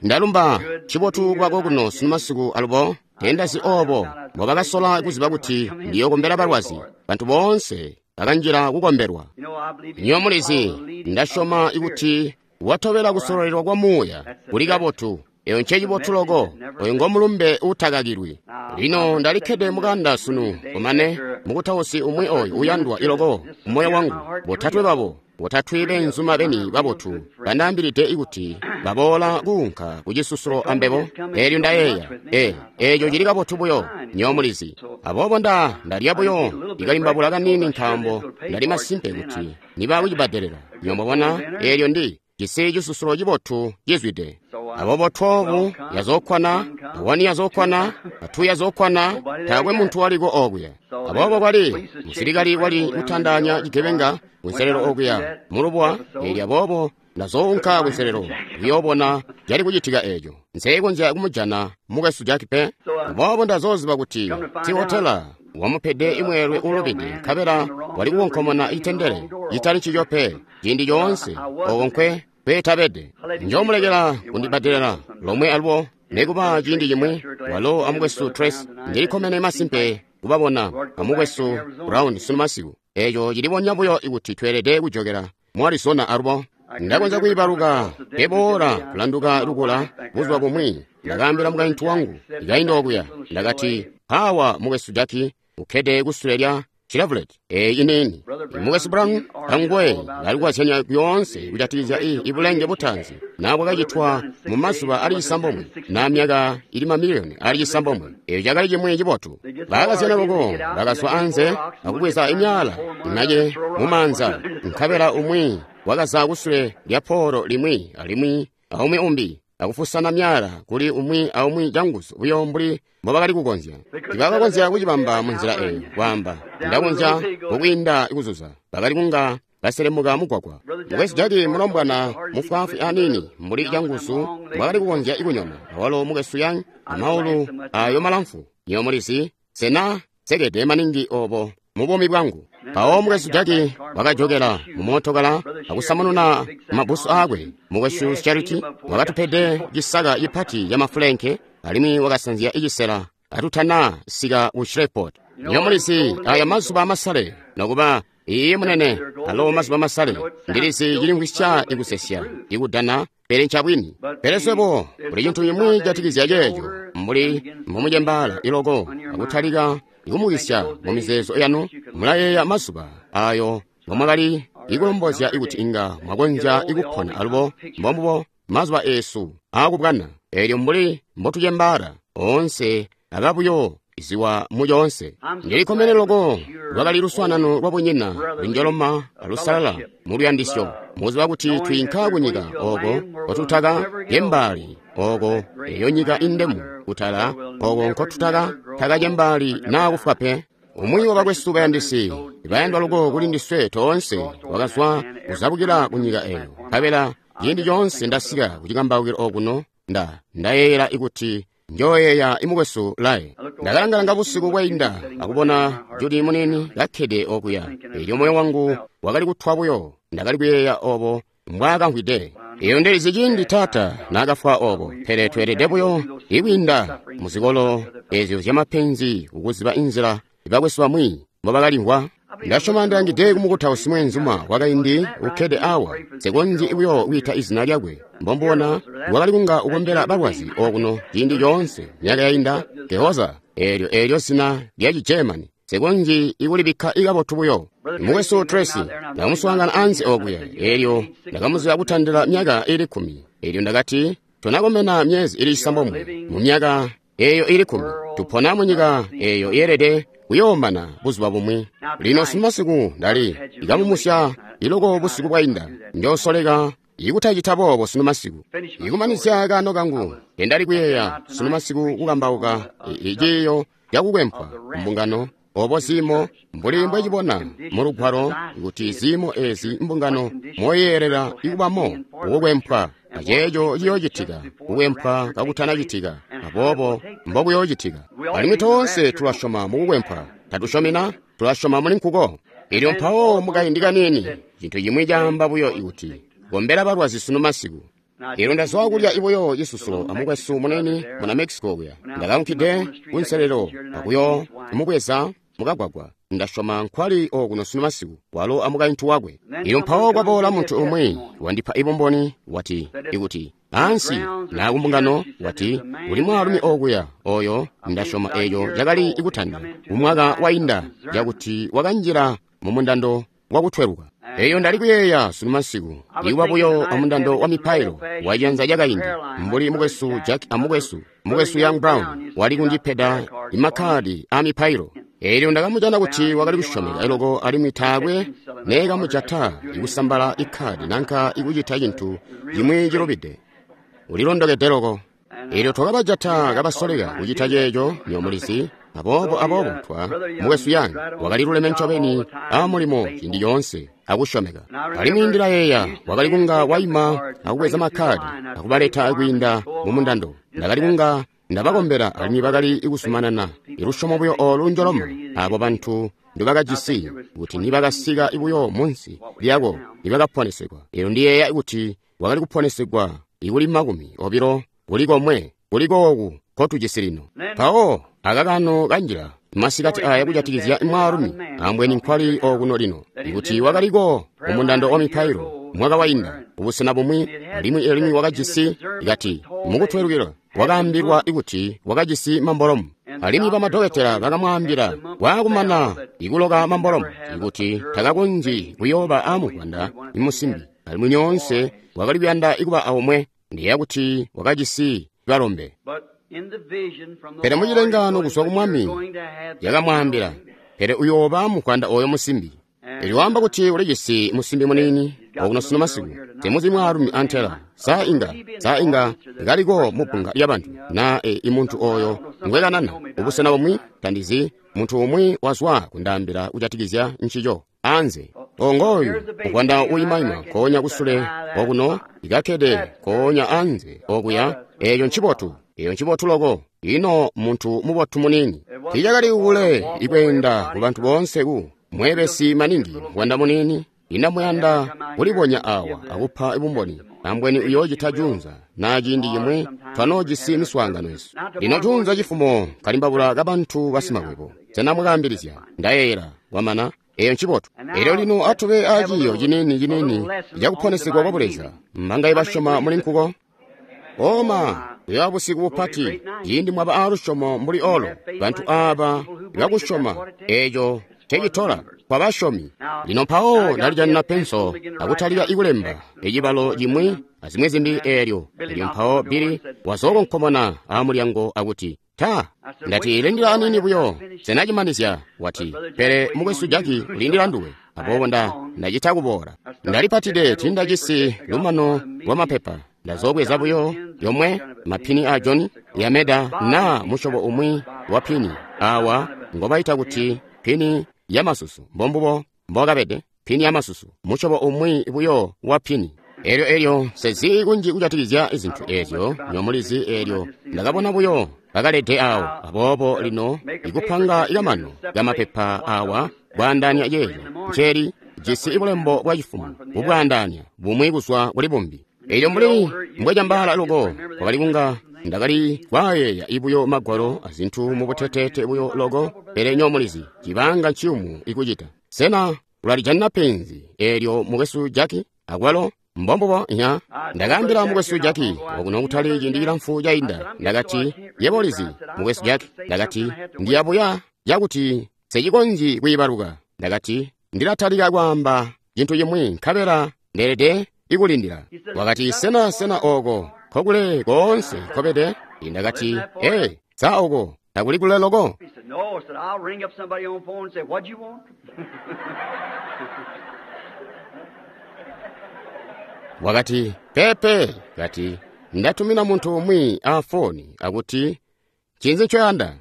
Ndalumba ncibotu kwako kuno sunumasiku alubo tendazi obo mbobakasola kuziba kuti ndiyokombela balwazi. Bantu boonse bakanjila kukombelwa. Nyo mulizi, ndasyoma kuti watobela kusololelwa kwa Muuya kuli kabotu. Eyo ncecibotu loko. Oyo ngo mulumbe uutakakilwi. Lino ndalikkede mukanda sunu kumane mukutausi umwi oyu uyandwa iloko mumoyo wangu. Botatwe babo, botatwe beenzuma beni babotu bandaambilide kuti baboola kuunka kucisusulo ambebo. Eelyo ndayeeya, eeco cili kabotu buyo, nyo mulizi. Aboobo ndalya buyo ikalimbabula kaniini nkaambo ndali masimpe kuti niba kucibbadelela. Nyo mwabona, eelyo ndi jisi cisusulo cibotu cizwide. Aboobo 12 yazookwana, 1 yazookwana, 2 yazookwana, taakwe muntu waliko okuya. Aboobo kwali musilikali wali kutandanya cigebenga kunselelo okuya mulubuwa, eelyo aboobo ndazounka kunselelo kuyoobona cali kucitika eeco. Nseekonzya kumujana mukwesu Jack pe. Aboobo ndazooziba kuti sihotela wamupede imweelwe uulubide, nkabela wali kukonkomona itendele citali ncico pe ciindi coonse oko nkwe kweetabede. Njoomulekela kundibbadelela lomwe alubo nikuba ciindi cimwi. Walo amukwesu Tracy ndilikkomene masimpe kubabona amukwesu Brown sunu masiku. Eeco cilibonya buyo kuti tweelede kujokela mu Arizona alubo. Ndakonzya kwiibaluka keboola kulanduka lukula buzuba bumwi. Ndakaambila mukaintu wangu ikainda okuya, ndakati, "Mpaawa mukwesu Jack ukkede kusule lya Chevrolet eeyi iniini." Mukwesu Brown anguwe balikwazyanya lyoonse kujatikizya ibulenge butaanzi naa bwakacitwa mu mazuba ali cisambomwe naa myaka ili mamiliyoni ali cisambomwe. Eeco cakali cimwi cibotu. Bakazyana loko, bakazwa anze akubweza imyaala imace mumaanza, nkabela umwi wakaza kusule lya poolo limwi alimwi aumwi umbi akufusana myaala kuli umwi aumwi canguzu buyo mbuli mbobakali kukonzya. Tibakakonzya kucibamba munzila eyo, kwaamba, ndakonzya kukwiinda kuzuza. Bakali kunga baselemuka mugwagwa. Mukwesu Jack mulombwana mufwaafwi aniini mbuli canguzu mbwakali kukonzya kunyona, awalo mukwesu Young amaulu ayo malamfu. Nyo mulizi, sena sekede maningi obo mu buumi bwangu. Mpawo mukwesu Jack wakajokela mu mootokala akusamununa mabbusu aakwe. Mukwesu Charity wakatupede cisaka cipati ca mafulenke alimwi wakasanzya icisela atutana sika ku Shreveport. Nyo mulizi, aya mazuba amasale, nokuba iiyi munene, alo mazuba amasale, ndilizi cilimvwisya ikusesya, ikudana, pele ncabwini. Pele swebo, kuli cintu cimwi catikizya ceeco, mbuli mbumucembaala iloko akutalika ikumukisya mu mizeezo yanu, mulayeeya mazuba ayo ngomwakali ikulombozya kuti inga mwakonzya ikupona alubo. Mbombubo mazuba eesu aakubwana, eelyo mbuli mbotucembaala, oonse aba buyo iziwa mu coonse. Ndilikkomene loko lwakali luswaanano lwabunyina lunjoloma alusalala mu luyandisyo, mukuziba kuti twiinka kunyika oko nkotutaka cembaali, oko eyo nyika indemu kutala oko nkotutaka taka cembaali naa kufwa pe. Umwi wabakwesu bayandisi bayandwa loko kuli ndiswe toonse wakazwa kuzabukila kunyika eyo, nkabela ciindi coonse ndasika kucikambaukilo okuno ndayeeyela kuti njooyeeya imukwesu Lae. Ndakalangalanga busiku bwainda akubona Judy muniini kakkede okuya. Eelyo moyo wangu wakali kutwa buyo. Ndakali kuyeeya obo mbwaakamvwide. Eyo ndilizi ciindi taata naakafwa obo, pele tweelede buyo ikwiinda muzikolo ezyo zyamapenzi kukuziba inzila bakwesu bamwi mbobakalimvwa. Ndasyoma ndilangide kumukutausi mweenzuma wakaindi ukkede awa, nsekonzyi buyo kwiita izina lyakwe. Mbombubona wakali kunga ukombela balwazi okuno ciindi coonse myaka yainda. Gehoza, eelyo zina lya cigermani, nsekonzyi ikulibikka ikabotu buyo. Mukwesu Tracy, ndakamuswaangana anze okuya, eelyo ndakamuziba kutandila myaka ili 10. Eelyo ndakati, tonakomena myezi ili 9 mu myaka eyo ili 10. Tupona munyika eyo yeelede kuyoomana buzuba bumwi. Lino sunumasiku ndali ikamumusya iloko busiku bwainda. Njoosoleka ikutacita boobo sunumasiku. Ikumanizya kaano kangu, ndali kuyeeya sunumasiku kukambauka iciiyo cakukwempwa mbungano obo ziimo mbuli mbwecibona mu lugwalo kuti ziimo ezi mbungano moyeelela ikubamo kukwempwa, aceeco ciyoocitika kukwempwa kakutanacitika, aboobo mbokuyoocitika. Alimwi toonse tulasyoma mukukwempwa, tatusyomina, tulasyoma muli nkuko. Elyo mpawo mukaindi kaniini, cintu cimwi caamba buyo kuti, kombela balwazi sunu masiku. Elyo ndazwa kulya ibuyo cisusulo amukwesu munene muna Mexico kuya. Ndakaunkide kunselelo akuyo mubweza mukagwagwa. Ndasyoma nkwali okuno sunu masiku, walo amukaintu wakwe. Elyo mpawo kwaboola muntu umwi wandipa ibumboni, wati ikuti ansi na kumbungano, wati uli mwaalumi okuya oyo ndasyoma eyo cakali ikutanda umwaka wainda cakuti wakanjila mu mundando wakutweluka. Eyo ndali kuyeeya sunu masiku ikuba buyo amundando wa mipailo waciyanza cakaindi, mbuli mukwesu Jack amukwesu mukwesu Young Brown wali kundipeda imakkadi a mipailo. Elyo ndakamujana kuti wakali kusyomeka loko alimwi taakwe neekamujata ikusambala ikkadi nanka ikucita cintu cimwi cilubide. Ulilondokede loko. Elyo twakabajata kabasoleka kucita ceeco, nyomulizi. Aboobo aboobo twa mukwesu Young wakali luleme ncobeni a mulimo ciindi coonse akusyomeka. Alimwi ndilayeeya wakali kunga waima akubweza makkadi akubaleta kwiinda mu mundando. Ndakali kunga ndabakombela alimwi bakali kuzumanana ilusyomo buyo olu njoloma abo bantu ndibakajisi kuti nibakasika buyo munsi lyako nibakaponesegwa. Elyo ndiyeeya kuti wakali kuponesegwa ikuli 20 kuli komwe kuli kooku kotujisi lino. Mpawo akakano kanjila masikati aya kujatikizya mwaalumi ambweni nkwali okuno lino, ikuti wakaliko mumundando wa mipailo mwaka wainda ubusena bumwi, alimwi alimwi wakajisi kati mukutwelukila wakaambilwa kuti wakajisi mambolomu, alimwi bamadokotela bakamwaambila waakumana ikuloka mambolomu ikuti takakonzyi kuyooba amuvwanda imusimbi, alimwi nyoonse wakali kuyanda ikuba aomwe. Ndiyeeya kuti wakajisi balombe. Pele mucilengano kuzwa ku Mwami yakamwaambila, pele uyooba muvwanda oyo musimbi. Elyo waamba kuti ulijisi musimbi muniini okuno sunu masiku, temuzi mwaalumi antela. Sa inga kaliko mubbunga lyabantu na imuntu oyo ngwekanana ubusena bumwi, tandizi muntu umwi wazwa kundaambila kujatikizya ncico anze. Ongoyu muvwanda uyimaima nkoonya kusule okuno ikakkede nkoonya anze okuya. Eyo ncibotu, eyo ncibotu loko. Ino muntu mubotu muniini. Tiicakali kule ikweenda ku bantu boonse ku mwebesi maningi muvwanda muniini. Ina muyanda kulibonya awa akupa bumboni, ambweni uyoocita junza na ciindi cimwi twanoojisi miswaangano yesu. Lino junza cifumo kalimbabula kabantu basimakwebo. Sena mwakaambilizya? Ndayeeyela kwamana. Eyo ncibotu. Elyo lino atube aciiyo ciniini ciniini cakuponesegwa kwa Buleza. Mbangaye basyoma muli nkuko? Oma kuyoba busiku bupati ciindi mwaba aalusyomo mbuli olo. Bantu aaba bakusyoma eeco cecitola kwa basyomi. Lino mpawo ndalijanina penso akutalika ikulemba ecibalo cimwi azimwi zimbi eelyo. Elyo mpawo Billy wazookonkomona aamulyango akuti, ta, ndati lindila aniini buyo, sena cimanizya. Wati, pele mukwesu Jackie ulindila nduwe. Aboobo ndacita kuboola. Ndalipatide tindajisi lumano lwa mapepa. Ndazobweza buyo yomwe mapini a John yameda na musyobo umwi wa pini awa ngobaita kuti pini ya masusu. Mbombubo mbokabede pini ya masusu, musyobo umwi buyo wa pini. Elyo elyo sezi kunji kujatikizya izintu ezyo nyomulizi. Elyo ndakabona buyo bakalede awo. Aboobo lino ikupanga ikamano kamapepa awa bwaandaanya ceeco nceli jisi bulembo bwa cifumo bubwaandaanya bumwi kuzwa kuli bumbi. Elyo mbuli mbwecambaala loko kwakali kunga ndakali kwaayeeya ibuyo magwalo azintu mubuteteete buyo loko. Pele nyomulizi cibanga nciyumu ikucita. Sena ulalijanina penzi eelyo mukwesu Jackie? Akwalo mbombubo nya ndakaambila mukwesu Jackie okuno kutali ciindi cilamfu cainda. Ndakati, yebo ulizi mukwesu Jackie, ndakati ndiyabuya cakuti secikonzyi kwiibaluka. Ndakati ndilatalika kwaamba cintu cimwi nkabela ndeelede ikulindila. Wakati, sena sena oko nkokule koonse nkobede? Ndakati, ee, sa oko takuli kule loko? Wakati, pepe. Kati, ndatumina muntu umwi a foni akuti, ncinzi ncoyanda?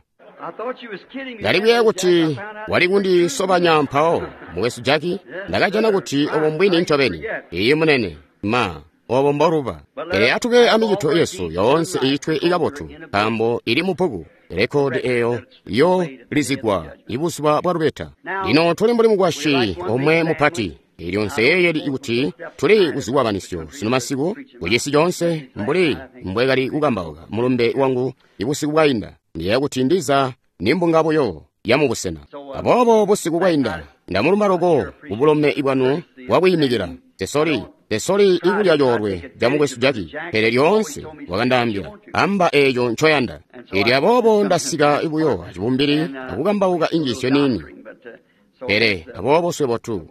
Ndali kuyeeya kuti wali kundisobanya mpawo, mukwesu Jackie. Ndakajana kuti obo mbwini ncobeni. Iyi munene, ma, obo mboluba. Pele atube amicito yesu yoonse iitwe ikabotu, nkaambo ili mu bbuku. Rekodi eyo yo lizigwa ibuzuba bwa lubeta. Lino tuli mbuli mukwasyi omwe mupati. Elyo nseyeeyeli kuti tuli kuzikwabanisyo sunu masiku kucisi coonse mbuli mbwekali kukambauka mulumbe wangu ibusiku bwainda. Ndiyeeya kuti ndiza nimbunga buyo ya mubusena. Aboobo busiku bwainda ndamulumba loko kubulome bwanu bwakwiimikila. Tesoli ikulya coolwe ca mukwesu Jackie, pele lyoonse wakandaambila, amba eeco ncoyanda. Elyo aboobo ndasika buyo acibumbili akukambauka injiisyo niini. Pele aboobo swebo tu,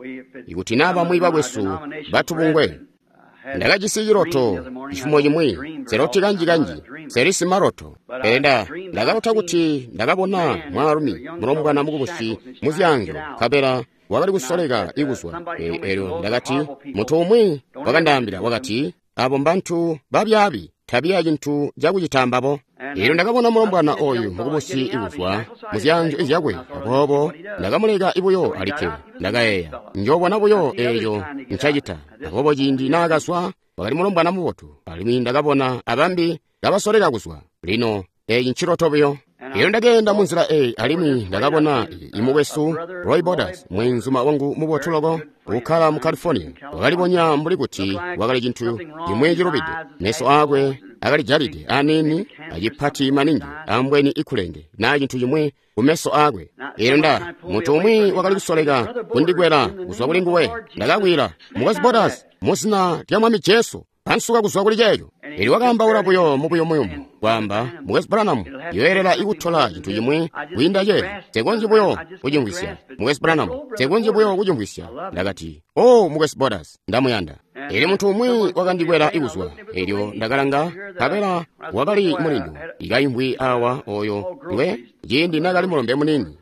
ikuti naa bamwi bakwesu batubungwe, ndakajisi ciloto cifumo cimwi, nseloti kanji-kanji, nseli simaloto. Pele ndakalota kuti ndakabona mwaalumi mulombwana mukubusi muzyaanzyo, nkabela wakali kusoleka ikuzwa. Elyo ndakati, muntu umwi wakandaambila wakati, abo mbantu babyaabi, tabiya cintu cakucita mbabo. Elyo ndakabona mulombwana oyu mukubusi ikuzwa muzyaanzyo zyakwe, aboobo ndakamuleka buyo alikke. Ndakayeeya, njoobona buyo eeco ncacita. Aboobo ciindi naakazwa, wakali mulombwana mubotu, alimwi ndakabona abambi kabasoleka kuzwa. Lino eeci nciloto buyo. Elyo ndakeenda munzila eyi, alimwi ndakabona imukwesu Roy Borders, mweenzuma wangu mubotu loko, ukkala mu California. Wakalibonya mbuli kuti wakali cintu cimwi cilubide. Meso aakwe akalijalide aniini, acipati maningi, ambweni ikulenge naa cintu cimwi kumeso aakwe. Elyo muntu umwi wakali kusoleka kundikwela kuzwa kuli nguwe. Ndakakwila, Mukwesu Borders, mu zina lya Mwami Jesu, pansuka kuzwa kuli ceeco. Elyo wakaambaula buyo mubuyumuyumu, kwaamba, Mukwesu Branham, yoyelela ikutola cintu cimwi kwiinda ceeco. Nsekonzyi buyo kucimvwisya. Mukwesu Branham, nsekonzyi buyo kucimvwisya. Ndakati, oh, Mukwesu Borders, ndamuyanda. Elyo muntu umwi wakandikwela ikuzwa. Elyo ndakalanga, nkabela wakali mulindu, ikaimvwi awa oyo ngwe, ciindi nakali mulombe muniini.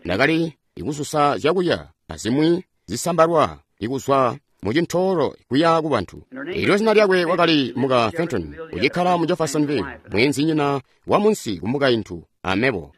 Ndakali ikususa zyakulya azimwi zisambalwa ikuzwa mucintoolo kuya ku bantu. Elyo zina lyakwe wakali muka Fenton, ucikkala mu Jeffersonville, mweenzinyina wa munsi kumukaintu amebo.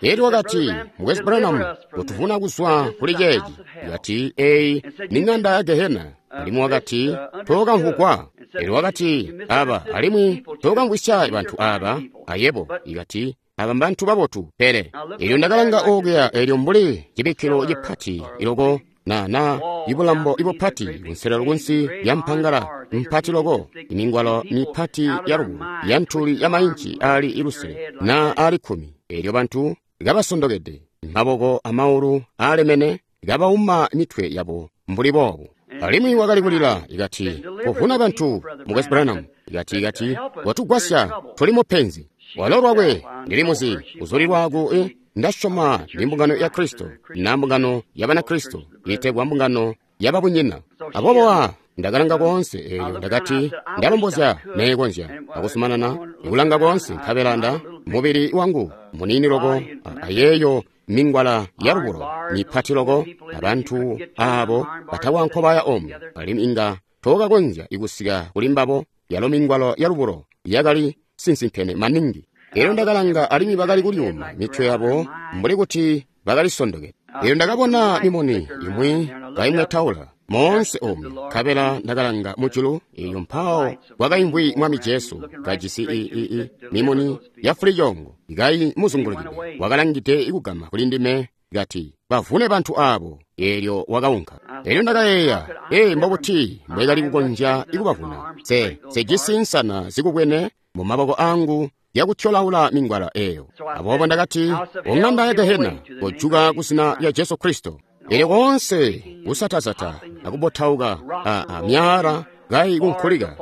Elyo wakati, Mukwesu Branham, utuvuna kuzwa kuli ceeci. Wakati, eyi ni ng'anda ya Gehena. Alimwi wakati, tookamvugwa. Elyo wakati, aba, alimwi tookamvwisya bantu aba, ayebo. Ikati, aba mbantu babotu, pele. Elyo ndakalanga okuya, elyo mbuli cibikkilo cipati iloko, na ibulambo ibupati kunselelo kunsi lya mpangala mpati loko, imingwalo mipati ya lubulo ya ntuli ya mainci ali ilusele na ali 10. Elyo bantu kabasondokede, maboko amaulu alemene, kabauma mitwe yabo mbuli boobu. Alimwi wakali kulila, ikati, kuvuna bantu, Mukwesu Branham, ikati, watugwasya, tuli mupenzi. Walo lwakwe, ndili muzi, kuzulilwa ku ndasyoma ndi mbungano ya Kristo, na mbungano ya Banakristo, itegwa mbungano ya babunyina. Aboobo ndakalanga koonse, elyo ndakati, ndalombozya neekonzya akusumanana ikulanga koonse, nkabela mubili wangu muniini loko, ayeeyo mingwala ya lubulo mipati loko, abantu aabo batawankobaya omwe, alimwi inga tookakonzya ikusika kuli mbabo. Yalo mingwalo ya lubulo yakali sinsimpene maningi. Elyo ndakalanga, alimwi bakali kulyuma mitwe yabo mbuli kuti bakalisondokede. Elyo ndakabona mimuni imwi kaimwetaula moonse omu, nkabela ndakalanga mujulu, elyo mpawo kwakaimvwi Mwami Jesu kajisi mimuni ya fulicoongo kaimuzungulukide. Wakalangide ikugama kuli ndime, kati, bavune bantu abo. Elyo wakaunka. Elyo ndakayeeya, mbobuti mbwekali kukonzya ikubavuna? Sejisi nsana zikubwene mu maboko angu yakutyolaula mingwala eyo. Aboobo ndakati, ong'anda ya Gehena, kojuka ku zina lya Jesu Kristo. Elyo koonse kusatasata akubotauka a myaala kaikunkulika,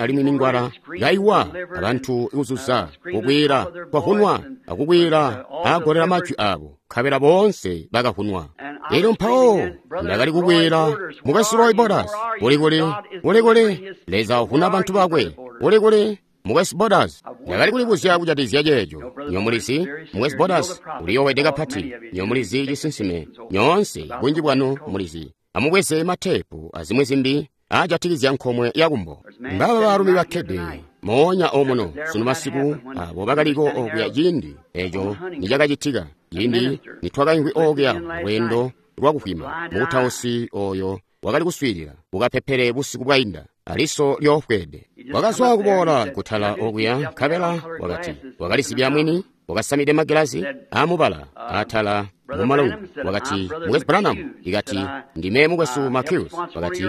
alimwi mingwala kaiwa, abantu ikuzuza, kukwila kwahunwa, akukwila agolera majwi abo, nkabela boonse bakahunwa. Elyo mpawo ndakali kukwila, Mukwesu Roy Borders, uli kuli, Leza uhuna bantu bakwe, uli kuli, Mukwesu Borders. Ndakali kulibuzya kujatikizya ceeco. Nyomulizi, Mukwesu Borders uliyoowede kapati. Nyomulizi cisinsime, nyoonse bunji bwanu mulizi. Amubweze matepu azimwi zimbi aajatikizya nkomwe yakumbo. Mbaba baalumi bakkede moonya omuno sunu masiku, abo bakaliko okuya ciindi eco nicakacitika, ciindi nitwakaimvwi okuya lweendo lwakuvwima. Mukutausi oyo wakali kuswiilila kukapepele busiku bwainda, aliso lyoofweede. Wakazwa kuboola kutala okuya, nkabela wakati wakalisibya mwini. wakasamide magilazi amubala atala mumalungu. Wakati, Mukwesu Branham, ikati, ndime Mukwesu McHughes. Wakati,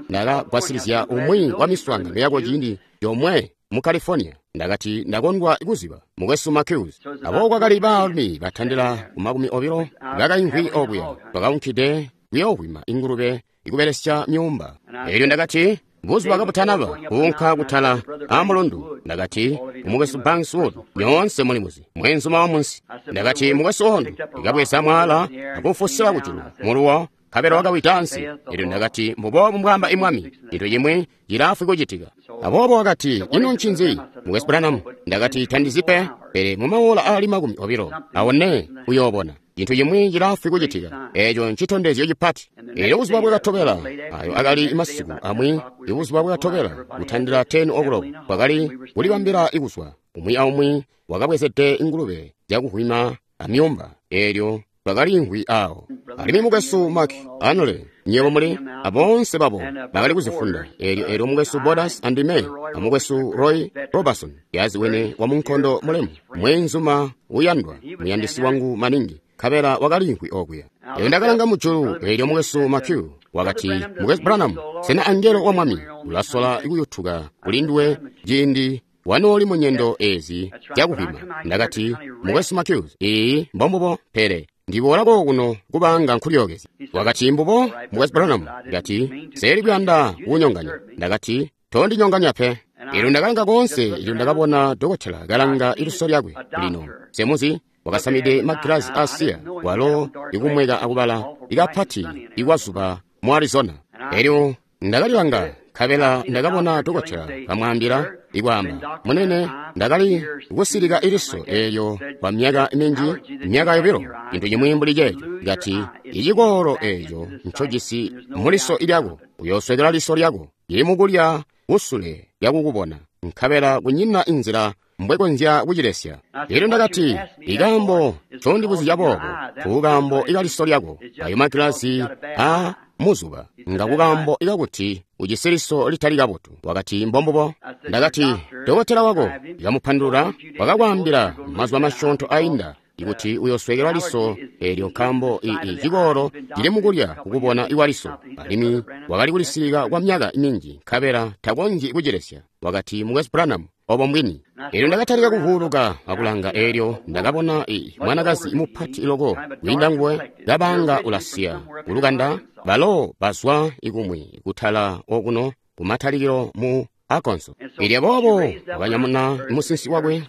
ndakagwasilizya umwi wa miswaangano yako ciindi yomwe mu California. Ndakati, ndakondwa kuziba Mukwesu McHughes. Abo kwakali baalumi batandila ku 20 bakaimvwi obuya, bakaunkide kuyoovwima ingulube ikubelesya myuumba. Elyo ndakati, buzuba kabutanaba kuunka kutala amulundu, ndakati, Mukwesu Banks Wood, nyoonse mulimuzi, mwenzuma wa munsi. Ndakati, Mukwesu Wood, ndikabweza mwala akufusila kujulu muluwo, nkabela wakawida ansi. Elyo ndakati, mbuboobu mbwaamba imwami, cintu cimwi cilaafwi kucitika. Aboobo wakati, ino ncinzi, Mukwesu Branham? Ndakati, tandizi pe, pele mumaola aali 24 awone uyoobona cintu cimwi cilaafwi kucitika. Eeco ncitondezyo cipati. Elyo buzuba bwakatobela, ayo akali masiku amwi, ibuzuba bwakatobela kutandila 10 o'clock, kwakali kulibambila ikuzwa. Umwi aumwi wakabwezede ingulube zyakuvwima amyuumba. Elyo twakaliimvwi awo. Alimwi Mukwesu Mark Anole, nywebo muli aboonse babo bakali kuzifunda. Elyo Mukwesu Borders andime, amukwesu Roy Robertson, yaziwene wa munkondo mulemu, mwenzuma uyandwa, muyandisi wangu maningi, nkabela wakaliimvwi okuya. Elyo ndakalanga mujulu, elyo Mukwesu McHugh wakati, Mukwesu Branham, sena angelo wa Mwami ulasola kuyutuka kuli nduwe ciindi wanooli mu nyendo ezi zyakuvwima? Ndakati, Mukwesu McHugh, iyi mbombubo, pele ndiboola kokuno kubanga nkulyookezya. Wakati, mbubo, Mukwesu Branham. Ndakati, seeli kuyanda kukunyonganya. Ndakati, tondinyonganya pe. Elyo ndakalanga koonse, elyo ndakabona dokotela kalanga iliso lyakwe. Lino semuzi wakasamide magilazi asiya, walo ikumweka akubala ikapati ikwazuba mu Arizona. Elyo ndakalilanga, nkabela ndakabona dokotela kamwaambila ikwaamba, munene, ndakali kusilika iliso eelyo kwa myaka minji, myaka 2, cintu cimwi mbuli ceeco. Kati, icikoolo eeco ncojisi muliso lyako, uyooswekela liso lyako, lili mukulya kusule lyakukubona, nkabela kunyina inzila mbwekonzya kucilesya. Elyo ndakati, ikaambo ncondibuzya boobo, kukaambo ikaliso lyako, ayo magilazi a muzuba, ngakukaambo ikakuti ujisi liso litali kabotu. Wakati, mbombubo. Ndakati, dokotela wako ikamupandulula wakakwaambila mazuba masyoonto ainda ikuti uyoswekelwa liso eelyo nkaambo cikolo cili mukulya kukubona ikwa liso, alimwi wakali kulisilika kwa myaka minji nkabela takonzyi kucilesya. Wakati, Mukwesu Branham, obo mbwini. Elyo ndakatalika kuvuuluka akulanga, eelyo ndakabona mwanakazi mupati loko kwiinda nguwe, kabanga ulasiya kulukanda. Balo bazwa ikumwi kutala okuno kumatalikilo mu Arkansas. Elyo boobo wakanyamuna musinsi wakwe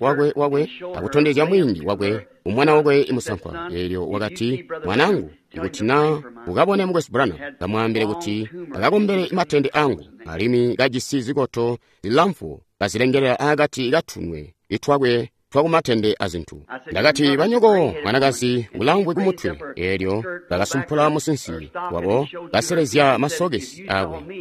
akutondezya mwingi wakwe umwana wakwe musankwa. Elyo wakati, mwanangu, ikuti na ukabone Mukwesu Branham, kamwaambile kuti akakombele matende angu, alimwi kajisi zikoto zilamfu kazilengelela akati katunwe itwakwe twakumatende azintu. Ndakati, banyoko mwanakazi ulamvwe kumutwe. Elyo bakasumpula musinsi wabo, baselezya masokesi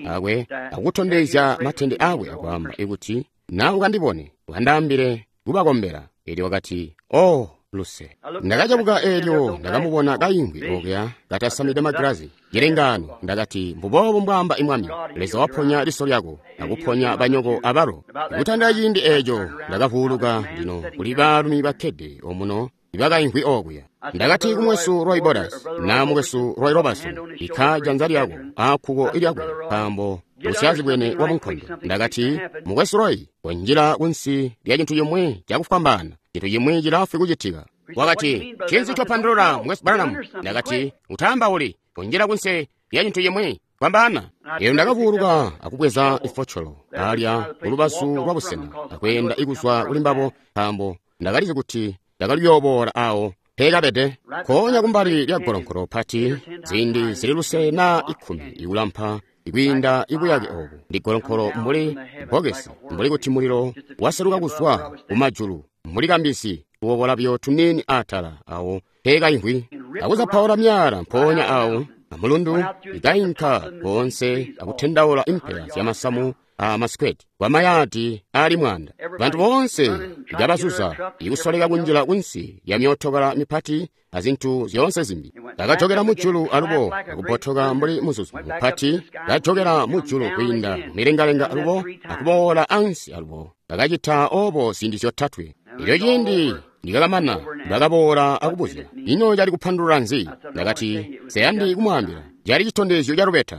akwe akutondezya matende akwe akwaamba ikuti na ukandibone ukandaambile kubakombela. Elyo wakati, oh luse. Ndakacabuka eelyo ndakamubona kaimvwi okuya katasamide magilazi cilengaano. Ndakati, mbuboobu mbwaamba imwami, Leza waponya liso lyako akuponya banyoko abalo. Kutandila ciindi eeco ndakavuuluka lino kuli baalumi bakkede omuno ibakaimvwi okuya. Ndakati kumwesu Roy Borders na mukwesu Roy Robertson, bikka janza lyako akkuko lyakwe nkaambo usyazibwene wa munkondo. Ndakati, mukwesu Roy, wanjila kunsi lya cintu cimwi cakufwambaana, cintu cimwi cilaafwi kucitika. Wakati, ncinzi ncopandulula, Mukwesu Branham? Ndakati, utaambauli, kunjila kunsi lya cintu cimwi, fwambaana. Elyo ndakavuuluka akubweza ifocolo alya kulubazu lwa busena akweenda ikuzwa kuli mbabo, nkaambo ndakalizi kuti ndakali kuyooboola awo peekabede. Nkoonya kumbali lya golonkolo pati, ziindi zili lusele na 10 ikulampa ikwiinda ibuyake obu, ndi golonkolo mbuli bbokesi, mbuli kuti mulilo waseluka kuzwa kumajulu, mbuli kambisi kuwobola buyo tuniini atala awo peekaimvwi, akuzapaula myala mpoonya awo amulundu, ikainka koonse akutendaula impela zyamasamu a masikweti kwa mayaadi ali 100. Bantu boonse ikabazuza ikusoleka kunjila kunsi ya myootokala mipati azintu zyoonse zimbi. Bakajokela mujulu alubo akubotoka mbuli muzuzu mupati, kajokela mujulu kwiinda milengalenga alubo akuboola ansi alubo. Bakacita obo ziindi zyotatwe. Elyo ciindi Ndikakamana bakaboola akubuzya, ino cali kupandulula nzi? Ndakati, nseyandi kumwaambila. Cali citondezyo ca lubeta.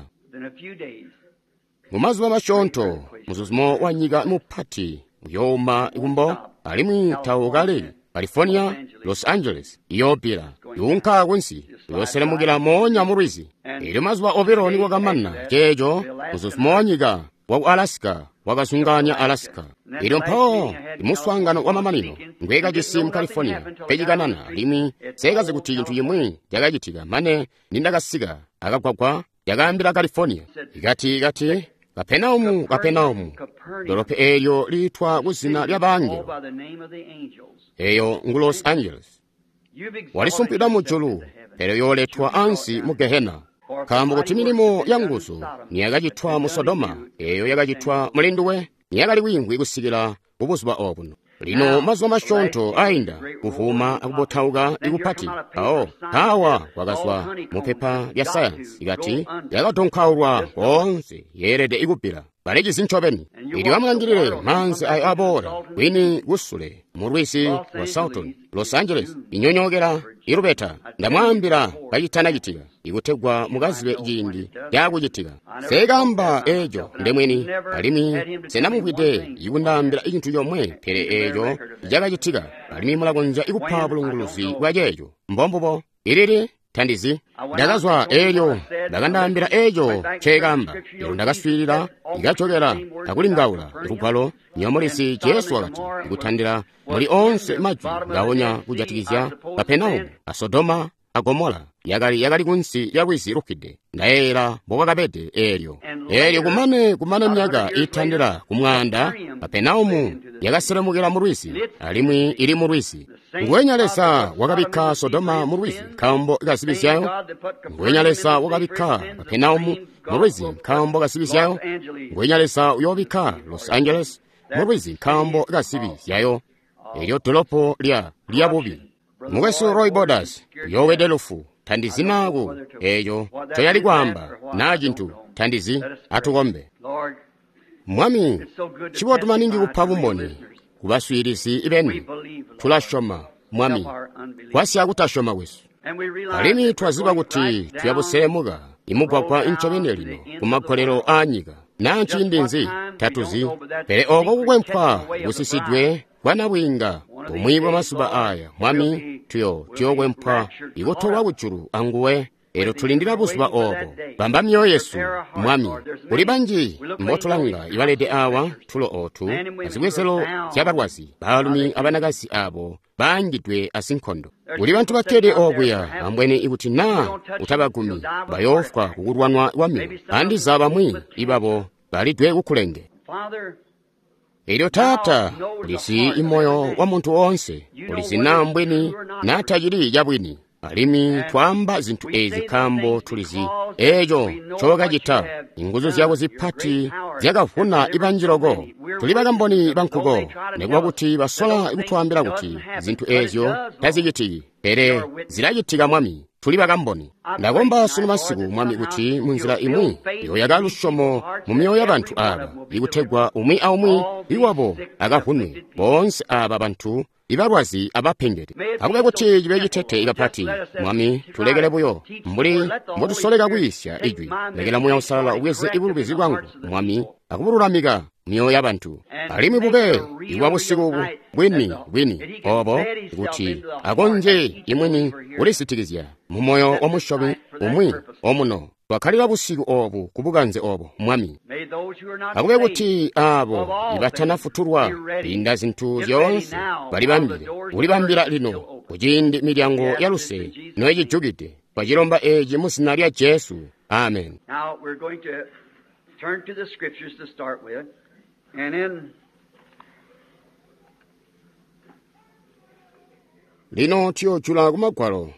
Mumazuba masyoonto, muzuzumo wa nyika mupati uyooma kumbo, alimwi taukaleki. California, Los Angeles iyoobbila, yuunka kunsi, uyooselemukila moonya mu lwizi. Elyo mazuba obilo nikwakamana ceeco, muzuzumo wa nyika waku Alaska wakazungaanya Alaska. Elyo mpawo imuswaangano wa mamanino ngwekajisi mu California pecikanana, alimwi seekazi kuti cintu cimwi cakacitika mane nindakasika akagwagwa yakaambila California. Ikati, Kapenaumu, Kapenaumu, dolopo eelyo liitwa kuzina lya bangelo, eyo ngu Los Angeles, walisumpwida mujulu, pele yooletwa ansi mu Gehena. Nkaambo kuti milimo ya nguzu niyakacitwa mu Sodoma, eyo yakacitwa muli nduwe, niyakali kwiimvwi kusikila kubuzuba obuno. Lino mazuba masyoonto ainda, kuvuma akubotauka ikupati, mpawo mpaawa kwakazwa mupepa lya sayansi ikati yakadonkaulwa koonse yeelede ikubbila. Balecizi ncobeni. Elyo amulangilile maanzi ayo aboola kwini kusule mu lwizi lwa Salton, Los Angeles, inyonyookela ilubeta. Ndamwaambila kacitanacitika, ikutegwa mukazibe ciindi caakucitika. Seekaamba eeco ndemwini, alimwi senamumvwide ikundaambila cintu comwe pele eeco cakacitika, alimwi mulakonzya ikupa bulunguluzi bwa ceeco. Mbombubo. Ilili tandizi. Ndakazwa eelyo bakandaambila eeco nceekaamba. Elyo ndakaswiilila, ikajokela akulingaula lugwalo. Nyomulisi Jesu wakati, ikutandila muli onse majwi ngaonya kujatikizya Kapenaumu a Sodoma a Gomola yakali kunsi lya lwizi lufwide. Ndayeeyela mbokwakabede eelyo. Eelyo kumane myaka iitandila ku 100, Kapenaumu yakaselemukila mu lwizi, alimwi ili mu lwizi. Nguwenya Leza wakabikka Sodoma mu lwizi nkaambo ka zibi zyayo. Nguwenya Leza wakabikka Kapenaumu mu lwizi nkaambo ka zibi zyayo. Nguwenya Leza uyoobikka Los Angeles mu lwizi nkaambo ka zibi zyayo. Elyo dolopo lya bubi. Mukwesu Roy Borders uyoowede lufu. Tandizi naaku eeco ncoyali kwaamba naa cintu tandizi. Atukombe. Mwami, ncibotu maningi kupa bumboni kubaswiilizi beni. Tulasyoma, Mwami, gwasya kutasyoma kwesu. Alimwi twaziba kuti tuyabuselemuka imugwagwa ncobeni lino kumagolelo aanyika. Naa nciindi nzi tatuzi, pele oko kukwempwa kusisidwe kwa nabwiinga bumwi bwa mazuba aya, Mwami, tuyokwempwa ikutolwa kujulu anguwe. Elyo tulindila buzuba obo. Bamba myoyo yesu, Mwami. Kuli banji mbotulanga ibalede awa tulo otu azibwezelo zyabalwazi, baalumi abanakazi abo baangidwe asinkondo. Kuli bantu bakkede okuya ambweni ikuti naa utabagumi bayoofwa kukulwanwa kwamyoyo. Andiza bamwi ibabo balidwe kukulenge. Elyo Taata, ulizi imoyo wa muntu woonse, ulizi naa mbwini naa tacili cabwini. Alimwi twaamba zintu ezi nkaambo tulizi eeco ncookacita. Inguzu zyako zipati zyakavuna ibanji loko. Tuli bakamboni bankuko, nikuba kuti basola kutwaambila kuti zintu eezyo tazicitiki, pele zilacitika, Mwami. Tuli bakamboni. Ndakomba sunu masiku, Mwami, kuti munzila imwi yoyaka lusyomo mu myoyo ya bantu aaba, ikutegwa umwi aumwi iwabo akavunwe, boonse aaba bantu ibalwazi abapengede. Akube kuti cibe citete kapati, Mwami, tulekele buyo mbuli mbotusoleka kwiisya Ijwi. Lekela Muuya Uusalala ubweze ibulubizi bwangu, Mwami, akubululamika myoyo ya bantu. Alimwi bube ibwa busiku obu bwini bwini obo kuti akonzye imwini kulisitikizya mu moyo wa musyomi umwi omuno. Twakkalila busiku obu ku bukanze obo, Mwami. Akube kuti aabo ibatanafutulwa kwiinda zintu zyoonse balibambile, kulibambila lino kuciindi milyango ya luse noyicijukide. Twacilomba eeci mu zina lya Jesu. Amen. Now we're going to turn to the scriptures to start with, and in Lino tuyojula ku magwalo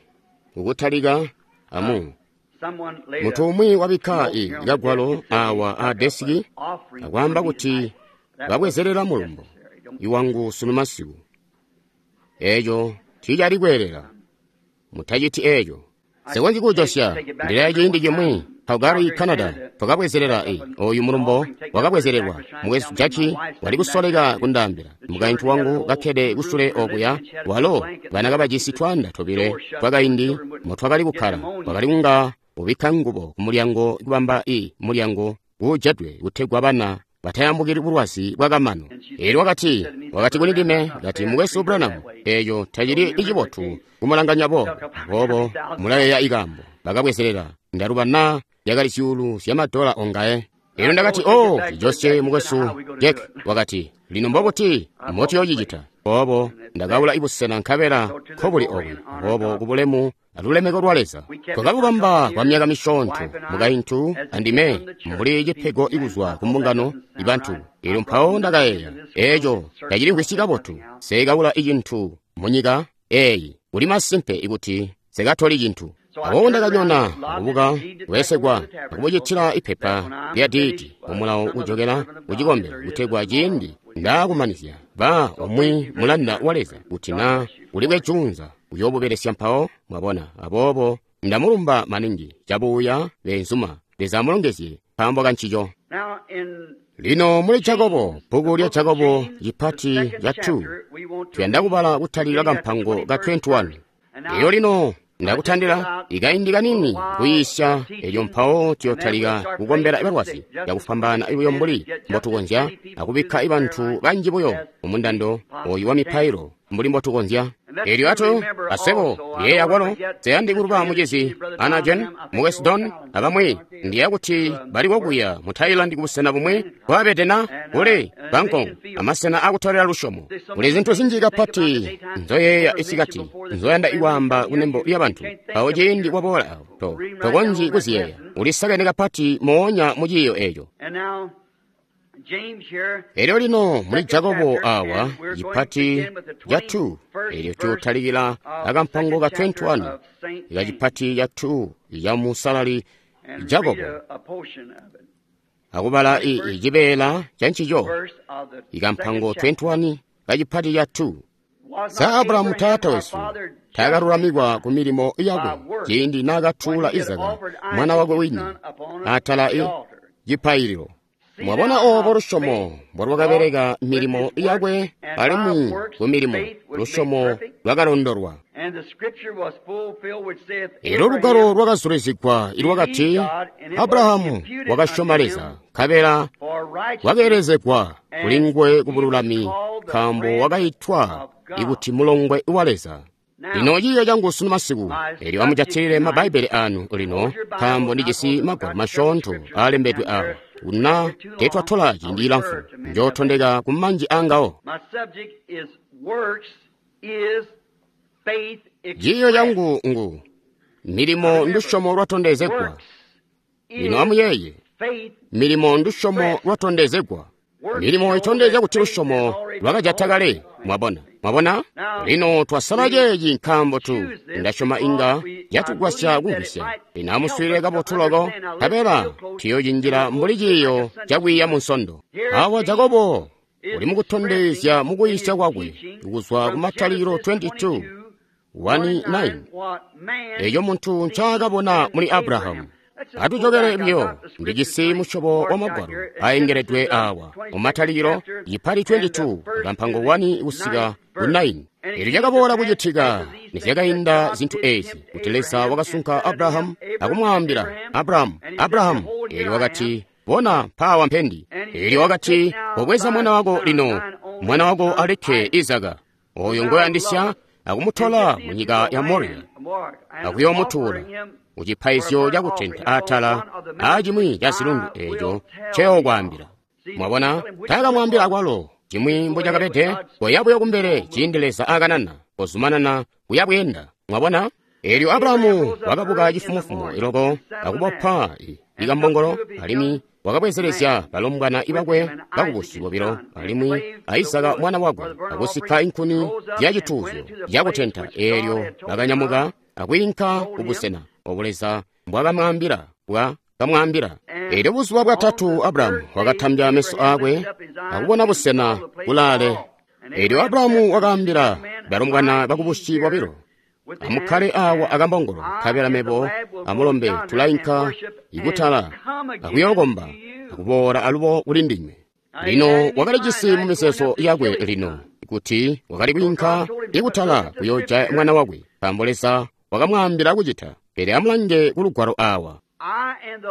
kukutalika amu. someone laid Munthu a umwe wabikka note i here on the kagwalo desk and said awa he a took up desiki an offering akwaamba for me kuti tonight. That babwezerera wasn't mulumbo necessary. Don't iwangu sunu masiku. Eeco tiicali kweelela. Mutaciti eeco. Nse konzyi kuujosya. Ndileya ciindi cimwi, Calgary, Canada, twakabwezelela oyu mulumbo wakabwezelelwa. Mukwesu Jackie wali kusoleka kundaambila. Mukaintu wangu kakkede kusule okuya, walo bana kabajisi twaanda tobile twakaindi motwakali kukkala, wakali kunga ubikka ngubo ku mulyango kubamba mulyango uujedwe kutegwa bana batayambukili bulwazi bwakamano. Elyo wakati kuli ndime, kati, Mukwesu Branham, eeco tacili icibotu kumulanganya boobo. Aboobo mulayeeya ikaambo bakabwezelela, ndaluba naa yakali zyuulu zyamadola ongaye. Elyo ndakati, oh, cijosye Mukwesu Jack. Wakati, lino mbobuti mbotuyoocicita? Aboobo ndakaula ibusena nkabela nkobuli obu. Aboobo kubulemu alulemeko lwa Leza twakabubamba kwa myaka misyoonto, mukaintu andime, mbuli cipego ikuzwa ku mbungano ibantu. Elyo mpawo ndakayeeya, eeco tacilimvwisyi kabotu. Nse kaula icintu munyika eeyi, kuli masimpe ikuti nsekatoli cintu. Aboobo ndakanyona akubuka kubesekwa akubucitila ipepa lya diidi mumulawo kujokela kucikombelo, kutegwa ciindi ndaakumanizya ba umwi mulanda wa Leza kuti naa kulikwe juunza uyoobubelesya mpawo, mwabona. Aboobo ndamulumba maningi cabuuya beenzuma. Leza amulongezye nkaambo kancico. Lino muli Jakobo, bbuku lya Jakobo cipati ca 2, tuyanda kubala kutalika kampango ka 21. Elyo lino ndakutandila ikaindi kanini kuyiisya, elyo mpawo tuyotalika kukombela balwazi cakufwambaana buyo mbuli mbotukonzya, akubikka bantu banji buyo mumundando oyu wa mipailo mbuli mbotukonzya. Elyo ato asebo yeeya kwalo nseyandi kuluba mucizi Ana Jen, Mukwesu Don, abamwi. Ndiya kuti bali kokuya mu Thailand kubusena bumwi kwabede na kuli Bangkok amasena akutolela lusyomo. Kuli zintu zinji kapati nzoyeeya isikati nzoyanda ikwaamba kunembo lya bantu, mpawo ciindi kwaboola awo tokonzyi kuziyeeya, ulisakene kapati moonya mu ciiyo eeco. Elyo lino muli Jakobo awa cipati ca 2, elyo tuyotalikila akampango ka 21 kacipati ca 2 ca musalali Jakobo, akubala cibeela ca ncico, ikampango 21 kacipati ca 2. Sa Abrahamu taata wesu taakalulamikwa ku milimo yakwe ciindi naakatuula Izaka mwana wakwe wini atala cipaililo? Mwabona oobo lusyomo mbolwakabeleka milimo yakwe, alimwi ku milimo lusyomo lwakalondolwa. Elyo lugwalo lwakazulizigwa ilwakati, Abrahamu wakasyoma Leza, nkabela wakeelezegwa kuli nguwe kubululami, nkaambo wakaitwa ikuti mulongwe wa Leza. Lino ciiyo cangu sunu masiku, elyo amujatilile mabbaibele anu lino, nkaambo ndijisi magwalo masyoonto aalembedwe awa. Kuna teetwatola ciindi cilamfu, njootondeka ku manji angawo. Ciiyo cangu ngu milimo ndusyomo lwatondezegwa. Lino amuyeeye, milimo ndusyomo lwatondezegwa. Milimo itondezya kuti lusyomo lwakajata kale. Mwabona, mwabona? Lino twasala ceeci nkaambo tu ndasyoma inga yatugwasya kumvwisya. Lino amuswiilile kabotu loko, nkabela tuyocinjila mbuli ciiyo cakwiiya mu Nsondo. Awa Jakobo uli mukutondezya mukuyisya kwakwe kuzwa ku Matalikilo 22:1-9, eco muntu ncaakabona muli Abrahamu. Atujokele biyo, ndijisi musyobo wa magwalo aengeledwe awa mu Matalikilo cipati 22 kampango 1 kusika ku 9. Elyo cakaboola kucitika nizyakainda zintu eezi kuti Leza wakasunka Abrahamu akumwaambila, Abrahamu, Abrahamu. Elyo wakati, bona mpaawa mpendi. Elyo wakati, kobweza mwana wako lino, mwana wako alikke Izaka, oyo ngoyandisya, akumutola mu nyika ya Moriya, akuyoomutuula kucipaizyo cakutenta atala aacimwi ca zilundu eeco nceyookwaambila. Mwabona, taakamwaambila akwalo cimwi mbocakabede. Koya buyo kumbele ciindi Leza akanana, kozumanana kuya bweenda. Mwabona? Elyo Abrahamu wakabuka cifumofumo iloko akubopa ikambongolo, alimwi wakabwezelezya balombwana ibakwe bakubusi bobilo, alimwi a Izaka mwana wakwe, akusika inkuni zyacituuzyo cakutenta. Eelyo bakanyamuka akwiinka kubusena obo Leza mbwakamwaambila bwakamwaambila. Eelyo buzuba bwatatu Abrahamu wakatambya meso aakwe akubona busena kulaale. Eelyo Abrahamu wakaambila balombwana bakubusi bobilo, Amukkale awa akambongolo, nkabela mebo amulombe tulainka ikutala akuyookomba akuboola alubo kuli ndinywe. Lino wakalijisi mu mizeezo yakwe lino kuti wakali kwiinka ikutala kuyoojaya mwana wakwe, nkaambo Leza wakamwaambila kucita. Pele amulange ku lugwalo awa.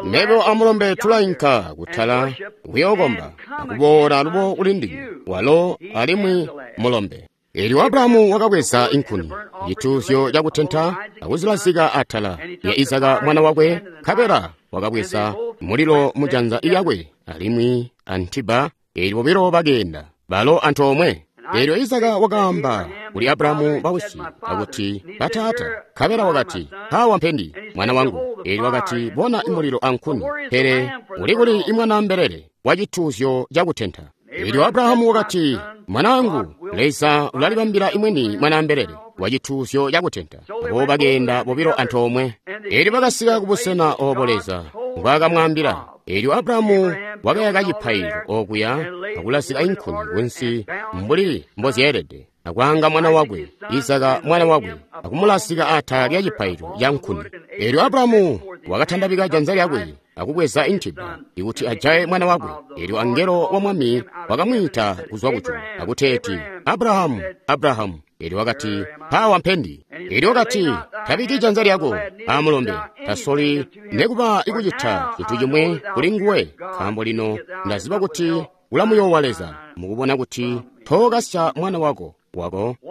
Mebo amulombe tulainka kutala kuyookomba akuboola alubo kuli ndinywe, walo alimwi mulombe. Eelyo Abrahamu wakabweza inkuni, cituuzyo cakutenta, akuzilazika atala lya Izaka mwana wakwe, nkabela wakabweza mulilo mujanza lyakwe alimwi antiba. Eelyo bobilo bakeenda balo antoomwe. Eelyo Izaka wakaamba kuli Abrahamu bawisi akuti, Bataata. Nkabela wakati, Mpawa mpendi, mwana wangu. Eelyo wakati, Bona mulilo ankuni, pele uli kuli imwana mbelele wa cituuzyo cakutenta? Eelyo Abrahamu wakati, Mwanaangu, Leza ulalibambila imweni mwana mbelele wa cituuzyo cakutenta. Abo bakeenda bobilo antoomwe. Eelyo bakasika kubusena obo Leza mbwaakamwaambila. Eelyo Abrahamu wakayaka cipaililo okuya akulazika inkuni kunsi mbuli mbozyeelede, akwaanga mwana wakwe Izaka mwana wakwe, akumulazika atala lya cipaililo ca nkuni. Eelyo Abrahamu wakatandabika janza lyakwe akubweza intiba ikuti ajaye mwana wakwe. Eelyo angelo wa Mwami wakamwiita kuzwa kujulu akuteeti, Abrahamu, Abrahamu. Eelyo wakati, Mpawa mpendi. Eelyo wakati, Tabiki janza lyako amulombe, tasoli nekuba ikucita cintu chimwe kuli nguwe, nkaambo lino ndaziba kuti ulamuyoowa Leza, mukubona kuti tookasya mwana wako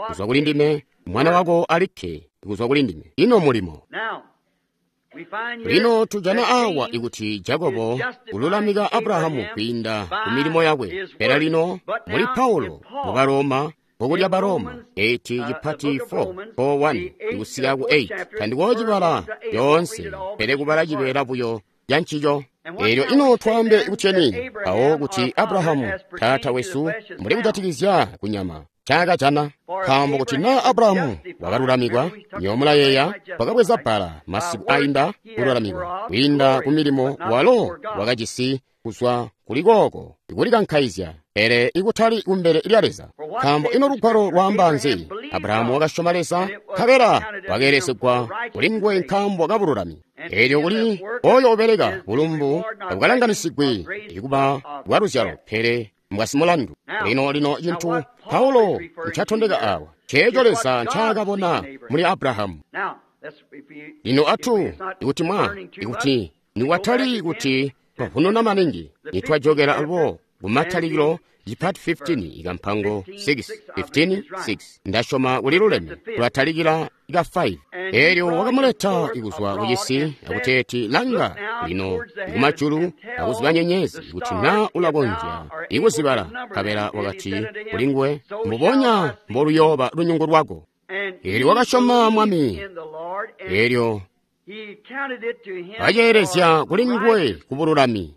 kuzwa kuli ndime, mwana wako alikke kuzwa kuli ndime. Ino mulimo. Lino tujana awa ikuti Jakobo ululamika Abrahamu kwiinda ku milimo yakwe. Pele lino muli Paulo mu Baroma, bbuku lya Baroma 8 cipati 4 4:1 ikusika ku 8. Tandikoocibala lyoonse, pele kubala cibeela buyo ca ncico. Eelyo ino twaambe kutyeni mpawo kuti Abrahamu taata wesu mbuli kujatikizya kunyama ncaakajana? Nkaambo kuti naa Abrahamu wakalulamikwa, nywebo mulayeeya, wakabweza bbala masiku ainda kululamikwa kwiinda ku milimo walo wakajisi kuzwa kuli kooko ikulikankaizya, pele ikutali kumbele lya Leza. Nkaambo ino lugwalo lwaamba nzi? Abrahamu wakasyoma Leza, nkabela wakeelesegwa kuli nguwe nkaambo kabululami. Eelyo kuli oyo ubeleka bulumbu tabukalanganisigwi ikuba bwa luzyalo, pele mbwasimulandu. Lino lino cintu Paulo ncatondeka awa ceeco Leza ncaakabona muli Abrahamu. Lino atu ikuti mwa ikuti niwatali kuti twavununa maningi, nitwajokela alubo kumatalikilo cipati 15 ikampango 6 15 6 ndasyoma kuli luleme tulatalikila ika 5. Eelyo wakamuleta ikuzwa kucisi akuteeti, Langa lino ikumajulu akuziba nyenyezi kuti naa ulakonzya ikuzibala. Nkabela wakati kuli nguwe, Mbubonya mboluyooba lunyungu lwako. Eelyo wakasyoma Mwami, eelyo waceelezya kuli nguwe kubululami.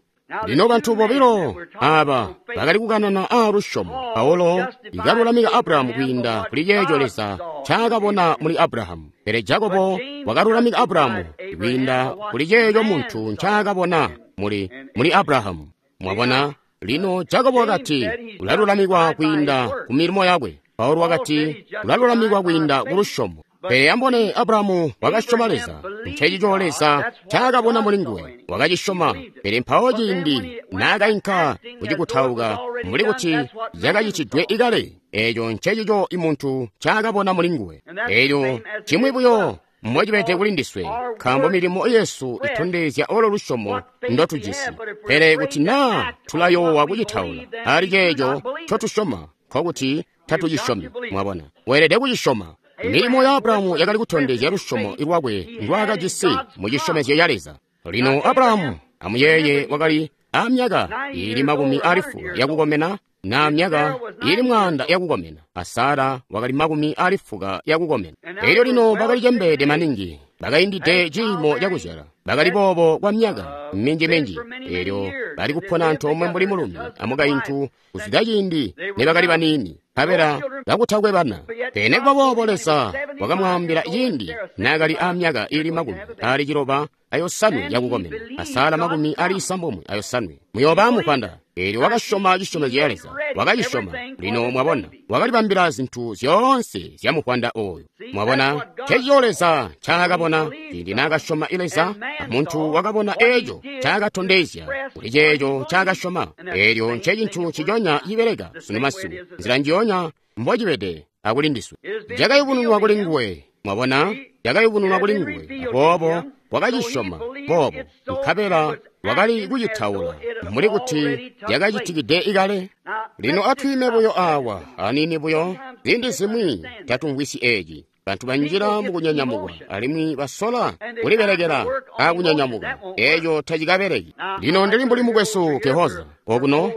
Lino bantu bobilo aba bakali kukanana aa lusyomo. Paulo ikalulamika Abrahamu kwiinda kuli ceeco Leza ncaakabona muli Abrahamu, pele Jakobo wakalulamika Abrahamu kwiinda kuli ceeco muntu ncaakabona muli Abrahamu. Mwabona, lino Jakobo wakati ulalulamikwa kwiinda ku milimo yakwe. Paulo wakati ulalulamikwa kwiinda ku lusyomo. Pele ambone Abrahamu wakasyoma Leza, ncecico Leza ncaakabona muli nguwe, wakacisyoma. Pele mpawo ciindi naakainka kucikutauka mbuli kuti cakacitidwe ikale, eeco ncecico imuntu ncaakabona muli nguwe. Eelyo cimwi buyo mbocibede kuli ndiswe, nkaambo milimo yesu itondezya olo lusyomo ndotujisi. Pele kuti naa tulayoowa kucitaula ali ceeco ncotusyoma, nkokuti tatucisyomi. Mwabona, weelede kucisyoma. Milimo ya Abrahamu yakali kutondezya lusyomo lwakwe ndwaakajisi mu cisyomezyo ya Leza. Lino Abrahamu, amuyeeye, wakali amyaka iili 90 yakukomena na myaka iili 100 yakukomena, a Sara wakali 90 yakukomena. Elyo lino bakali cembeede maningi, bakaindide ciimo cakuzyala, bakali boobo kwa myaka minji-minji. Elyo bali kupona antoomwe mbuli mulumi amukaintu kuzwida ciindi nibakali baniini, nkabela kakutakwe bana. Pele nikuba boobo Leza wakamwaambila ciindi naakali amyaka iili 95 yakukomena, a Sara 95, muyooba amuvwanda. Eelyo wakasyoma cisyomezyo ca Leza, wakacisyoma. Lino mwabona, wakalibambila zintu zyoonse zya muvwanda oyo. Mwabona, ncencico Leza ncaakabona ciindi naakasyoma Leza, amuntu wakabona eeco ncaakatondezya kuli ceeco ncaakasyoma. Eelyo ncecintu nciconya cibeleka sunu masiku, nzila njionya mbocibede akulindiswe. Cakayubununwa kuli nguwe. Mwabona, cakayubununwa kuli nguwe, aboobo wakacisyoma boobo, nkabela wakali kucitaula mbuli kuti cakacitikide ikale. Lino atwiime buyo awa aniini buyo. Ziindi zimwi tatumvwisyi eeci. Bantu banjila mukunyanyamukwa alimwi basola kulibelekela akunyanyamukwa. Eeco tacikabeleki. Lino ndili mbuli mukwesu Kehoza okuno,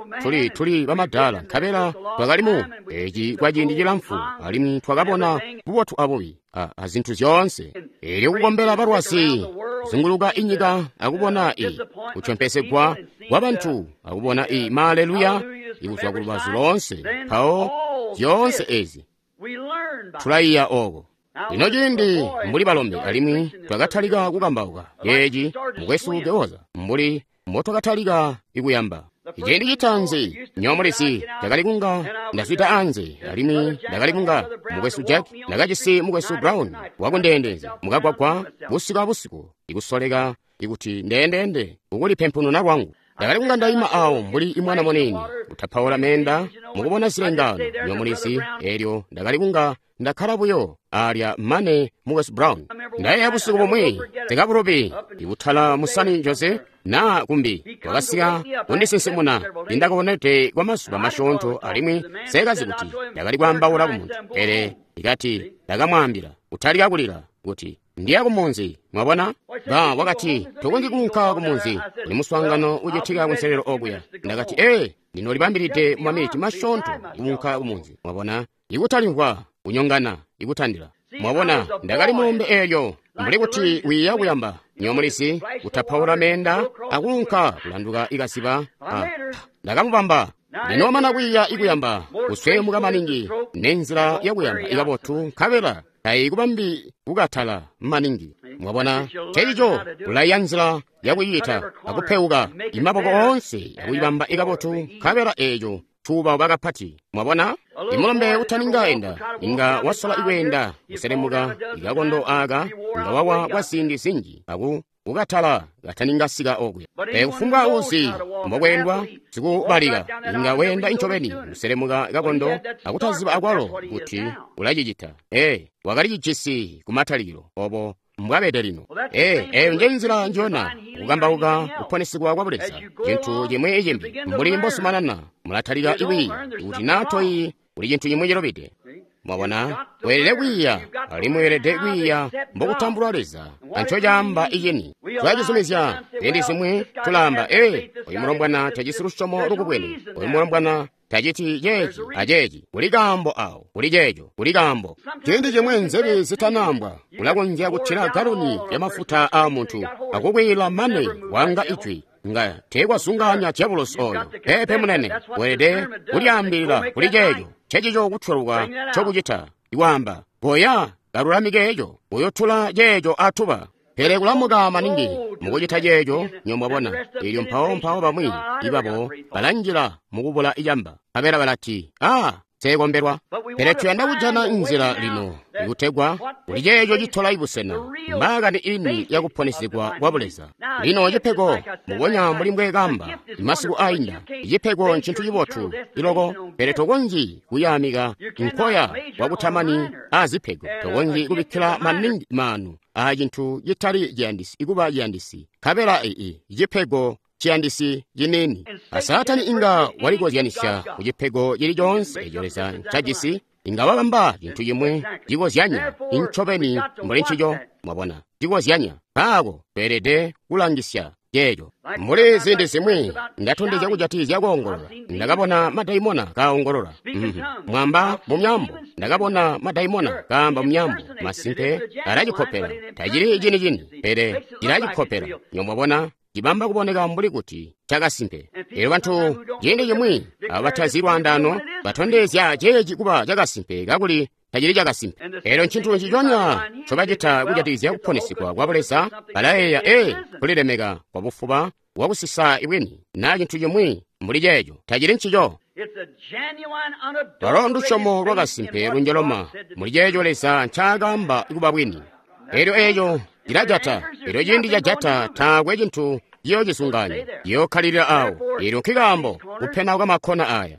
tuli bamadala, nkabela twakali mu eci kwa ciindi cilamfu, alimwi twakabona bubotu abubi a zintu zyoonse. Eelyo kukombela balwazi kuzunguluka inyika akubona kutyompesegwa kwa bantu akubona maleluya ikuzwa ku lubazu loonse, mpawo zyoonse ezi tulaiya oko. Lino ciindi mbuli balombe alimwi twakatalika kukambauka eeci, mukwesu Kehoza, mbuli mbotwakatalika ikuyamba. Ciindi citaanzi nyoomulisi ndakali kunga ndazwida anze, alimwi ndakali kunga mukwesu Jack, ndakajisi mukwesu Brown wakundeendeza mukagwagwa busiku abusiku, ikusoleka ikuti ndeendeende ukulipempununa lwangu. Ndakali kunga ndaima awo mbuli imwana muniini kutapaula meenda mukubona zilengaano nyoomulisi. Eelyo ndakali kunga ndakkala buyo alya mane mukwesu Brown. Ndayeeya busiku bumwi ndikabulubi ikutala musani Jose naa kumbi wakasika kundisinsimuna ndindakabonede kwa mazuba masyoonto, alimwi seekazi kuti ndakali kwaambaula ku muntu. Pele ikati ndakamwaambila kutalika kulila kuti ndiya kumunzi. Mwabona? Ba wakati tokonzyi kuunka kumunzi, kuli muswaangano ucitika kunselelo okuya. Ndakati ee, ndinolibambilide mu maminiti masyoonto kuunka kumunzi. Mwabona? Ikutalimvwa kunyongana ikutandila. Mwabona, ndakali mulombe eelyo mbuli kuti wiiya kuyamba nyoomulisi kutapaula meenda akuunka kulanduka ikaziba. Ndakamubamba. Lino mana kwiiya ikuyamba kusweemuka maningi nenzila yakuyamba ikabotu, nkabela tayikubambi kukatala maningi. Mwabona, ncencico ulaiya nzila yakuyita akupeuka imaboko oonse akuyibamba ikabotu, nkabela eeco cuubauba kapati. Mwabona, imulombe utaninga enda inga wasola ikweenda kuselemuka ikakondo aka, inga wawa kwa ziindi zinji aku kukatala kataninga sika okuya. Kufumbwa uzi mbokweendwa sikubalika inga weenda incobeni kuselemuka kakondo akutaziba akwalo kuti ulacicita. Wakali cijisi kumatalikilo obo mbwabede lino. Eyo nje nzila njona kukambauka kuponesigwa kwa Buleza. Cintu cimwi icimbi mbuli mbosumanana mulatalika ikwiiya kuti naa toyi kuli cintu cimwi cilobide. Mwabona, weelede kwiiya, alimwi weelede kwiiya mbokutambulwa Leza ancocaamba icini. Tulacizumizya ziindi zimwi tulaamba, oyu mulombwana tajisi lusyomo lukubwene, oyu mulombwana taciti ceeci aceeci. Kuli kaambo awo, kuli ceeco, kuli kaambo. Ciindi cimwi nzebi zitanaambwa, ulakonzya kutila galoni ya mafuta aa muntu akukwiila mane wanga ijwi nga teekwazungaanya dyabulosi oyo. Peepe munene, weelede kulyaambilila kuli ceeco. Ncencico kutweluka ncokucita ikwaamba, goya kalulamike eco, uyotula ceeco atuba. Pele kulamuka maningi mukucita ceeco nyomwabona. Eelyo mpawo bamwi ibabo balanjila mukubula icamba, nkabela balati, seekombelwa. Pele tuyanda kujana nzila lino ikutegwa kuli ceeco citola ibusena mbaakani ini yakuponesigwa kwa Buleza. Lino cipego mubonya mbuli mbweekamba imasiku ainda, icipego ncintu cibotu iloko, pele tokonzyi kuyaamika nkoya wakutamani azipego. Tokonzyi kubikkila maningi maanu a cintu citali ciyandisi ikuba ciyandisi, nkabela icipego ciyandisi ciniini. Saatani inga walikozyanisya ku cipego cili coonse eco Leza ncajisi, inga wabamba cintu cimwi cikozyanya incobeni mbuli ncico. Mwabona, cikozyanya. Mpaako tweelede kulangisya ceeco. Mbuli ziindi zimwi ndatondezya kujatikizya koongolola, ndakabona madaimona kaongolola. Mwamba mu myambo, ndakabona madaimona kaamba mu myambo. Masimpe alacikopela, tacili cini-cini, pele cilacikopela. Nyomwabona, cibamba kuboneka mbuli kuti cakasimpe. Eelyo bantu ciindi cimwi abo batazi lwaandaano batondezya ceeci kuba cakasimpe kakuli tacili cakasimpe. Eelyo ncintu nciconya ncobacita kujatikizya kuponesigwa kwa Buleza. Balayeeya kulilemeka kwabufuba wakusisa bwini na cintu cimwi mbuli ceeco. Tacili ncico. Lwalo ndusyomo lwakasimpe lunjoloma muli ceeco Leza ncaakaamba kuba bwini. Elyo eeco cilajata. Elyo ciindi cajata taakwe cintu ciyoocizungaanya, ciyookkalilila awo. Elyo nkikaambo kupena kwa makkona aya.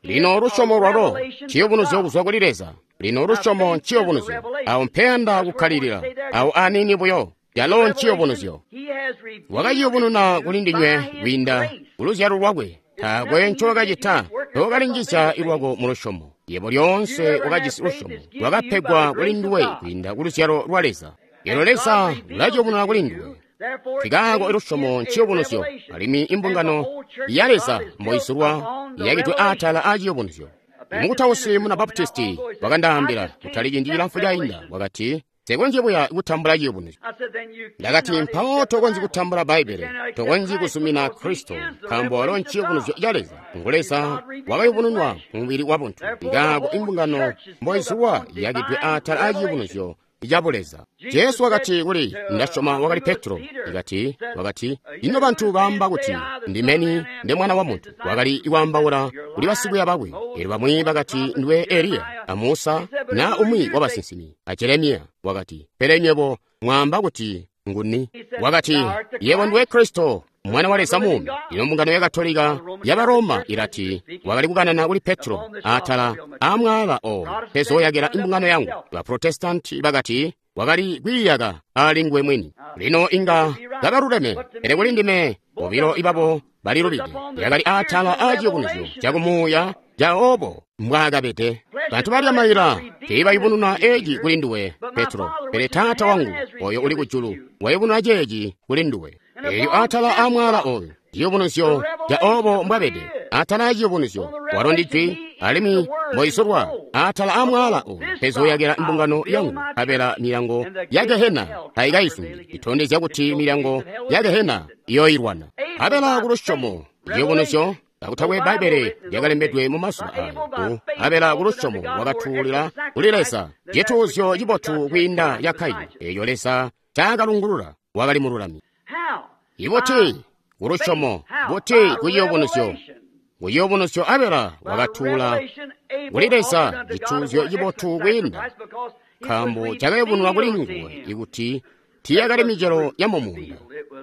Lino lusyomo lwalo nciyubunuzyo kuzwa kuli Leza. Lino lusyomo nciyubunuzyo. Awo mpeyanda kukkalilila, awo aniini buyo. Yalo nciyubunuzyo. Wakaciyubununa kuli ndinywe kwiinda kuluzyalo lwakwe. Taakwe ncowakacita, tookalinjizya lwako mu lusyomo. Yebo lyoonse wakajisi lusyomo lwakapegwa kuli nduwe kwiinda kuluzyalo lwa Leza. Elyo Leza ulaciyubununa kuli nduwe. Nkikaako lusyomo nciyubunuzyo, alimwi imbungano ya Leza mboizulwa iyakidwe atala a ciyubunuzyo. Mukutausi muna Baptisti wakandaambila kutali ciindi cilamfu cainda, wakati, Nsekonzyi buya kutambula ciyubunuzyo. Ndakati, mpawo tokonzyi kutambula Bbaibbele, tokonzyi kuzumina Kristo, nkaambo walo nciyubunuzyo ca Leza. Ngu Leza wakayubununwa mu mubili wa buntu. Nkikaako imbungano mboizulwa iyakidwe atala a ciyubunuzyo ca Buleza. Jesu wakati kuli, ndasyoma wakali Petro, ikati, wakati, ino bantu baamba kuti ndimeni nde mwana wa muntu. Wakali kwaambaula kuli basikwiiya bakwe. Elyo bamwi bakati ndiwe Eliya, a Musa, na umwi wa basinsimi, a Jeremiya. Wakati, pele nywebo mwaamba kuti nguni? Wakati, yebo ndiwe Kristo, mwana wa Leza muumi. Ino mbungano ya Katolika ya Roma ilati wakali kukanana kuli Petro atala amwaala owo pezooyakila imbungano yangu. Ba Protestanti bakati wakali kwiiyaka ali nguwe mwini. Lino inga kabaluleme, pele kuli ndime bobilo ibabo balilubide. Yakali atala a ciyubunuzyo cakumuuya ca obo mbwaakabede. Bantu balya maila tiibayubununa eeci kuli nduwe, Petro, pele Taata wangu oyo uli kujulu wayubununa ceeci kuli nduwe. Elyo atala a mwaala oyu ciyubunuzyo ca obo mbwabede, atala a ciyubunuzyo walo ndi jwi, alimwi mboizulwa atala a mwaala oyu pezooyakila imbungano yangu, nkabela milyango ya Gehena taikaizundi. Itondezya kuti milyango ya Gehena iyooilwana. Nkabela ku lusyomo ciyubunuzyo kakutakwe Bbaibbele lyakalembedwe mu mazuba ayo, nkabela ku lusyomo wakatuulila kuli Leza cituuzyo cibotu kwiinda ca Kaini, eeco Leza ncakalungulula wakali mululami. Ibuti kulusyomo, buti kuciyubunuzyo? Kuciyubunuzyo Abela wakatuula kuli Leza cituuzyo cibotu kwiinda, nkaambo cakayubununwa kuli nguwe ikuti tiiyakali micelo ya mumuunda,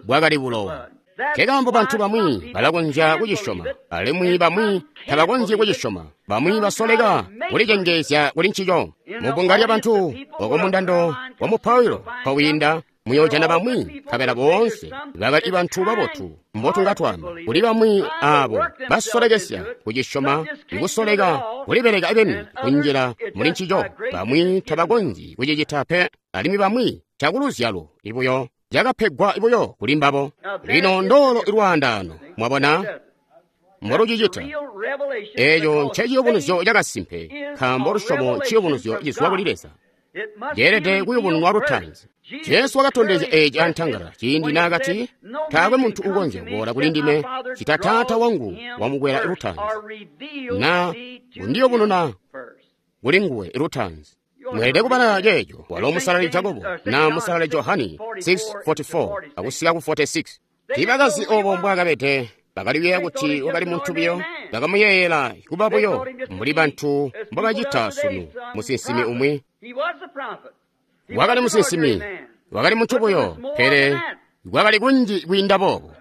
bwakali bulowa. Nkekaambo bantu bamwi balakonzya kucisyoma, alimwi bamwi tabakonzyi kucisyoma. Bamwi basoleka kulicengeezya kuli ncico. Mubbunga lyabantu oko mundando wa mupailo nkowiinda, muyoojana bamwi, nkabela boonse bakali bantu babotu mbotunga twaamba. Kuli bamwi aabo basolekesya kucisyoma, ikusoleka kulibeleka beni kunjila muli ncico. Bamwi tabakonzyi kucicita pe, alimwi bamwi cakuluzyalo ibuyo cakapegwa buyo kuli mbabo. Lino ndoolo lwaandaano, mwabona mbolucicita. Eeco nceciyubunuzyo cakasimpe, nkaambo lusyomo nciyubunuzyo cizwa kuli Leza. Ceelede kuyubununwa lutaanzi. Jesu wakatondezya eeci antangala ciindi naakati, taakwe muntu ukonzya kuboola kuli ndime cita Taata wangu wamukwela lutaanzi, na kundiyubununa kuli nguwe lutaanzi. Mweelede kubala ceeco walo musalali Jakobo na musalali Johani 6:44 akusika ku 46. Tiibakazi obo mbwaakabede, bakali kuyeeya kuti wakali muntu buyo, bakamuyeeyela kuba buyo mbuli bantu mbobacita sunu. Musinsimi umwi wakali musinsimi, wakali muntu buyo, pele kwakali kunji kwiinda boobo.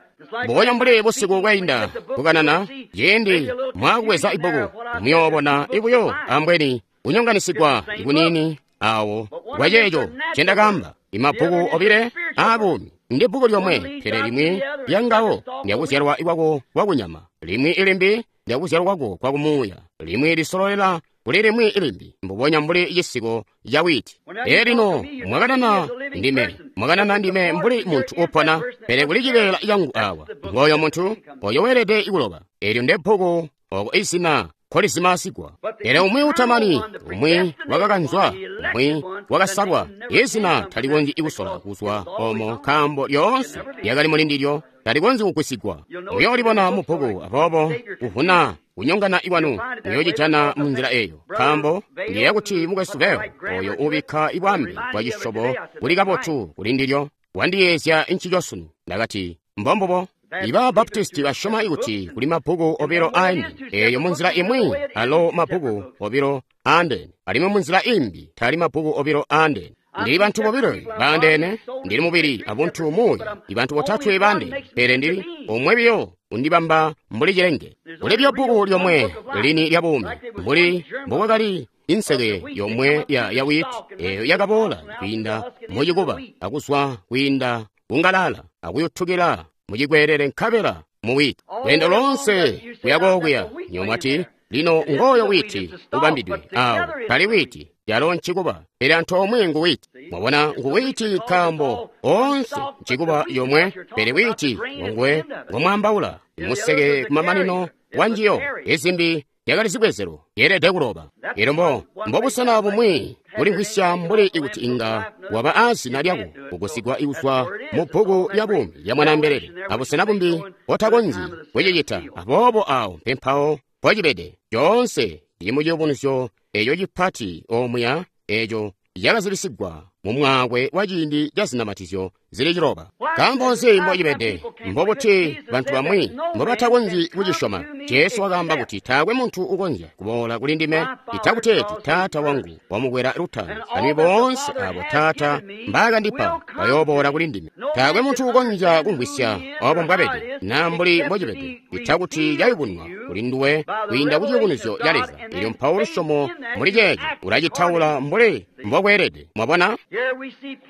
Mbubonya mbuli busiku bwainda kukanana, ciindi mwaakubweza ibbuku muyoobona ibuyo ambweni kunyonganisigwa ikuniini awo kwa ceeco ncendakaamba. Imabbuku obile aabuumi ndi bbuku lyomwe, pele limwi lyangawo ndyakuzyalwa kwako kwakunyama, limwi ilimbi ndyakuzyalwa kwako kwakumuuya, limwi lisololela kuli limwi ilimbi, mbubonya mbuli cisiko ca wiiti. Ee lino mwakanana ndime, mwakanana ndime mbuli muntu upona, pele kuli cibeela cangu awa. Ngooyo muntu oyo weelede kuloba. Eelyo nde bbuku oko izina nkolizimaasigwa. Pele umwi utamani, umwi wakakanzwa, umwi wakasalwa, izina talikonzyi kusola kuzwa omo, nkaambo lyoonse lyakali muli ndilyo, talikonzyi kugwisigwa. Muyoolibona mu bbuku, aboobo kuvuna kunyongana ikwanu muyocijana mu nzila eyo. Nkaambo ndiyeeya kuti mukwesu Leo, oyo ubikka ibwambe bwa cisyobo kuli kabotu kuli ndilyo, wandiyeezya ncico sunu. Ndakati, Mbombubo. Iba Baptisti basyoma kuti kuli mabbuku obilo aini, eeyo munzila imwi alo mabbuku obilo aandeene, alimwi munzila imbi tali mabbuku obilo aandeene. Ndili bantu bobilo baandeene, ndili mubili abuntu muuya, ibantu botatwe baandeene, pele ndili omwe biyo undibamba mbuli cilenge. Kuli biyo bbuku lyomwe lini lya buumi, mbuli mbokwakali inseke yomwe ya witi eeyo yakaboola kwiinda mucikuba akuzwa kwiinda kungalala akuyutukila muchikwerere nkabela mu witi. Lweendo lonse kuya kokuya nyomwati lino ngoyo witi ubambidwe awo tali witi yalo ncikuba, pele antoomwe ngu witi. Mwabona, ngu witi nkaambo onse ncikuba yomwe, pele witi ngongwe ngomwaambaula museke kumamanino wa njiyo. Izimbi yakali zibwezelo yeelede kuloba. Elyo mbobusena bumwi kulimvwisya mbuli ikuti inga waba aazina lyako kugusigwa kuzwa mu bbuku lya buumi lya Mwanaambelele, abusena bumbi otakonzyi kucicita. Aboobo awo mpempawo mpocibede coonse cili mu ciyubunuzyo eco cipati omuya eco cakazibisigwa mu mwaakwe wa ciindi ca zinamatizyo zili ciloba. Nkaambo nzi mbocibede? Mbobuti bantu bamwi mbobatakonzyi kucisyoma? Jesu wakaamba kuti taakwe muntu ukonzya kuboola kuli ndime itakuteeti Taata wangu wamukwela lutaanzi, alimwi boonse abo Taata mbaakandipa bayooboola kuli ndime. Taakwe muntu ukonzya kumvwisya obo mbwabede naa mbuli mbocibede itakuti cayubunwa kuli nduwe kwiinda ku ciyubunuzyo ca Leza. Elyo mpawo lusyomo muli ceeco ulacitaula mbuli mbokweelede. Mwabona?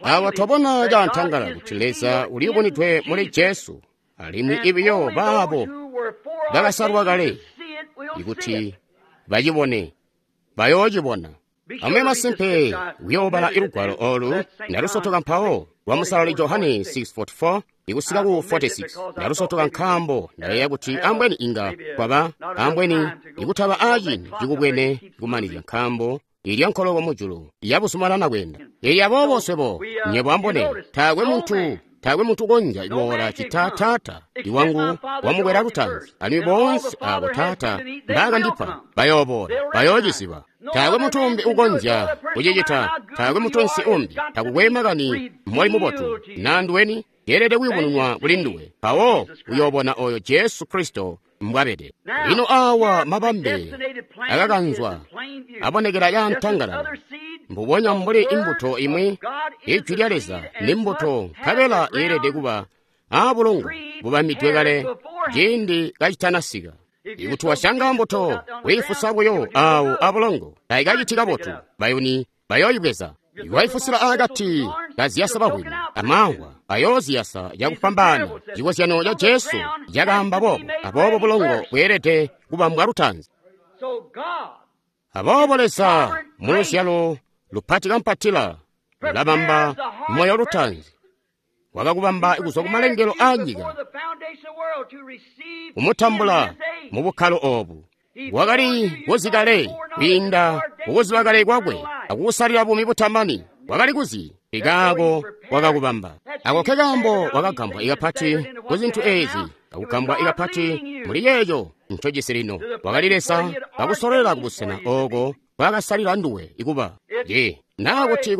Awa twabona caantangalala kuti Leza uliyubunwidwe muli Jesu, alimwi ibiyo baabo bakasalwa kale ikuti bacibone bayoocibona. Amube masimpe kuyoobala ilugwalo olu ndalusotoka mpawo lwa Musalali Johane 6:44 ikusika ku 46. Ndalusotoka nkaambo ndayeeya kuti ambweni inga kwaba ambweni ikutaba aaciindi cikubwene kumanizya, nkaambo ilya nkoloko mujulu yabuzumanana kweenda. Ili aboobo swebo nyebo ambone taakwe muntu ukonzya kuboola cita Taata iwangu wamukwela lutaanzi, alimwi boonse abo Taata mbaakandipa bayooboola, bayoociziba. Taakwe muntu umbi ukonzya kucicita, taakwe mutunsi umbi, takukwe makani moli mubotu naa nduweni, yeelede kuyubununwa kuli nduwe, mpawo uyoobona oyo Jesu Kristo mbwabede. Lino awa mabambe akakanzwa abonekela caantangalala, mbubonya mbuli imbuto imwi. Ijwi lya Leza ni mbuto, nkabela yeelede kuba aabulongo bubambidwe kale ciindi kacitanasika. Ikuti wasyanga mbuto wiifusa buyo awo abulongo, taikaciti kabotu, bayuni bayooyibweza. Iwaifusila aakati kaziyasa bahwimi, amamvwa ayooziyasa cakufwambaana. Cikozyano ca Jesu cakaamba boobo, aboobo bulongo bweelede kubambwa lutaanzi. Aboobo Leza muluzyalo lupati kampatila ulabamba moyo lutaanzi, wakakubamba kuzwa kumalengelo aanyika, kumutambula mu bukkalo oobu. Wakali kuzi kale kwiinda kukuziba kale kwakwe akukusalila buumi butamani. Wakali kuzi ikaako wakakubamba. Ako kekaambo wakagambwa ikapati ku zintu eezi, akugambwa ikapati muli yeeco ncojisi lino. Wakali Leza kakusololera kubusena ooko bwakasalila nduwe ikuba ye naa kuti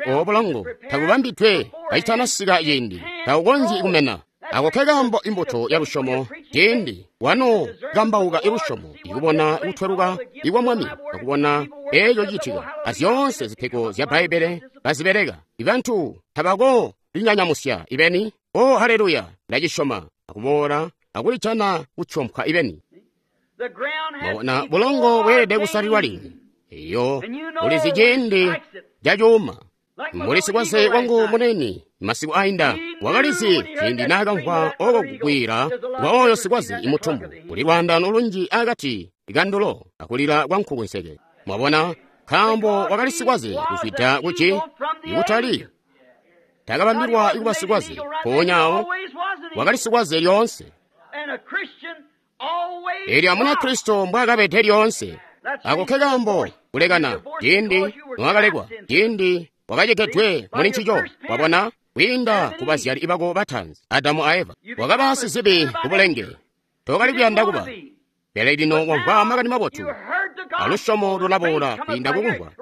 obo bulongo tabubambidwe kacitanasika ciindi, tabukonzyi kumena. Ako kekaambo imbuto ya lusyomo ciindi wano kambauka ilusyomo, ikubona kutweluka ikwa Mwami, akubona eeco cicitika, azyoonse zipego zya Bbaibbele bazibeleka. Ibantu tabako linyanyamusya ibeni, o haleluya, ndacisyoma, akuboola akulijana kucompwa ibeni. Mwabona, bulongo bweelede kusalilwa lini. Iyo ulizi ciindi cacuuma. Mbuli sikwaze wangu munene masiku ainda wakalizi ciindi naakamvwa oko kugwira kwa oyo sikwaze imutumbu, kuli lwaandano lunji akati kandulo akulila kwa nkukunseke. Mwabona, nkaambo wakali sikwaze kuzwida kuci ikutali takabambilwa ikuba sikwaze, mpoonya awo wakali sikwaze lyoonse. Elyo amuna Kristo mbwaakabede lyoonse. Ako kekaambo kulekana ciindi nwakalekwa, ciindi wakacegedwe muli ncico. Wabona, kwiinda ku bazyali bako bataanzi Adamu a Eva, wakaba sizibi kubulenge, tokali kuyanda kuba. Pele lino wamvwa makani mabotu, alusyomo lulaboola kwiinda kukumvwa.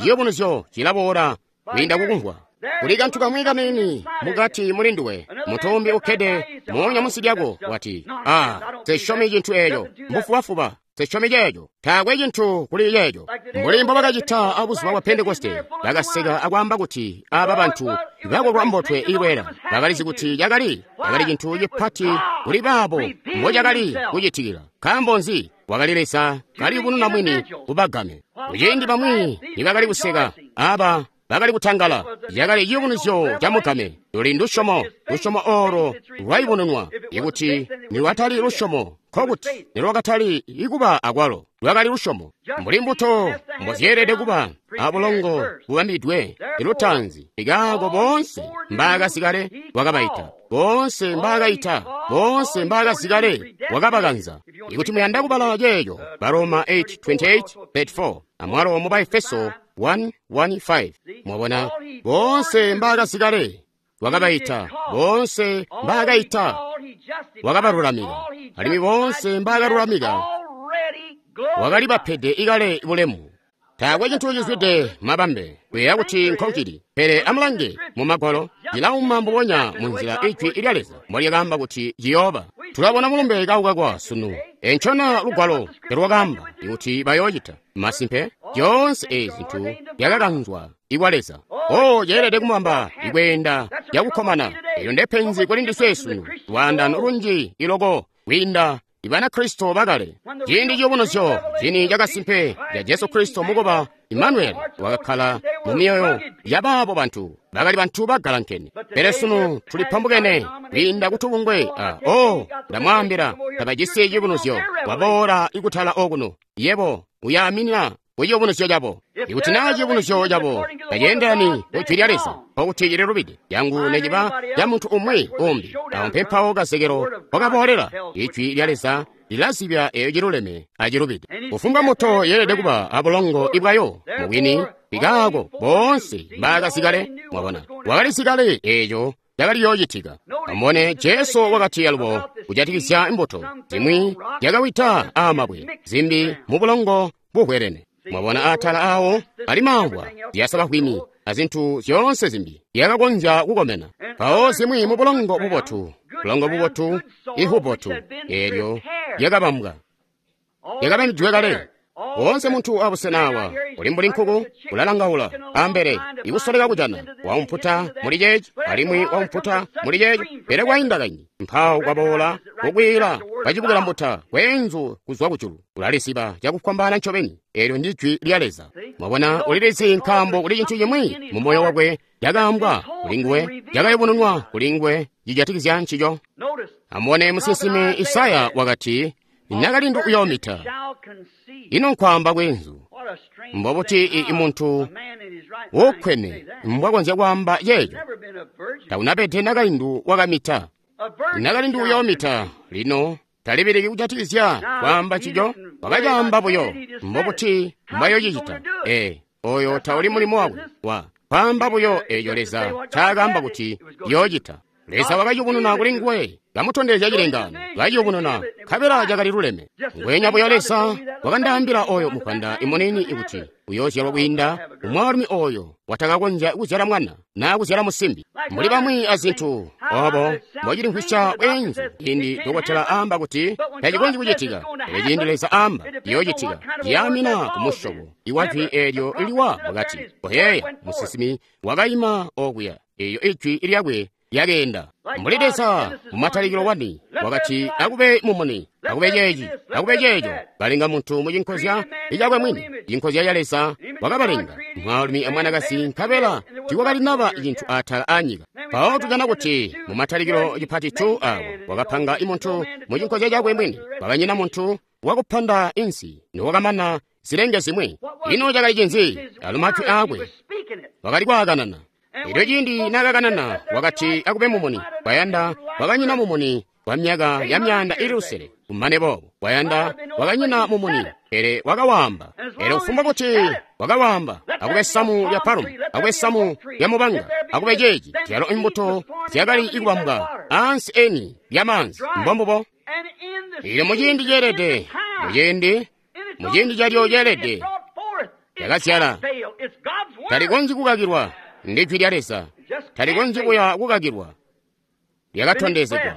Ciyubunuzyo cilaboola kwiinda kukumvwa. Kuli kantu kamwi kaniini mukati muli nduwe. Mutumbi ukkede moonya munsi lyako wati, "Ah, sisyomi cintu eeco. Mbufubafuba. Sisyomi ceeco. Taakwe cintu kuli ceeco." Mbuli mbo bakacita abuzuba bwa Pentekoste, bakaseka akwaamba kuti aba bantu bakolwa mbotwe ilwela. Bakalizi kuti cakali cintu cipati kuli baabo mbo cakali kucitikila. Nkaambo nzi? Wakali Leza kaliyubununa mwini kubagame. Kuciindi bamwi nibakali kuseka, aba bakali kutangala. Cakali ciyubunuzyo ca mugame. Luli ndusyomo, lusyomo oolo lwayubununwa. Ikuti nilwatali lusyomo, nkokuti nilwakatali ikuba akwalo. Lwakali lusyomo. Mbuli mbuto mbozyeelede kuba abulongo bubambidwe ilutaanzi, ikaako boonse mbaakasikale wakabaita. Boonse mbaakaita, boonse mbaakasikale wakabakanza. Ikuti muyanda kubala ceeco, Baroma 8:28-34, amwalo mu Baefeso 1:1-5. Mwabona, boonse mbaakasikale wakabaita, boonse mbaakaita wakabalulamika, alimwi boonse mbaakalulamika wakalibapede ikale bulemu. Taakwe cintu cizwide mabambe kuyeeya kuti nkocili, pele amulange mu Magwalo, cilauma mbubonya munzila Ijwi lya Leza mbolyakaamba kuti ciyooba. Tulabona mulumbe kaukakwa sunu. Encona lugwalo telwakaamba kuti bayoocita. Masimpe, zyoonse ezi zintu zyakakanzwa ikwa Leza. Oh, ceelede kumubamba ikweenda yakukkomana. Eyo ndepenzi kuli ndiswe sunu, lwaandano lunji iloko kwiinda Ibanakristo bakale. Ciindi ciyubunuzyo cini cakasimpe ca Jesu Kristo mukuba Imanueli wakakkala mu myoyo yabaabo bantu bakali bantu bagalankene. Pele sunu tulipambukene kwiinda kutubungwe. Oh, ndamwaambila, tabajisi ciyubunuzyo. Waboola ikutala okuno, yebo uyaaminina ku ciyubunuzyo cabo. Ikuti naa ciyubunuzyo cabo taceendelani ku Jwi lya Leza, nkokuti cililubide. Yangu neciba ya muntu umwi umbi. Awo mpempawo kazekelo wakaboolela. Ijwi lya Leza lilazibya eyo ciluleme acilubide. Kufumbwa mbuto yeelede kuba abulongo ibwayo mubwini, ikaako boonse mbaakasikale. Mwabona, wakalisikale eeco cakali yoocitika. Amubone, Jesu wakati alubo kujatikizya imbuto zimwi zyakawida aamabwe, zimbi mu bulongo buhwelene. Mwabona atala awo ali mamvwa, zyasabahwini azintu zyoonse zimbi zyakakonzya kukomena. Mpawo zimwi mu bulongo bubotu, bulongo bubotu, ihubotu, eelyo lyakabambwa, lyakabambidwe kale. Woonse muntu abusena awa uli mbuli nkuku ulalangaula ambele ikusoleka kujana waumputa muli ceeci alimwi waumputa muli ceeci, pele kwainda kaindi mpawo kwaboola kukwiila kwacibukila mbuta kweenzu kuzwa kujulu. Ulalisiba cakufwambaana ncobeni. Eelyo ndi Jwi lya Leza. Mwabona, ulilizi nkaambo kuli cintu cimwi mu moyo wakwe cakaambwa kuli nguwe, cakayubununwa kuli nguwe cijatikizya ncico. Amubone, musinsimi Isaya wakati, nakalindu uyoomita. Ino nkwaamba kweenzu. Mbobuti muntu wokkwene mbwakonzya kwaamba ceeco? Taunapede nakalindu wakamita. Nakalindu uyoomita. Lino talibiliki kujatikizya kwaamba ncico, wakacaamba buyo. Mbobuti mbwayoocicita? Oyo tauli mulimo wakwe wa kwaamba buyo eeco Leza ncaakaamba kuti yoocita. Leza wakayubununa kuli nguwe, kamutondezya cilengaano, kaciyubununa, nkabela cakali luleme. Ngweenya buyo Leza wakandaambila oyo mupanda imunini kuti uyoozyalwa kwiinda umwaalumi oyo watakakonzya kuzyala mwana naa kuzyala musimbi. Mbuli bamwi azintu obo mbocilimvwisya bweenzu ciindi dokotela aamba kuti tacikonzyi kucitika, pele ciindi Leza aamba ciyoocitika, ciyaamina ku musyobo iwa jwi eelyo liwa mukati. Koyeeya, musinsimi wakaima okuya, eeyo ijwi lyakwe lyakeenda. Mbuli Leza mumatalikilo wani wakati akube mumuni, akube ceeci, akube ceeco, kalenga muntu mucinkozya icakwe mwini, cinkozya ca Leza wakabalenga mwaalumi amwanakazi, nkabela tiikwakalinaba cintu atala aanyika. Mpawo tujana kuti mumatalikilo cipati 2 awa wakapanga muntu mucinkozya cakwe mwini, kwakanyina muntu wakupanda insi niwakamana zilenge zimwi. Ino cakali cinzi? Alo matwi aakwe wakali kwaakanana. Elyo ciindi naakakanana wakati akube mumuni, kwayanda kwakanyina mumuni kwa myaka ya myaanda ili lusele. Kumane boobo kwayanda kwakanyina mumuni, pele wakawaamba. Elyo kufumbwa kuti wakawaamba, akube samu lya palumu, akube samu lya mubanga, akube ceeci, zyalo imbuto zyakali ikubambwa ansi eni lya maanzi. Mbombubo. Elyo muciindi ceelede, muciindi calyo ceelede, lyakazyala. Talikonzyi kukakilwa. Ndi Jwi lya Leza. Talikonzyi kuya kukakilwa. Lyakatondezegwa.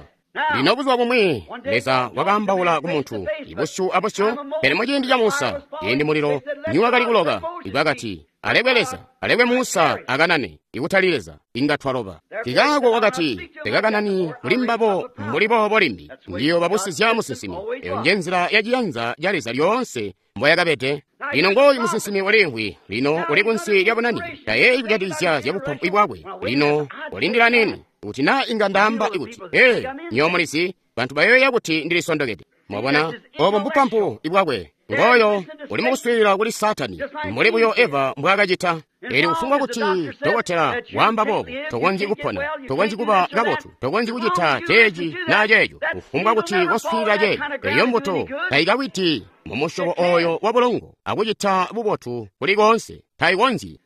Lino buzuba bumwi Leza wakaambaula ku muntu ibusyu abusyu, pele muciindi ca Musa, ciindi mulilo niwakali kuloka, bakati, alekwe Leza, alekwe Musa akanane, ikutali Leza, inga twaloba. Kikaako wakati, tekakanani kuli mbabo mbuli boobo limbi, ndiyo babusizya musinsimi. Eyo nje nzila ya ciyanza ca Leza lyoonse mboyakabede. Lino ngooyu musinsimi uliimvwi, lino uli kunsi lya bunani, tayeeyi kujatikizya zya bupampu bwakwe. Lino ulindila nini? Kuti naa inga ndaamba kuti, ee, nywebo mulizi, bantu bayoya kuti ndilisondokede. Mwabona, obo mbupampu bwakwe. Ngooyo uli mukuswiilila kuli Saatani, mbuli buyo Eva mbwaakacita. Elyo kufumbwa kuti dokotela waamba boobo, tokonzyi kupona, tokonzyi kuba kabotu, tokonzyi kucita ceeci naa ceeco. Kufumbwa kuti waswiilila ceeco, eyo mbuto taikawiti mu musyobo oyo wa bulongo akucita bubotu kuli koonse, taikonzyi.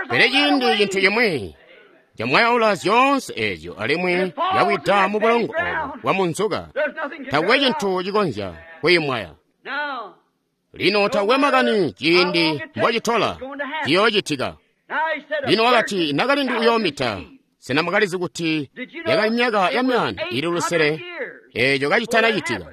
Pele ciindi cintu cimwi camwayaula zyoonse eezyo alimwi yawida mu bulongo obo bwa munzuka, takwe cintu cikonzya kuyimwaya. Lino takwe makani ciindi mbocitola, ciyoocitika. Lino wakati nakalindu uyoomita. Sena mwakalizi kuti yakali myaka ya 500 eeco kacitanacitika?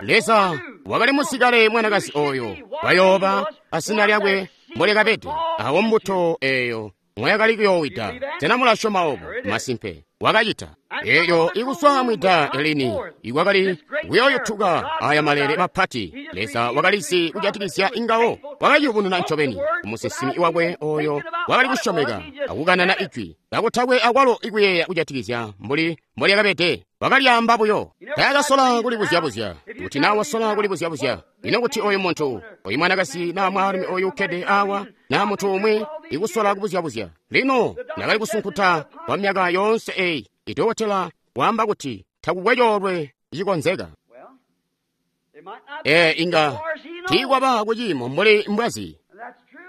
Leza wakali musikale mwanakazi oyo wayooba azina lyakwe mbolyakabede, awo mbuto eeyo mwayakali kuyoowida. Sena mulasyoma obo? Masimpe wakacita. Elyo ikuswa mwida lini ikwakali kuyooyutuka aya malele mapati, Leza wakalizi kujatikizya ingawo. Wakayubununa ncobeni kumusinsimi wakwe oyo wakali kusyomeka akukanana ijwi kakutakwe akwalo ikuyeeya kujatikizya mbuli mbolyakabede. Wakalyaamba buyo, taakasola kulibuzya-buzya. Kuti naa wasola kulibuzya-buzya, ino kuti oyu muntu, oyu mwanakazi naa mwaalumi oyu ukkede awa, naa muntu umwi ikusola kubuzya-buzya. Lino ndakali kusunkuta kwa myaka yoonse eyi. Idokotela waamba kuti takukwe coolwe cikonzeka. Ee, inga tiikwaba kuciimo mbuli mbwazi,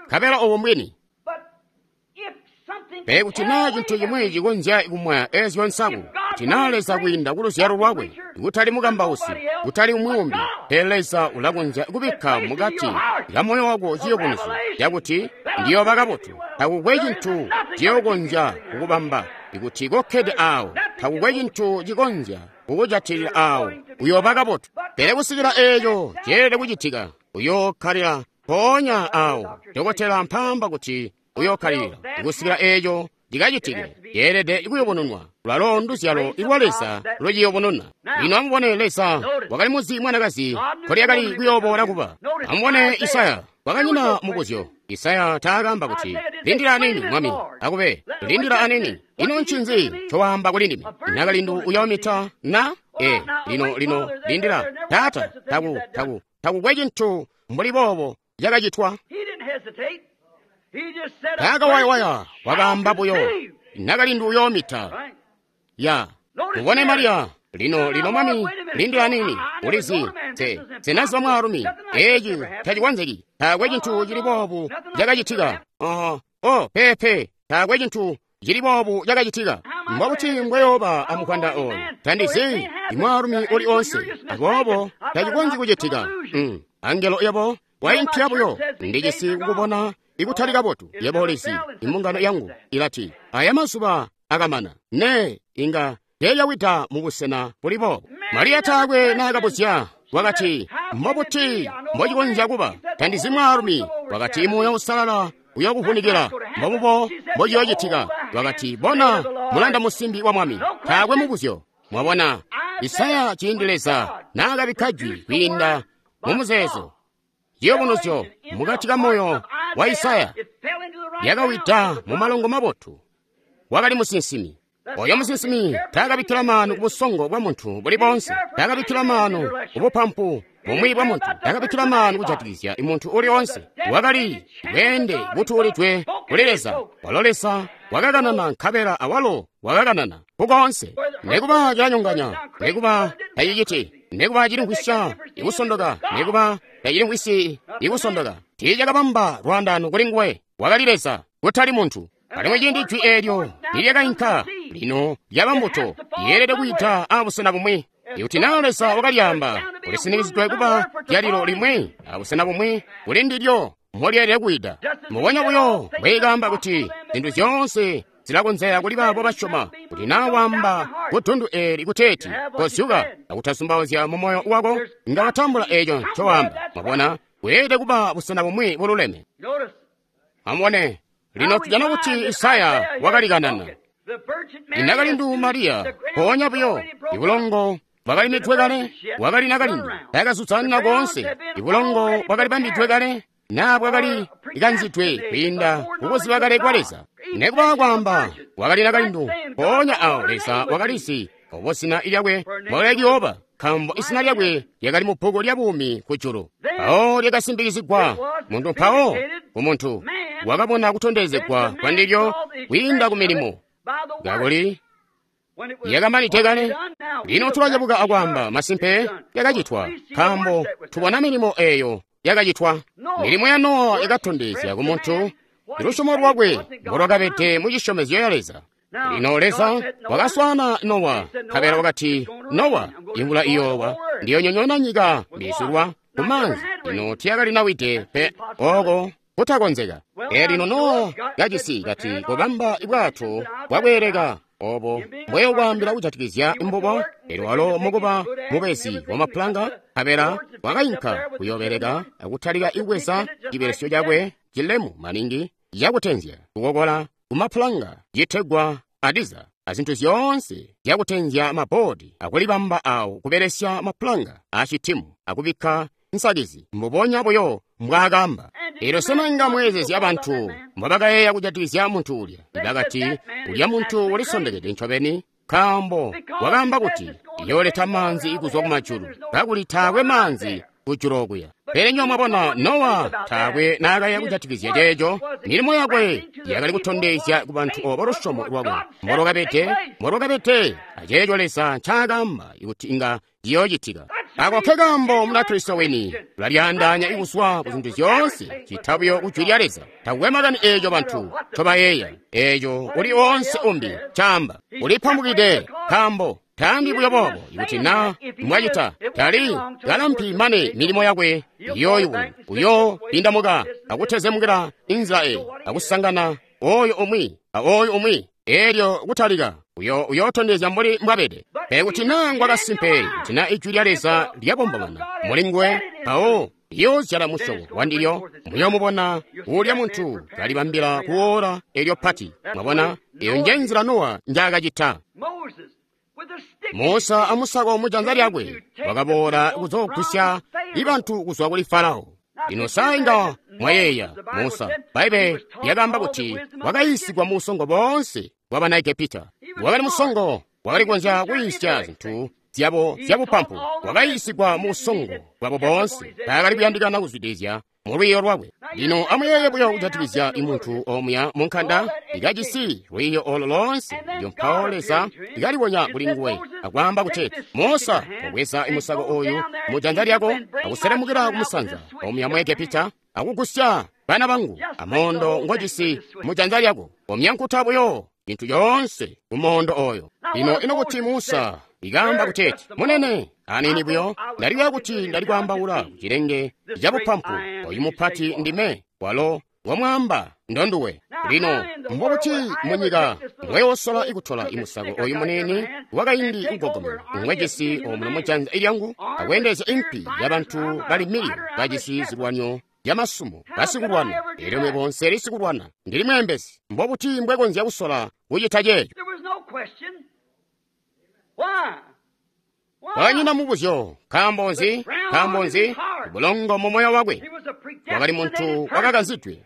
nkabela obo mbwini. Pele kuti naa cintu cimwi cikonzya kumwaya eezyo nsaku, kuti naa Leza kwiinda ku luzyalo lwakwe, kutali mukambausi, kutali umwi umbi, pele Leza ulakonzya kubikka mukati ka moyo wako ciyubunuzyo cakuti ndiyooba kabotu. Takukwe cintu ciyokonzya kukubamba ikuti kokkede aawo. Takukwe cintu cikonzya kukujatilila aawo, uyooba kabotu. Pele kusikila eeco ceelede kucitika, uyookkalila mpoonya aawo. Dokotela mpaamba kuti uyookkalilila kusikila eeco cikacitike, ceelede kuyubununwa. Lwalo nduzyalo lwa Leza luciyubununa. Lino amubone, Leza wakali muzi mwanakazi nkolyakali kuyooboola kuba. Amubone Isaya, kwakanyina mubuzyo. Isaya taakaamba kuti, lindila anini, Mwami, akube, lindila anini. Ino ncinzi ncowaamba kuli ndime? Nakalindu uyoomita na? Ee, lino, lino, lindila. Taata, takukwe cintu mbuli boobo cakacitwa. Taakawayawaya, wakaamba buyo, nakalindu uyoomita. Ya, mubone Mariya. Lino, lino Mwami, lindila nini, ulizi, senaziba mwaalumi, eeci tacikonzeki, taakwe cintu cili boobu cakacitika. Oh, pepe, taakwe cintu cili boobu cakacitika. Mbobuti mbweyooba amukwanda oyu? Tandizi imwaalumi uli onse, aboobo tacikonzyi kucitika. Angelo yabo waimpya buyo, ndijisi kukubona ikutali kabotu. Yebo ulizi, imbungano yangu ilati, aya mazuba akamana. Ne, inga teeyawida mubusena buli boobo. Mariya taakwe naakabuzya, wakati, mbobuti mbocikonzya kuba? Tandizi mwaalumi. Wakati, Muuya Uusalala uyokuvunikila, mbobubo mbociyoocitika. Wakati, bona, mulanda musimbi wa Mwami. Taakwe mubuzyo. Mwabona, Isaya ciindi Leza naakabikka jwi kwiinda mumuzeezo, ciyubunuzyo mukati ka moyo wa Isaya yakawida mu malongo mabotu. Wakali musinsimi. Oyo musinsimi taakabikkila maanu ku busongo bwa muntu buli boonse, taakabikkila maanu ku bupampu bumwi bwa muntu, taakabikkila maanu kujatikizya muntu uli onse. Wakali bweende butuulidwe kuli Leza. Walo Leza wakakanana nkabela awalo wakakanana kukoonse. Nekuba cilanyonganya, nekuba taciciti, nekuba cilimvwisya ikusondoka, nekuba tacilimvwisyi ikusondoka, tiicakabamba lwaandaano kuli nguwe. Wakali Leza, kutali muntu. Alimwi ciindi jwi eelyo nilyakainka, lino lyaba mbuto, yeelede kuyita abusena bumwi. Ikuti naa Leza wakalyaamba, kulisinikizidwe kuba lyalilo limwi abusena bumwi kuli ndilyo molyeelede kuyida. Mbubonya buyo mbweikaamba kuti zintu zyoonse zilakonzeka kuli baabo basyoma. Kuti naa wamba kudundu eeli kuteeti kozyuka akutazumbauzya mu moyo wako, inga watambula eeco ncowaamba. Mwabona, kweelede kuba busena bumwi bululeme. Amubone, lino tujana kuti Isaya wakalikanana. Inakalindu Mariya, mpoonya buyo, ibulongo bwakalimidwe kale, wakali nakalindu, takazuzanina koonse, ibulongo bwakali bambidwe kale, naa bwakali kanzidwe kwiinda kukuziba kale kwa Leza. Nekuba kwaamba wakali nakalindu, mpoonya awo Leza wakalizi obo zina lyakwe mbwakali kuyooba, nkaambo izina lyakwe lyakali mu bbuku lya buumi kujulu. Mpawo lyakasimbikizigwa muntu, mpawo ku muntu wakabona kutondezegwa kwa ndilyo kwiinda ku milimo, kakuli lyakamanide kale. Lino tulacabuka akwaamba masimpe lyakacitwa, nkaambo tubona milimo eeyo yakacitwa. Milimo ya Nowa yakatondezya ku muntu lusyomo lwakwe mbolwakabede mu cisyomezyo ya Leza. Lino Leza wakaswaana Nowa, nkabela wakati, Nowa, imvula iyoowa, ndiyonyonyoona nyika mbiizulwa ku maanzi. Lino tiyakalinawide pe, oko kutakonzeka. Lino Nowa kacisi kati kobamba bwato bwakweeleka obo mbweyokwaambila kujatikizya mbubo. Elyo walo mukuba mubezi wamapulanga, nkabela wakayinka kuyoobeleka akutalika kubweza cibelesyo cakwe cilemu maningi cakutenzya kukokola kumapulanga citegwa adiza, azintu zyoonse zyakutenzya maboodi, akulibamba awo kubelesya mapulanga aacitimu akubikka nsakizi mbubonya buyo mbwaakamba. Elyo sena inga mweezezya bantu mbobakayeeya kujatikizya muntu ulya? Bakati, ulya muntu ulisondekede ncobeni, nkaambo wakaamba kuti iyooleta maanzi kuzwa kumajulu, kakuli taakwe maanzi kujulu okuya. Pele nywebo mwabona, Nowa taakwe naakayeeya kujatikizya ceeco. Milimo yakwe yakali kutondezya ku bantu obo lusyomo lwakwe mbolwakabede aceeco Leza ncaakaamba kuti inga ciyoocitika. Ako ke kaambo Munakristo wini ulalyaandaanya kuzwa ku zintu zyoonse cita buyo ku Jwi lya Leza. Takukwe makani eeco bantu ncobayeeya, eeco uli oonse umbi caamba. Ulipambukide, nkaambo taambi buyo boobo. Ikuti naa mwacita, tali kalampi mane milimo yakwe iyooyubunwa. Uyoopindamuka akutezemukila inzila eyi, akusangana oyo umwi a oyo umwi. Elyo kutalika uyootondezya mbuli mbwabede. Pele kuti naa ngwakasimpe, kuti naa Ijwi lya Leza lyabombomana muli nguwe, mpawo liyoozyala musyobo wandilyo. Muyoomubona uulya muntu kalibambila kuwoola elyo pati. Mwabona, eyo nje nzila Nowa njaakacita. Musa amusako mujanza lyakwe wakaboola kuzoogwisya bantu kuzwa kuli Farao. Lino sa inga mwayeeya Musa, Bbaibele lyakaamba kuti wakayiisigwa mu busongo boonse bwa bana Egepita. Wakali musongo, wakali kukonzya kuyiisya zintu zyabo zyabupampu. Wakayiisigwa mu busongo bwabo boonse, taakali kuyandikana kuzwidilizya mu lwiiyo lwakwe. Lino amuyeeye buyo kujatikizya muntu omuya mu nkanda ikajisi lwiiyo olo loonse, elyo mpawo Leza ikalibonya kuli nguwe akwaamba kuti, Musa, kobweza musako oyu mu janza lyako akuselemukila kumusanza omuya mu Egepita akugusya bana bangu amondo ngojisi mu janza lyako, omyankuta buyo cintu coonse kumondo oyo. Lino ino kuti Musa ikaamba kuteeti, Munene, aniini buyo ndalikuya kuti ndali kwaambaula ku cilenge cabupampu, oyu mupati ndime, walo ngomwaamba ndonduwe. Lino mbobuti munyika mbweyosola ikutola imusako oyu muniini wakaindi ugogomene ngwejisi omuno mujanza lyangu akweendezya impi yabantu bali miliyoni bajisi zilwanyo yamasumo basikulwana, elyo mebo nseli sikulwana, ndili mweembezi. Mbobuti mbwekonzya kusola kucita ceeco? Kwakanyina mubuzyo. Nkaambo nzi? Nkaambo nzi? Bulongo mu moyo wakwe. Wakali muntu wakakanzidwe.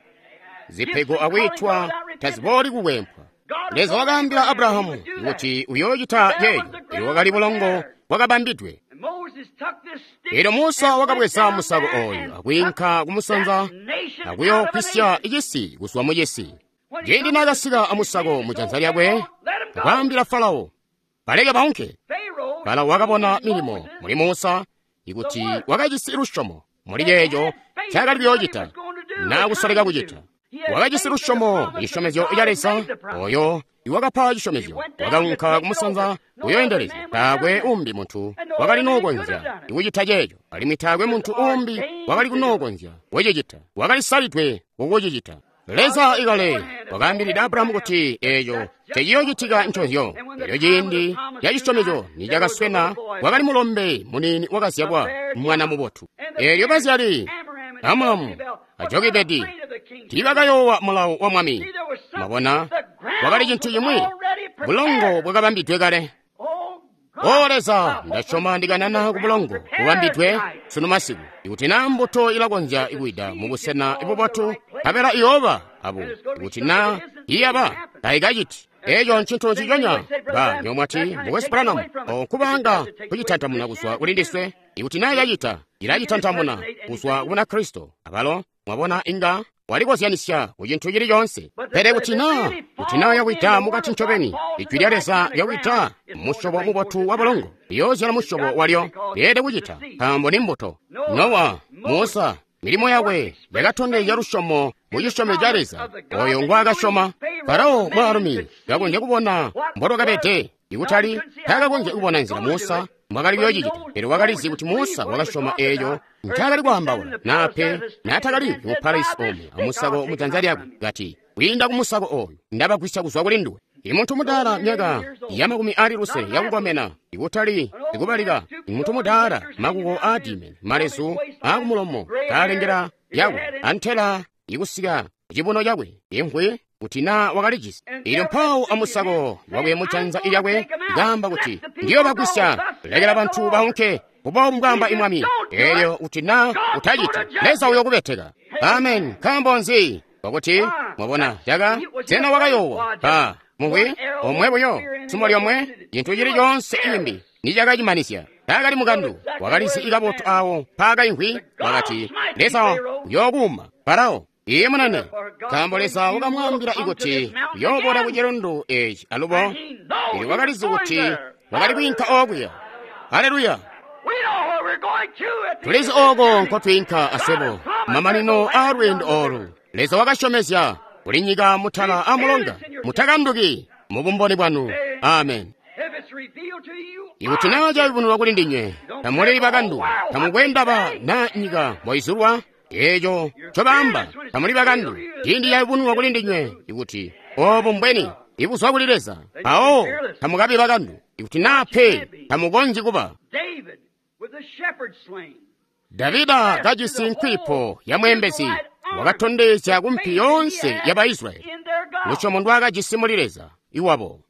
Zipego akwiitwa tazibooli kukwempwa. Leza wakaambila Abrahamu kuti uyoocita ceeco. Elyo wakali bulongo bwakabambidwe. Elyo Musa wakabweza musako oyu akwiinka kumusanza akuyoogwisya cisi kuzwa mu cisi. Ciindi naakasika amusako mu janza lyakwe, akwaambila Farao, baleke baunke. Farao wakabona milimo muli Musa, ikuti wakajisi lusyomo muli ceeco ncaakali kuyoocita naa kusoleka kucita. Wakajisi lusyomo mu cisyomezyo ca Leza oyo iwakapa cisyomezyo. Wakaunka kumusanza kuyooendelezya. Taakwe umbi muntu wakali nookonzya kucita ceeco, alimwi taakwe muntu umbi wakali kunookonzya kucicita. Wakali salidwe kukucicita. Leza ikale wakaambilide Abrahamu kuti eeco ceciyoocitika nconzyo. Elyo ciindi ca cisyomezyo nicakaswena, kwakali mulombe muniini wakazyalwa, mwana mubotu. Eelyo bazyali Amramu a Jokebedi tiibakayoowa mulawo wa mwami. Mwabona, kwakali cintu cimwi, bulongo bwakabambidwe kale. O Leza, ndasyoma ndikanana ku bulongo bubambidwe sunu masiku. Ikuti naa mbuto ilakonzya kuwida mubusena bubotu, nkabela iyooba abo. Ikuti naa iyaba, taikaciti. Eeco ncintu nciconya. Ba nyomwati Mukwesu Branham, okubaanga kucitantamuna kuzwa kuli ndiswe. Ikuti naa yacita, ilacitantamuna kuzwa ku Bunakristo. Abalo, mwabona, inga walikozyanisya ku cintu cili coonse. Pele kuti naa yawida mukati ncobeni, Ijwi lya Leza lyawida musyobo mubotu wa bulongo, liyoozyala musyobo walyo. Lyeelede kucita, nkaambo ni mbuto. Nowa, Musa, milimo yakwe yakatondezya lusyomo mu cisyomezyo ca Leza oyo ngwaakasyoma. Farao mwaalumi kakonzya kubona mbolwakabede, ikutali taakakonzya kubona nzila Musa mbwakali kuyoocicita, pele wakalizi kuti Musa wakasyoma eeco ncaakali kwaambaula, naa pe naatakali mu palesi omwe amusako mujanza lyakwe, kati, kwiinda ku musako ooyu ndabagwisya kuzwa kuli nduwe. Imuntu mudaala myaka ya 60 yakukomena, ikutali ikubalika, imuntu mudaala makuko aadime, malezu aakumulomo kaalengela yakwe, antela ikusika cibuno cakwe, imvwi kuti naa wakalijisi. Ilyo mpawo amusako wakwe mujanza lyakwe kaamba kuti, ndiyobagwisya, lekela bantu baunke, mbuboobu mbwaamba Mwami. Eelyo kuti naa utaciti, Leza uyokubeteka. Amen. Nkaambo nzi? Kwakuti mwabona caka sena wakayoowa ba mumvwi omwe buyo sumo lyomwe cintu cili coonse cimbi nicakacimanisya. Taakali mukandu, wakalizi kabotu awo mpaakaimvwi. Wakati, Leza uyookuuma Farao. Iye munene, nkaambo Leza wakamwaambila kuti uyooboola ku cilundu eeci alubo. Elyo wakalizi kuti wakali kwiinka okuya. Haleluya! Tulizi ooko nkotwiinka aswebo, mamanino aa lweendo oolu. Leza wakasyomezya kuli nyika mutala a mulonga. Mutakanduki mu bumboni bwanu. Amen. Ikuti naa cayubununwa kuli ndinywe, tamuli bakandu, tamukwe ndaba naa nyika mboizulwa, eeco ncobaamba, tamuli bakandu. Ciindi cayubununwa kuli ndinywe ikuti oobu mbweni ibuzwa kuli Leza, mpawo tamukabi bakandu. Ikuti naa pe, tamukonzyi kuba. Davida kajisi nkwipo ya mweembezi, wakatondezya kumpi yoonse ya Baisraeli lusyomo ndwaakajisi muli Leza iwabo.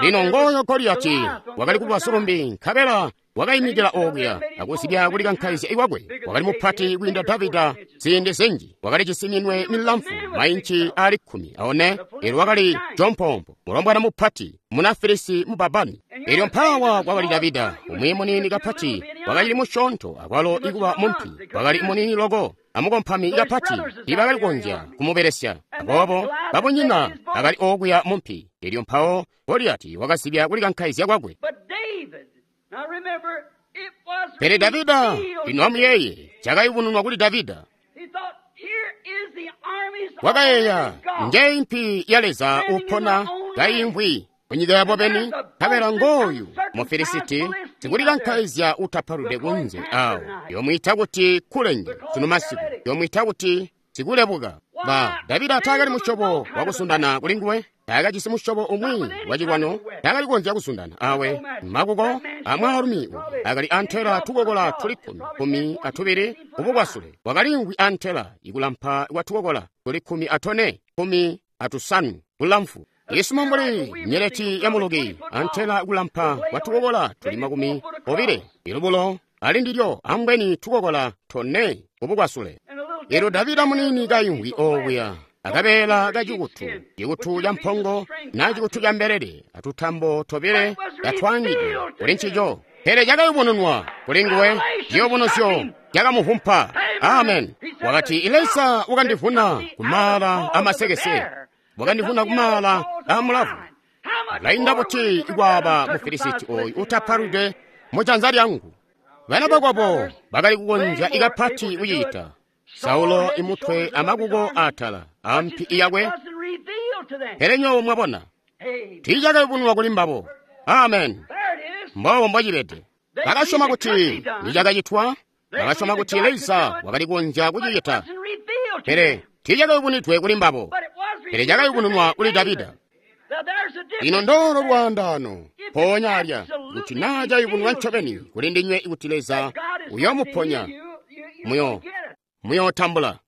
Lino ngooyo Goliyati wakali kuba sulumbi, nkabela wakaimikila okuya akuzibya kulikankaizya ikwakwe. Wakali mupati kwiinda Davida ziindi zinji, wakalijisi minwe milamfu mainci aali 14. Elyo wakali jompompo, mulombwana mupati, muna Filisi mubabani. Elyo mpaawa kwakali Davida, umwi muniini kapati, wakacili musyoonto akwalo ikuba mumpi, wakali muniini loko amukompami kapati, tiibakali kukonzya kumubelesya. Aboobo babunyina bakali okuya mumpi. Elyo mpawo Goliyati wakazibya kulikankaizya kwakwe. Pele Davida, lino amuyeeye, cakayubununwa kuli Davida. Wakayeeya, njeyi mpi ya Leza upona kaimvwi kunyika yabo beni, nkabela ngooyu Mufilisiti sikulikankaizya utapaludwe kunze awo, yomwiita kuti kulenge sunu masiku, yomwiita kuti sikulebuka. Ba Davida taakali musyobo wakusundana kulinguwe, taakajisi musyobo umwi wacilwano, taakali kukonzya kusundana awe. Makuko amwaalumi uyu akali antela tukokola tuli 12 kubukwasule, wakalimvwi antela ikulampa kwa tukokola tuli 14, 15 bulamfu. Isumo mbuli nyeleti ya muluki, antela kulampa kwa tukokola tuli 20, ilubulo ali ndilyo ambweni tukokola 4 kubukwasule. Elyo Davida muniini kaimvwi okuya, akabeela kacikutu, cikutu ca mpongo na cikutu ca mbelele, atutambo tobile katwaangidwe kuli ncico. Pele cakayubununwa kuli nguwe, ciyubunuzyo cakamuvumpa. Amen. Wakati, Leza wakandivuna kumaala amasekese, wakandivuna kumaala amulavu. Lainda buti kwaaba Mufilisiti oyu utapaludwe mujanza lyangu? Bana bakwabo bakali kukonzya ikapati kucita. Saulo imutwe amakuko atala ampi yakwe, pele nyowo mwabona tiicakayubununwa kuli mbabo. Amen. Mboobo mbocibede. Bakasyoma kuti nicakacitwa, bakasyoma kuti Leza wakali kukonzya kucicita, pele tiicakayubunidwe kuli mbabo. Pele cakayubununwa kuli Davida. Lino ndoolo lwaandaano mpoonya alya, kuti naa cayubununwa ncobeni kuli ndinywe kuti Leza uyoomuponya, muyootambula.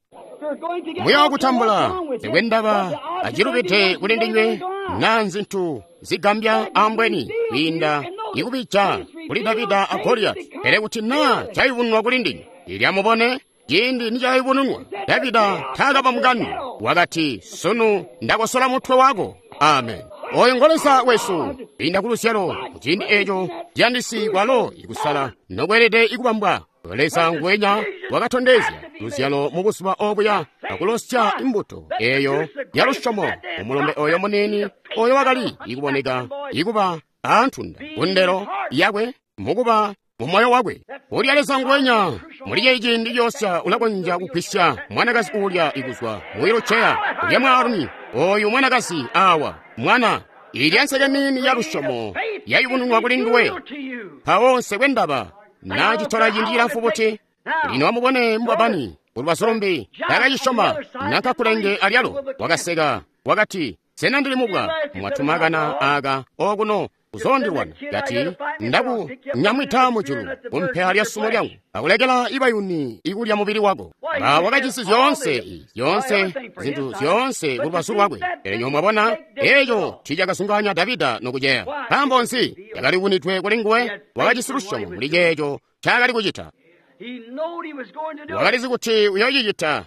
Muyookutambula, nsekwe ndaba acilubide kuli ndinywe naa nzintu zigambya ambweni kwiinda ikubija kuli Davida a Goliyati. Pele kuti naa cayubununwa kuli ndinywe, ilya mubone ciindi nicayubununwa, Davida taakaba mukani. Wakati, sunu ndakosola mutwe wako. Amen. Oyo ngo Leza wesu, kwiinda ku luzyalo, kuciindi eco ciyandisi kwalo ikusala nokweelede ikubambwa. Leza nguwenya wakatondezya luzyalo mu buzuba obuya akulosya imbuto eyo ya lusyomo umulombe oyo muniini oyo wakali ikuboneka ikuba aantunda kundelo yakwe mukuba mu moyo wakwe. Ulya Leza nguwenya muli ceyi ciindi ciyosya ulakonzya kugwisya mwanakazi uulya ikuzwa mu wiluceya ulya mwaalumi oyu mwanakazi awa mwana ilya nseke nini ya lusyomo yayubununwa kuli nduwe. Mpawo nsekwe ndaba naa citola ciindi cilamfu buti. Lino amubone mbwabani kulubazu lumbi takacisyoma nanka kulenge alyalo. Wakaseka wakati, sena ndili mubwa mwatuma kana aka okuno kuzoondilwana? Kati, ndaku nyamwita mujulu kumpela lya sumo lyangu akulekela ibayuni ikulya mubili wako. Ba wakajisi zyoonse zyoonse zintu zyoonse kulubazu lwakwe. Pele nyowe mwabona eco tiicakazunganya Davida nokuceya. Nkaambo nzi? Cakali kunitwe kuli nguwe. Wakajisi lusyomo muli ceeco ncaakali kucita. Wakalizi kuti uyoocicita,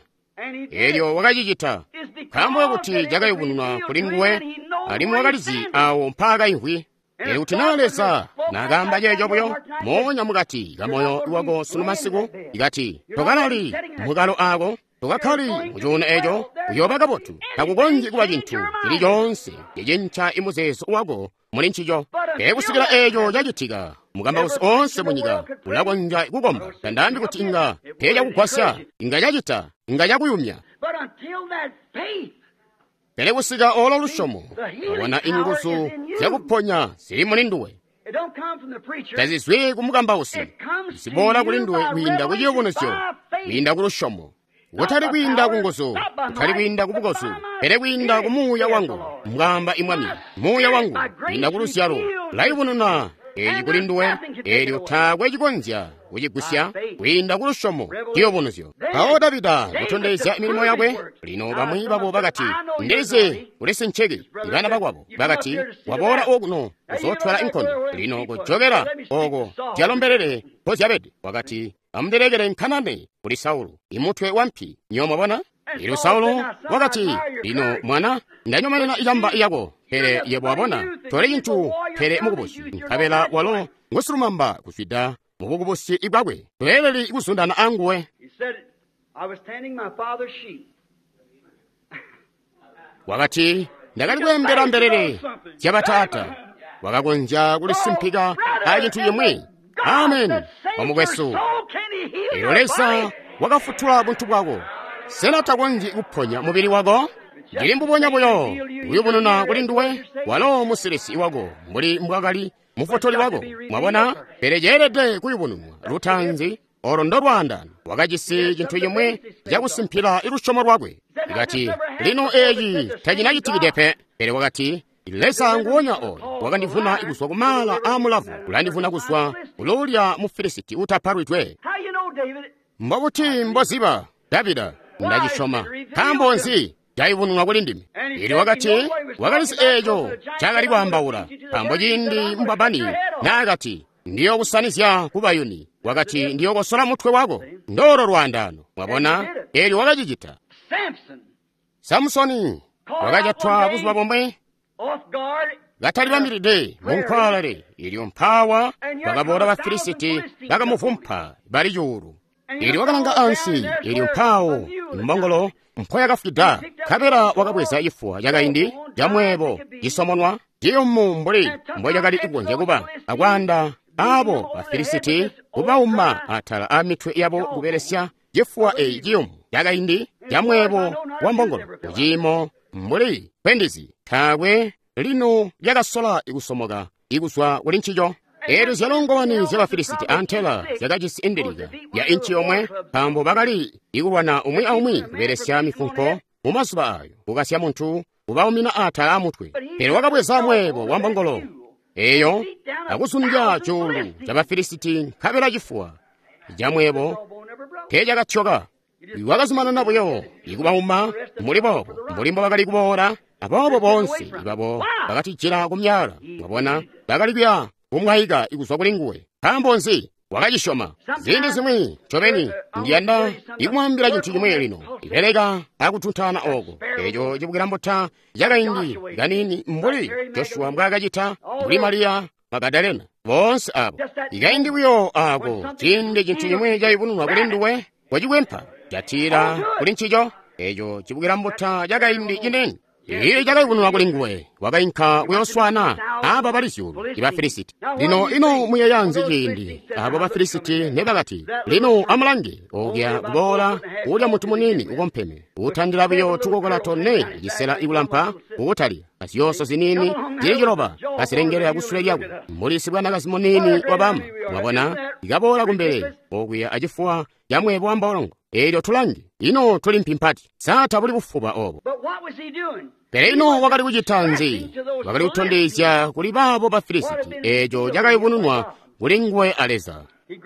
elyo wakacicita. Nkaambo kakuti cakayubununwa kuli nguwe, alimwi wakalizi awo mpaakaimvwi. Pele kuti naa Leza nakaamba ceeco buyo moonya mukati kamoyo wako sunu masiku, ikati tokalali mukalo aako, tokakkali mucuuno eco, uyooba kabotu. Takukonzyi kuba cintu cili coonse cicinca imuzeezo wako muli ncico. Pele kusikila eeco cacitika, mukambausi oonse munyika ulakonzya kukomba. Tandaambi kuti inga teecakugwasya, inga cacita, inga cakuyumya. Pele kusika olo lusyomo, wabona inguzu zyakuponya zili muli nduwe. Tazizwi ku mukambausi, ziboola kuli nduwe kwiinda ku ciyubunuzyo, kwiinda ku lusyomo. Kutali kwiinda ku nguzu, kutali kwiinda ku bukozu, pele kwiinda ku muuya wangu, mbwaamba imwami. Muuya wangu, kwiinda ku luzyalo, layubununa eci kuli nduwe, elyo taakwe cikonzya kucigusya kwiinda ku lusyomo ciyubunuzyo. Mpawo Davida kutondezya milimo yakwe. Lino bamwi babo bakati, ndizi uli sinciki. Ibana bakwabo bakati, waboola okuno kuzootwala inkondo. Lino kujokela oko zyalombelele mpozyabede. Wakati, amundilekele nkanane kuli Saulu, imutwe wampi. Nyo mwabona? Elyo Saulo wakati, lino mwana, ndanyomenena icamba yako, pele yebo wabona, tole cintu pele mukubusi. Nkabela walo ngusilumamba kuzwida mubukubusi bwakwe, toeleli kuzundana anguwe. Wakati, ndakali kweembela mbelele zyabataata. Wakakonzya kulisimpika a cintu cimwi. Amen, omukwesu. Elyo Leza wakafutula buntu bwako. Sena takonzyi kuponya mubili wako? Ndili mbubonya buyo kuyubununa kuli nduwe, walo musilisi wako mbuli mbwakali mufutuli wako. Mwabona? Pele ceelede kuyubununwa lutaanzi, olo ndo lwaandaano. Wakajisi cintu cimwi cakusimpila lusyomo lwakwe. Ikati, lino eci tacinacitikide pe. Pele wakati, Leza nguwonya oyo wakandivuna kuzwa ku maala aa mulavu, ulandivuna kuzwa kuluulya mu Filisiti utapalwidwe. Mbobuti mboziba, Davida? Ndacisyoma. Nkaambo nzi? Cayubununwa kuli ndime. Elyo wakati, wakalizi eeco cakali kwaambaula, nkaambo ciindi mbwabani naakati, ndiyookusanizya kubayuni, wakati, ndiyookosola mutwe wako. Ndoolo lwaandaano. Mwabona? Elyo wakacicita. Samusoni wakajatwa buzuba bomwe katalibambilide mu nkwaalale. Elyo mpaawa bakaboola ba Filisiti bakamuvumpa bali cuulu. Elyo wakalanga ansi, elyo mpaawo imbongolo mpoyakafwida, nkabela wakabweza cifuwa cakaindi camweebo cisomonwa ciyumu mbuli mbocakali kukonzya kuba, akwaanda abo ba Filisiti kubauma atala amitwe yabo kubelesya cifuwa eeci ciyumu cakaindi camweebo wa mbongolo kuciimo mbuli kwendizi. Taakwe lino lyakasola ikusomoka ikuzwa kuli ncico. Eelyo zyalongowani zya Bafilisiti antela zyakajisi indilika ya inci yomwe, nkaambo bakali ikulwana umwi aumwi kubelesya mifunko mu mazuba ayo, kukasya muntu kubaumina atala amutwe. Pele wakabweza mweebo wa mbongolo eyo akuzundya cuulu ca Bafilisiti, nkabela cifuwa ca mweebo teecakatyoka. Wakazumanana buyo ikubauma mbuli boobo, mbuli mbo bakali kuboola. Aboobo boonse babo bakatijila ku myaala. Mwabona, bakali kuya kumwaika kuzwa kuli nguwe. Nkaambo nzi? Wakacisyoma. Ziindi zimwi ncobeni ndiyanda ikumwaambila cintu cimwi lino. Ibeleka akutuntaana oko eco cibukila mbuta cakaindi kanini mbuli Joshua mbwaakacita, mbuli Mariya Magadalena, boonse abo. Ikaindi buyo ako, ciindi cintu cimwi cayubununwa kuli nduwe, wacikwempa jatila kuli ncico. Eco cibukila mbuta cakaindi cinini Iye cakayubununwa kuli nguwe, wakainka kuyoswana aba bali zyuulu iba Filisiti. Lino ino muyeeya nzi ciindi abo ba Filisiti ne bakati, lino amulange okuya kuboola ulya muntu muniini ukompeme, utandila buyo tukokola tone cisela ikulampa ukutalika azyoso ziniini zili ciloba kazilengelela kusule lyakwe mbuli sibwanakazi muniini wabama. Mwabona, ikaboola kumbele okuya acifuwa ca mweebo wa mbolongo. Eelyo tulange, ino tuli mpi mpati, sa tabuli bufuba obo. Pele ino wakali kucita nzi? Wakali kutondezya kuli baabo ba Filisiti eeco cakayubununwa kuli nguwe a Leza.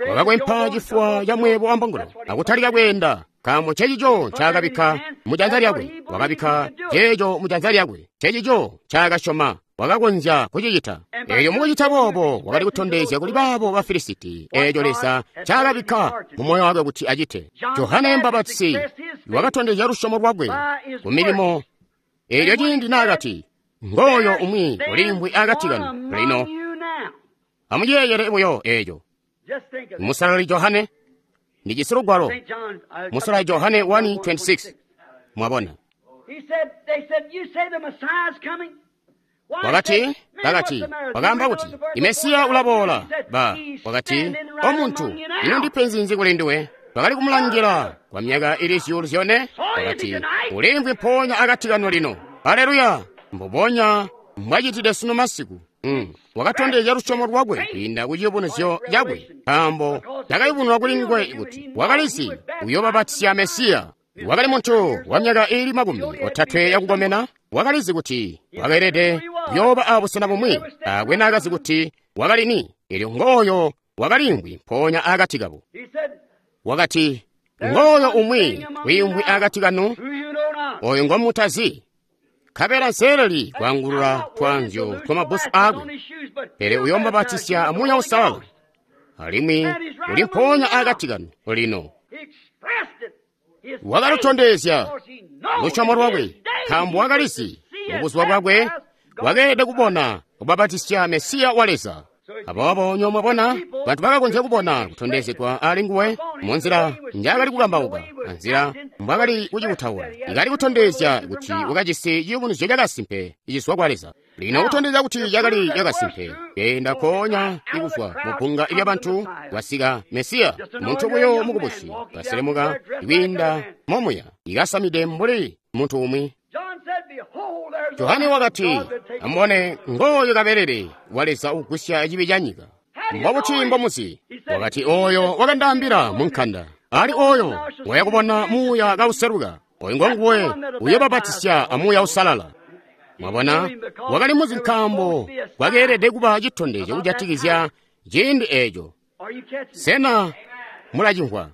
Wakakwempa cifuwa ca mweebo wa mbongolo akutalika kweenda, nkaambo ncecico ncaakabikka mu janza lyakwe. Wakabikka ceeco mu janza lyakwe, ncecico ncaakasyoma wakakonzya kucicita. Eelyo mukucita boobo wakali kutondezya kuli baabo ba Filisiti eeco Leza ncaakabikka mu moyo wakwe kuti acite. Johane Mbapatisi wakatondezya lusyomo lwakwe ku milimo. Eelyo ciindi naakati, ngooyo umwi uliimvwi akati kanu lino. Amuyeeyele buyo eeco. Musalali Johane, ndijisi lugwalo. Musalali Johane 1:26. Mwabona. Wakati, bakati, wakaamba kuti, Mesiya ulaboola. Ba, wakati, o muntu, ino ndipenzi nzi kuli nduwe? Bakali kumulangila kwa myaka ili zyuulu zyone. Wakati, uliimvwi mpoonya akati kanu lino. Aleluya! Mbubonya mbwacitide sunu masiku. Wakatondezya lusyomo lwakwe kwiinda ku ciyubunuzyo cakwe, nkaambo cakayubununwa kuli nguwe kuti wakalizi uyoobabatisya Mesiya. Wakali muntu wa myaka iili 30 yakukomena, wakalizi kuti wakeelede kuyooba abusena bumwi, taakwe naakazi kuti wakali ni. Eelyo ngooyo wakaliimvwi mpoonya akati kabo. Wakati, ngooyo umwi wiimvwi akati kanu, oyo ngomutazi. Nkabela nseeleli kwaangulula twaanzyo twamabbusu aakwe, pele uyoomubabatisya Muuya Uusalala, alimwi uli mpoonya akati kanu lino. Wakalutondezya lusyomo lwakwe, nkaambo wakalizi mubuzuba bwakwe wakeelede kubona kubabatisya Mesiya wa Leza. Aboobo nyo mwabona, bantu bakakonzya kubona kutondezegwa ali nguwe munzila njaakali kukambauka, anzila mbwaakali kucikutaula. Ikali kutondezya kuti wakajisi ciyubunuzyo cakasimpe icizwa kwa Leza. Lino kutondezya kuti cakali cakasimpe, keenda nkoonya ikuzwa mu bbunga lyabantu kwasika Mesiya, muntu buyo mukubusi, kaselemuka kwiinda momuya, ikasamide mbuli muntu umwi. Johane wakati, amubone ngooyo kabelele wa Leza ugwisya cibi ca nyika. Mbobuti mbomuzi? Wakati, oyo wakandaambila mu nkanda, ali oyo wayakubona Muuya kauseluka, oyo ngonguwe uyoobabatisya a Muuya Uusalala. Mwabona, wakali muzi nkaambo kwakeelede kuba citondezyo kujatikizya ciindi eeco. Sena mulacimvwa?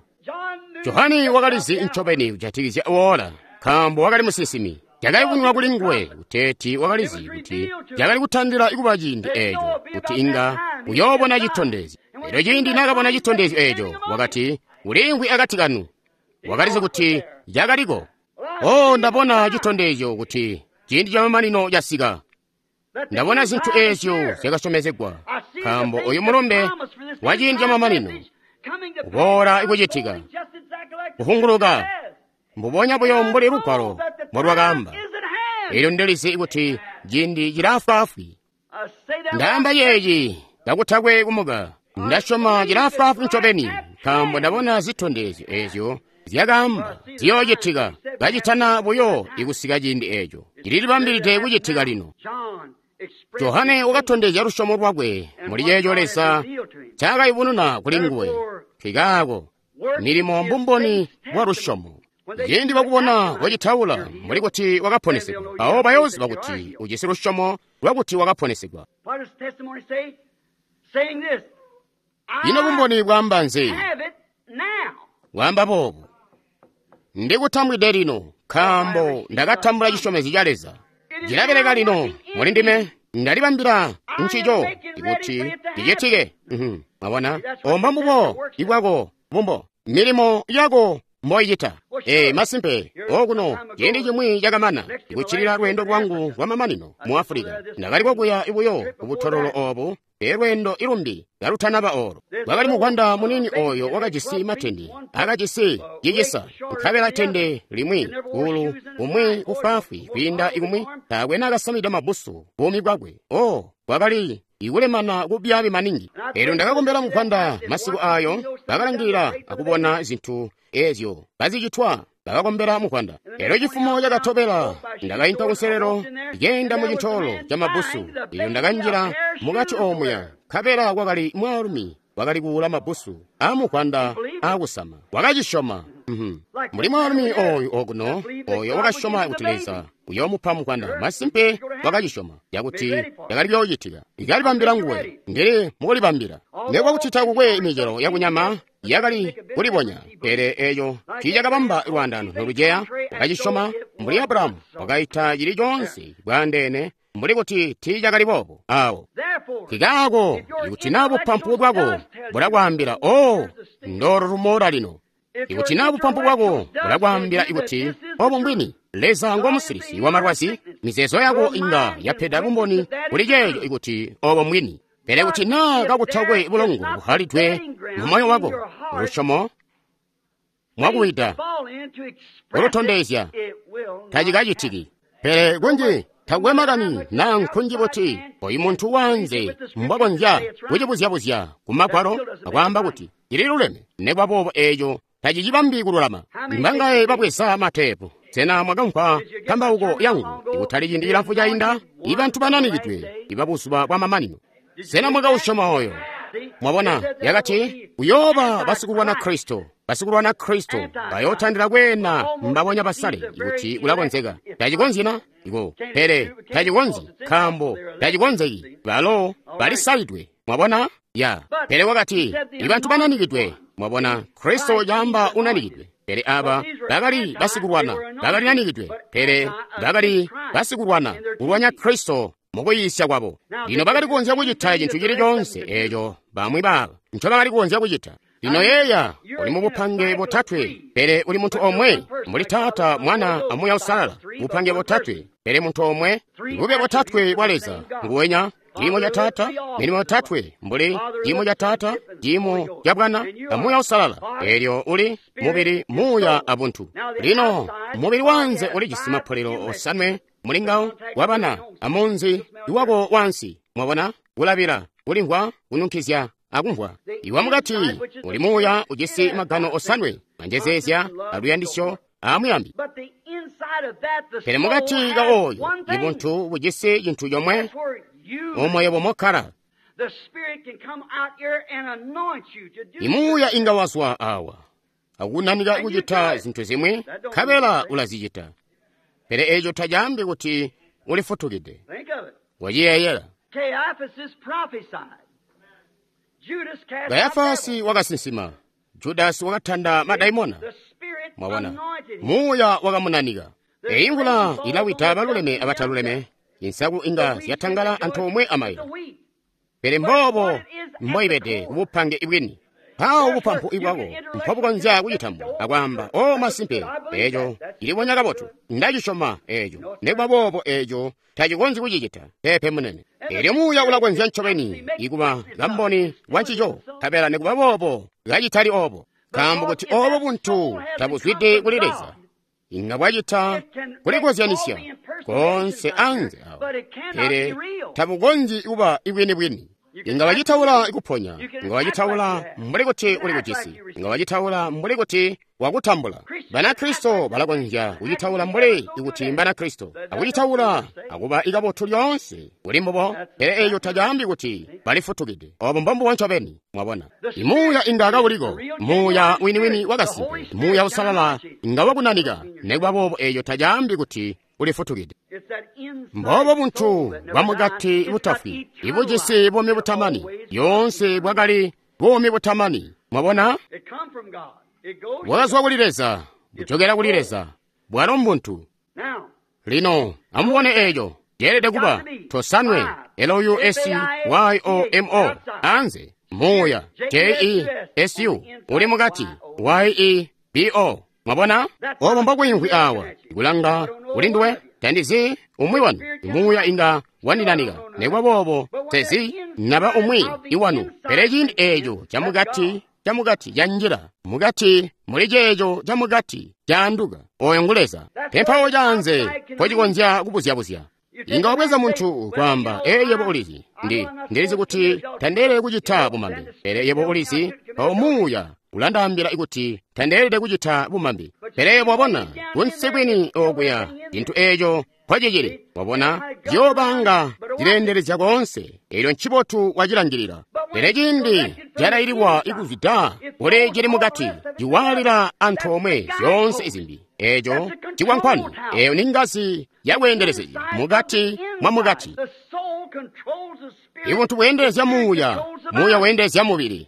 Johane wakalizi ncobeni kujatikizya woola, nkaambo wakali musinsimi. Cakayubununwa kuli nguwe kuteeti wakalizi kuti cakali kutandila kuba ciindi eeco kuti inga uyoobona citondezyo. Elyo ciindi naakabona citondezyo eeco, wakati, uliimvwi akati kanu. Wakalizi kuti cakaliko. Oh, ndabona citondezyo kuti ciindi camamanino casika. Ndabona zintu eezyo zyakasyomezegwa, nkaambo oyu mulumbe wa ciindi camamanino uboola ikucitika, kuhunguluka mbubonya buyo mbuli lugwalo mbolwakaamba. Elyo ndilizi kuti ciindi cilaafwaafwi. Ndaamba ceeci kakutakwe kumuka. Ndasyoma cilaafwaafwi ncobeni, nkaambo ndabona zitondezyo eezyo zyakaamba ziyoocitika kacitana buyo ikusika ciindi eeco. Cililibambilide kucitika lino. Johane wakatondezya lusyomo lwakwe muli ceeco Leza ncaakayubununa kuli nguwe. Nkikaako milimo mbumboni bwa lusyomo. Ciindi bakubona kocitaula mbuli kuti wakaponesegwa, mpawo bayooziba kuti ujisi lusyomo lwakuti wakaponesegwa. Ino bumboni bwaamba nzi? Bwaamba boobu: ndikutambwide lino, nkaambo ndakatambula cisyomezyo ca Leza. Cilabeleka lino muli ndime, ndalibambila ncico kuti cicitike. Mwabona, omba mbubo ibwako bumbo, milimo yako mboicita. Masimpe, okuno ciindi cimwi cakamana, ikuccilila lweendo lwangu lwamamanino mu Afulika, ndakali kokuya buyo kubutololo obu, pele lweendo ilumbi kalutanaba olo. Kwakali muvwanda muniini oyo wakajisi matende, akajisi cicisa, nkabela tende limwi kuulu kumwi kufwaafwi kwiinda ikumwi, taakwe naakasamide mabbusu buumi bwakwe. Kwakali ikulemana kubyaabi maningi. Elyo ndakakombela muvwanda masiku ayo, bakalangilila akubona zintu ezyo bazicitwa, bakakombela muvwanda. Elyo cifumo cakatobela ndakainka kunselelo, keenda mu cintoolo ca mabbusu. Elyo ndakanjila mukati omuya, nkabela kwakali mwaalumi wakali kuula mabbusu aamuvwanda aakusama. Wakacisyoma. Mbuli mwaalumi oyu okuno, oyo wakasyoma kuti Leza uyoomupa muvwanda. Masimpe wakacisyoma cakuti cakali kuyoocitika. Ikalibambila nguwe, ndili mukulibambila. Nekuba kuti takukwe micelo yakunyama yakali kulibonya, pele eco tiicakabamba lwaandano noluceya. Wakacisyoma mbuli Abrahamu wakaita cili coonse bwaandeene mbuli kuti tiicakali boobo awo. Nkikaako ikuti naa bupampu bwako bulakwaambila, "Oh, ndolo lumoola lino." Ikuti naa bupampu bwako bulakwaambila ikuti obo mbwini, Leza ngo musilisi wa malwazi, mizeezo yako inga yapeda bumboni kuli ceeco ikuti obo mbwini. Pele kuti naa kakutakwe bulongo buhalidwe mu moyo wako, lusyomo mwakuwida kulutondezya tacikacitiki. Pele kunji takwe makani naa nkunji buti oyu muntu wanze mbwakonzya kucibuzyabuzya ku magwalo akwaamba kuti cililuleme, nekuba boobo eeco tacicibambi kululama. Mbangaye babweza mateepu? Sena mwakamvwa kambauko yangu ikutali ciindi cilamfu cainda? Ibantu bananikidwe ibabuzuba bwa mamanino. Sena mwakausyoma oyo? Mwabona, yakati kuyooba basikulwana Kristo. Basikulwana Kristo bayootandila kweena mbabonya basale ikuti kulakonzeka. Tacikonzyi na? Iko, pele tacikonzyi, nkaambo tacikonzeki. Balo balisalidwe. Mwabona? Ya. Pele wakati ibantu bananikidwe. Mwabona, Kristo caamba unanikidwe. Pele aba bakali basikulwana, bakali nanikidwe, pele bakali basikulwana kulwanya Kristo mukuyiisya kwabo. Lino bakali kukonzya kucita cintu cili coonse eeco bamwi baba nco bakali kukonzya kucita. Lino yeeya, uli mubupange botatwe, pele uli muntu omwe, mbuli Taata, Mwana, a Muuya Uusalala. Bupange botatwe, pele muntu omwe, bube botatwe bwa Leza nguwenya. Ciimo ca Taata, milimo yotatwe, mbuli ciimo ca Taata, ciimo ca Bwana, a Muuya Uusalala. Elyo uli mubili, muuya abuntu. Lino mubili wanze ulijisi mapolelo osanwe mulingawo wabana amunzi iwako wansi. Mwabona, kulabila, kulimvwa, kununkizya, akumvwa. Iwa mukati uli muuya ujisi magano osanwe, manjezeezya, aluyandisyo, amuyambi. Pele mukati ka oyo ibuntu bujisi cintu comwe, omwe bomokkala. Imuuya inga wazwa awa akunanika kucita zintu zimwi, nkabela ulazicita. Pele eco tacaambi kuti ulifutukide. Waciyeeyela. Kayafasi wakasinsima, Judasi wakatanda madaimona. Mwabona, muuya wakamunanika. Eyi mvula ilawida baluleme abataluleme, insaku inga zyatangala antoomwe amaila. Pele mboobo mboibede kubupange ibwini. Mpawo bupampu ibwako mpobukonzya kucitambula akwaamba, "O masimpe, eeco cilibonya kabotu, ndacisyoma eeco." Nekuba boobo eeco tacikonzyi kucicita. Peepe munene. Elyo muuya ulakonzya ncobeni ikuba kamboni wa ncico, nkabela nekuba boobo kacitali oobo. Nkaambo kuti oobo buntu tabuzwide kuli Leza, inga bwacita kulikozyanisya koonse anze awo, pele tabukonzyi kuba ibwini-bwini. Inga wacitaula kuponya, inga wacitaula mbuli kuti uli kujisi, inga wacitaula mbuli kuti wakutambula. Banakristo balakonzya kucitaula mbuli kuti Mbanakristo, akucitaula akuba ikabotu lyoonse kuli mbubo, pele eco tacaambi kuti balifutukide. Obo mbombubo ncobeni, mwabona. Imuuya inga kauliko, muuya winiwini wakasimpe, muuya usalala inga wakunanika, nekuba boobo eco tacaambi kuti ulifutukide. Mbobo buntu bwamukati butafwi, ibujisi buumi butamani, lyoonse bwakali buumi butamani. Mwabona? Bwakazwa kuli Leza, bujokela kuli Leza, bwalo mbuntu. Lino amubone eco, ceelede kuba tosanwe, L-U-S-Y-O-M-O, anze, muuya, J-E-S-U, uli mukati, Y-E-B-O. Mwabona? Obo mbokwiimvwi awa, kulanga kuli nduwe, tandizi umwi wanu, muuya inga wandinanika, nekuba boobo tezi naba umwi iwanu. Pele ciindi eco camukati, camukati canjila mukati muli ceeco camukati caanduka, oyo ngu Leza. Pempawo canze mpocikonzya kubuzyabuzya. Inga wabweza muntu kwaamba, ee, yebo ulizi, ndilizi kuti tandeelede kucita bumambi. Pele yebo ulizi, mpawo muuya ulandaambila kuti tandeelede kucita bumambi. Pele yebo wabona, kunsi kwini okuya, cintu eeco mpocicili, wabona, ziyoobanga zileendelezya koonse, eelyo ncibotu wacilangilila. Pele ciindi calaililwa ikuzwida kuli cili mukati, ciwaalila antoomwe zyoonse izimbi. Eeco cikwankwani, eeyo ni ngazi yakweendelezya mukati mwa mukati. Ibuntu bweendelezya muuya, muuya weendelezya mubili.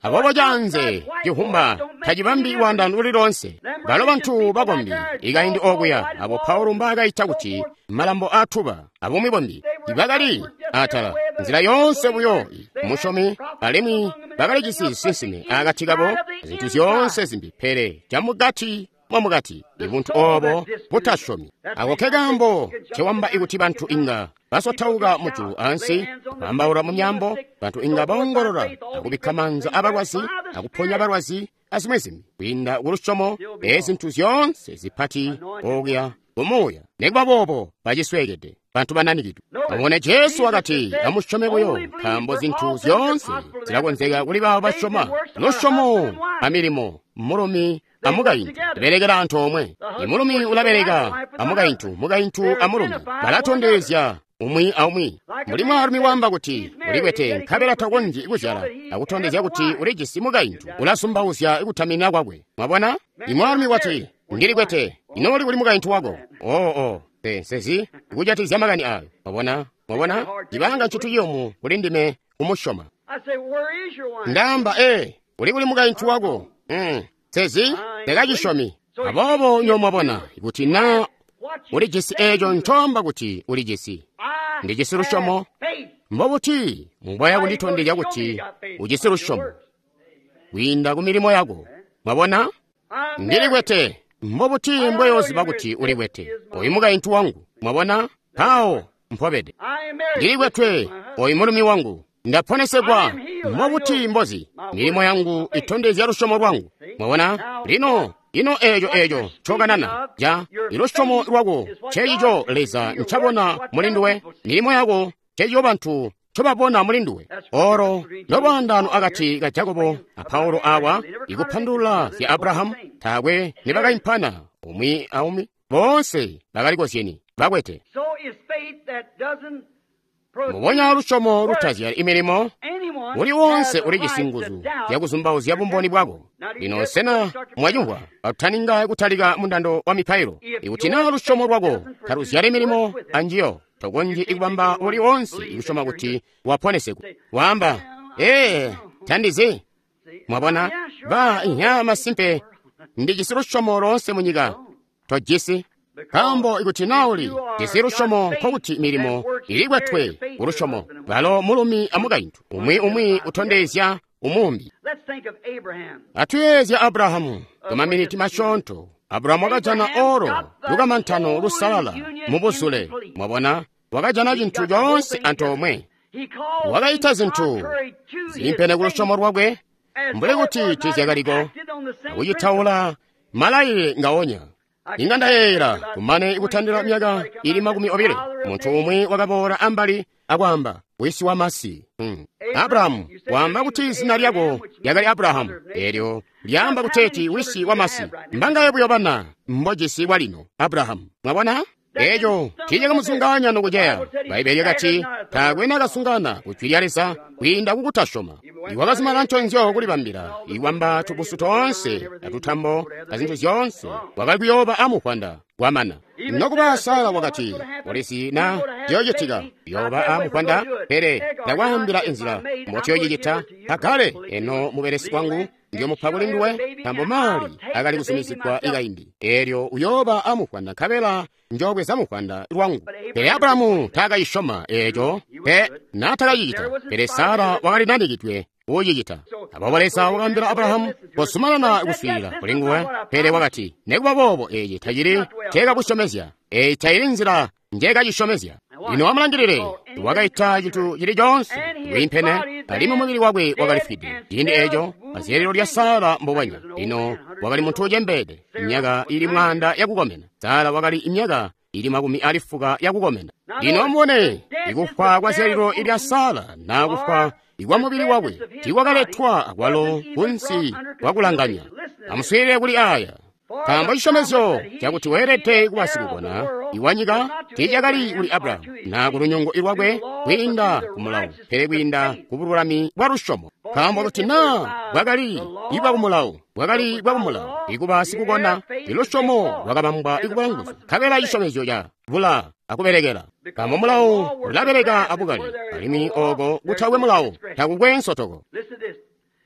Aboobo canze cihumba tacibambi lwaandaano luli loonse. Balo bantu bakombi ikaindi okuya abo Paulo mbaakaita kuti malambo aatuba abumwi bombi bakali atala nzila yoonse buyo musyomi, alimwi bakalijisi zisinsime akati kabo zintu zyoonse zimbi, pele camukati mwamukati ibuntu obo butasyomi. Ako ke kaambo cewamba ikuti bantu inga basotauka mujulu ansi, bambaula mu myambo, bantu inga baongolola akubikka maanza abalwazi akuponya balwazi azimwi zimbi kwiinda ku lusyomo. Ezi zintu zyoonse zipati okuya kumuuya, nekuba boobo bacisweekede bantu bananikidwe. Amubone Jesu wakati, amusyome buyo, nkaambo zintu zyoonse zilakonzeka kuli baabo basyoma. Lusyomo amilimo, mulumi amukaintu belekela antoomwe. Imulumi ulabeleka amukaintu, mukaintu amulumi balatondezya umwi aumwi. Mbuli mwaalumi waamba kuti ulikwete nkabela takonzyi kuzyala, akutondezya kuti ulijisi mukaintu, ulasumbauzya kutaminina kwakwe. Mwabona? Imwaalumi wati, ndilikwete, ino uli kuli mukaintu wako? Oo, nsezi kujatikizya makani ayo. Mwabona? Mwabona? Cibanga ncintu ciyumu kuli ndime kumusyoma. Ndaamba, uli kuli mukaintu wako? Nsezi ndakacisyomi. Aboobo nyo mwabona kuti na ulijisi eeco ncoamba kuti ulijisi. Ndijisi lusyomo. Mbobuti mbwaya kunditondezya kuti ujisi lusyomo? Kwiinda ku milimo yako. Mwabona? Ndilikwete. Mbobuti mbweyoziba kuti ulikwete? Oyu mukaintu wangu. Mwabona? Mpawo mpobede. Ndilikwetwe. Oyu mulumi wangu. Ndaponesegwa. Mbobuti mbozi? Milimo yangu itondezya lusyomo lwangu. Mwabona? Lino ino eeco ncokanana ja ilusyomo lwako cecico Leza ncabona muli nduwe. Milimo yako cecico bantu ncobabona muli nduwe. Oro lolwaandano akati ka Jakobo a Paulo awa ikupandulula zya Abrahamu, taakwe nibakaimpana umwi aumwi, boonse bakalikozyeni bakwete. Mubonya lusyomo lutazyali imilimo, uli wonse ulijisi nguzu zyakuzumbauzya bumboni bwako. Lino sena mwacimvwa katutaninga kutalika mundando wa mipailo? Ikuti naa lusyomo lwako taluzyali milimo anjiyo, tokonzyi ikubamba uli wonse ikusyoma kuti waponesegwa. Waamba, tandizi. Mwabona? Ba inya masimpe ndijisi lusyomo loonse munyika. Tojisi. Nkaambo ikuti naa uli jisi lusyomo, nkokuti milimo ilikwetwe kulusyomo. Balo mulumi amukaintu, umwi umwi utondezya umumbi. Atuyeezya Abrahamu kumaminiti masyoonto. Abrahamu wakajana oro lukamantano lusalala mubuzule. Mwabona, wakajana cintu coonse antoomwe. Wakaita zintu ziimpene kulusyomo lwakwe mbuli kuti tiizyakaliko, akucitaula malailile ngaonya. Inga ndayeeyela kumane ikutandila myaka ili 20, muntu umwi wakaboola ambali akwaamba, wisi wa masi. Abrahamu, waamba kuti zina lyako lyakali Abrahamu, eelyo lyaamba kuteeti wisi wamasi. Mbangaye buyo bana mbojisi bwalino, Abrahamu. Mwabona? Eco tiicakamuzungaanya nokuceya. Bbaibele lyakati taakwe nakasungana ku jwi lya Leza kwiinda kukutasyoma. Iwakazumana nconzyo kulibambila, iwamba tubusu toonse atutambo azintu zyoonse, wakali kuyooba amuvwanda kwamana. Nokuba Sara wakati, "Ulizi na ciyocitika, uyooba amuvwanda, pele ndakwaambila inzila mbotiyocicita. Hagare eno mubelesi wangu ndiyomupa kuli nduwe, nkambo mali akali kuzumizigwa ikaindi. Eelyo uyooba amuvwanda nkabela njoobweza muvwanda lwangu." Pele Abrahamu taakayisyoma eeco, pe naatakacicita. Pele Sara wakali nanikidwe kucicita. Aboobo Leza wakaambila Abrahamu kuzumanana kuswiilila kuli nguwe, pele wakati, "Nikuba boobo eeci tacili nceekakusyomezya, eeyi tayili nzila njeekacisyomezya." Lino amulangilile, wakaita cintu cili coonse kwiimpene, alimwi mubili wakwe wakalifwide. Ciindi eeco azyalilo lya Sara mbubwenya. Lino wakali muntu ucembeede, myaka ili 100 yakukomena. Sara wakali myaka ili 90 yakukomena. Lino amubone, ikufwa kwa zyalilo lya Sara na kufwa ikwa mubili wakwe tiikwakaletwa akwalo kunsi kwakulanganya. Amuswiilile kuli aya. Nkaambo cisyomezyo cakuti weelede kuba sikukona iwanyika tiicakali kuli Abrahamu na ku lunyungu lwakwe kwiinda ku mulawo, pele kwiinda ku bululami bwa lusyomo. Nkaambo kuti naa bwakali ibwa ku mulawo, bwakali bwa ku mulawo ikuba sikukona, ilusyomo lwakabambwa ikuba nguzu, nkabela cisyomezyo ca bula akubelekela. Nkaambo mulawo ulabeleka abukali, alimwi ooko kutakwe mulawo takukwe nsotoko.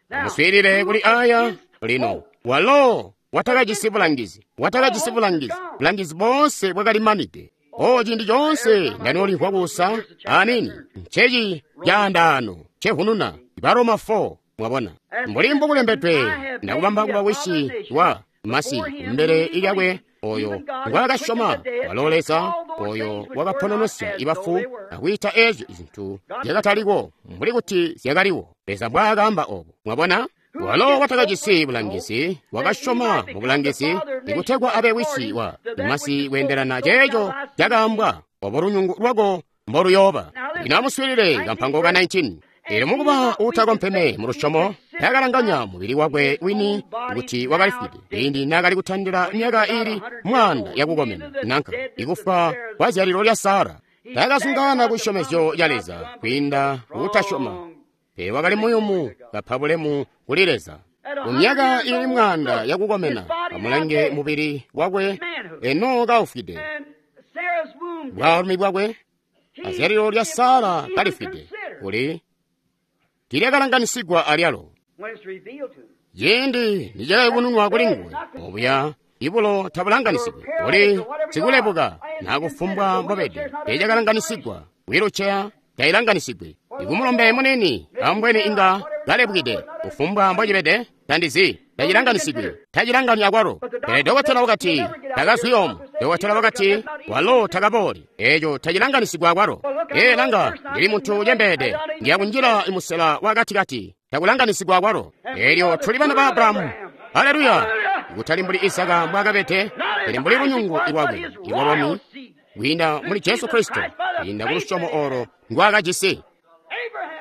Amuswiilile kuli aya lino. Walo watakajisi bulangizi, watakajisi bulangizi, bulangizi boonse bwakali manide. O ciindi coonse ndanolimvwa kuusa anini nceci caandaano cevununa Baroma 4. Mwabona, mbuli mbukulembedwe, ndakubamba kuba wisi wa masi kumbele lyakwe oyo ngwaakasyoma, walo Leza oyo wakapononosya ibafu akwiita eezyo zintu zyakataliko mbuli kuti zyakaliwo. Leza mbwaakaamba obo. Mwabona, walo watakajisi bulangizi wakasyoma mu bulangizi ikutegwa abe wisi wa masi kweendelana ceeco cakaambwa, obo lunyungu lwako mboluyooba. Lino amuswiilile kampango ka 19. Eelyo mukuba uutakompeme mu lusyomo, taakalanganya mubili wakwe wini kuti wakalifwide ciindi naakali kutandila myaka ili 100 yakukomena, nanka ikufwa kwa zyalilo lya Sara. Taakazungaana ku cisyomezyo ca Leza kwiinda kukutasyoma, pele wakali muyumu kapa bulemu kuli Leza. Ku myaka ili 100 yakukomena, amulange mubili wakwe eno kaufwide, bwaalumi bwakwe azyalilo lya Sara kalifwide, kuli tiilyakalanganisigwa alyalo. Ciindi nicakayubununwa kuli nguwe, obuya ibulo tabulanganisigwi, kuli sikulebuka nakufumbwa mbobede, teecakalanganisigwa, wiluceya tayilanganisigwi. Ikumulombe munini ambweni inga kalebukide, kufumbwa mbocibede tandizi, tacilanganisigwi, tacilangani akwalo. Pele dokotela wakati takazwi omu, dokotela wakati walo takabooli, eeco tacilanganisigwa akwalo. Ee, langa, ndili muntu ucembeede, ndiyakunjila imusela wakatikati, takulanganisigwa akwalo. Eelyo tuli bana ba Abrahamu. Haleluya! Kutali mbuli Isaka mbwaakabede, pele mbuli lunyungu lwakwe ilwalwami kwiinda muli Jesu Kristo, kwiinda ku lusyomo olo ndwaakajisi.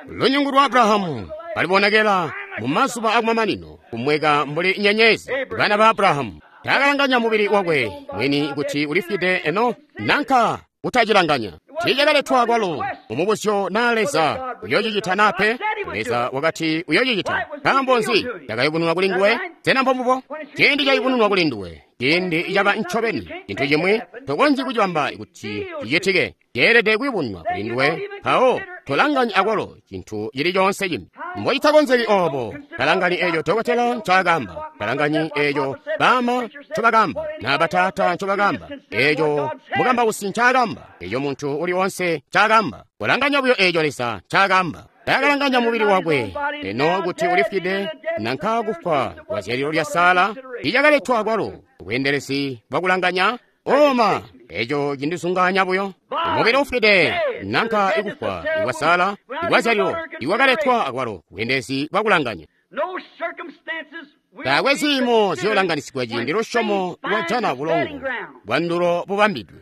Lunyungu lwa Abrahamu balibonekela mu mazuba akumamanino kumweka mbuli nyenyezi. Bana ba Abrahamu taakalanganya mubili wakwe mwini kuti ulifwide eno nanka kutacilanganya. Tiicakaletwa kwalo mumubuzyo naa Leza uyoocicita naa pe. Leza wakati uyoocicita. Nkaambo nzi cakayubununwa kuli nguwe? Sena mbombubo? Ciindi cayubununwa kuli nduwe, ciindi caba ncobeni cintu cimwi tokonzyi kucibamba kuti cicitike, ceelede kuyubununwa kuli nduwe, mpawo tolanganya akwalo cintu cili coonse cimbi. Mbocitakonzeki oobo, talanganyi eeco dokotela ncaakaamba, talanganyi eeco baama ncobakaamba, naa bataata ncobakaamba, eeco mukambausi ncaakaamba, eeco muntu uli woonse ncaakaamba. Kolanganya buyo eeco Leza ncaakaamba. Taakalanganya mubili wakwe eno kuti ulifwide nanka kufwa kwa zyalilo lya Sara icakaletwa akwalo ubweendelezi bwakulanganya. Oma, eeco cindizungaanya buyo. Mubili ufwide nanka ikufwa ikwa Sara ikwa zyalilo ikwakaletwa akwalo ubweendelezi bwakulanganya. Taakwe ziimo ziyoolanganisigwa ciindi lusyomo lwajana bulongo bwandulo bubambidwe.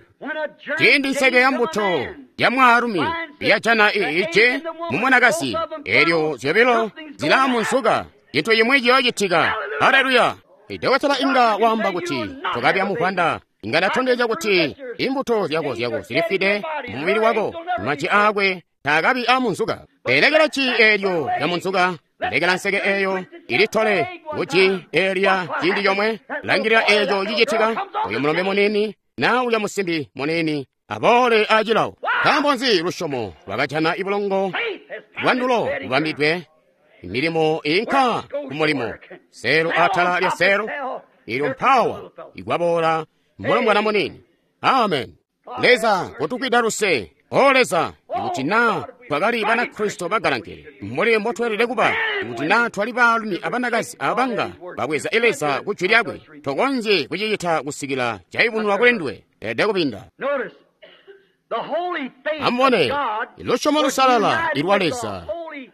Ciindi nseke ya mbuto ya mwaalumi yajana iije mu mwanakazi, eelyo zyobilo zilaamunsuka, cintu cimwi ciyoocitika. Haleluya! Idokotela inga waamba kuti tokabi muvwanda. Inga ndatondezya kuti imbuto zyako zilifwide mu mubili wako, maji aakwe taakabi amunzuka. Pelekela ci eelyo lya munzuka, lekela nseke eeyo ilitole kuji eelya ciindi comwe. Langilila eeco cicitika. Uyu mulombe muniini na ulya musimbi muniini aboole acilawo. Nkaambo nzi lusyomo lwakajana ibulongo bwandulo bubambidwe? Milimo inka kumulimo, seelo atala lya seelo, ilyo mpawa ikwaboola mulombwana muniini. Amen. Leza kutukwida luse. O Leza, ikuti naa twakali Banakristo bagalankele mbuli mbotweelede kuba, ikuti naa twali baalumi abanakazi abanga babweza Leza ku jwi lyakwe, tokonzyi kucicita kusikila cayubununwa kuli nduwe. Elede kupinda. Amubone, lusyomo lusalala ilwa Leza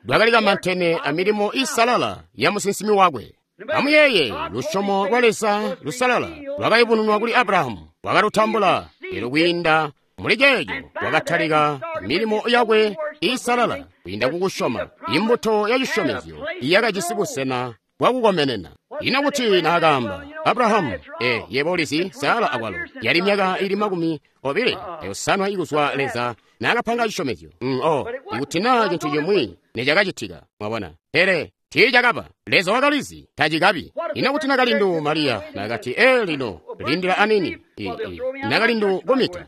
lwakali kamantene amilimo isalala ya musinsimi wakwe. Amuyeeye, lusyomo lwa Leza lusalala lwakayubununwa kuli Abrahamu, wakalutambula elyo kwiinda muli ceeco wakatalika milimo yakwe isalala kwiinda kukusyoma imbuto ya cisyomezyo iyakajisi busena bwakukomenena. Ino kuti naakaamba Abrahamu, yebo ulizi Sara akwalo yali myaka ili 25 ikuzwa Leza naakapanga cisyomezyo. Ikuti naa cintu cimwi necakacitika, mwabona, pele tiicakaba. Leza wakalizi tacikabi. Ino kuti nakalindu Mariya nakati, lino lindila anini, nakalindu kumita,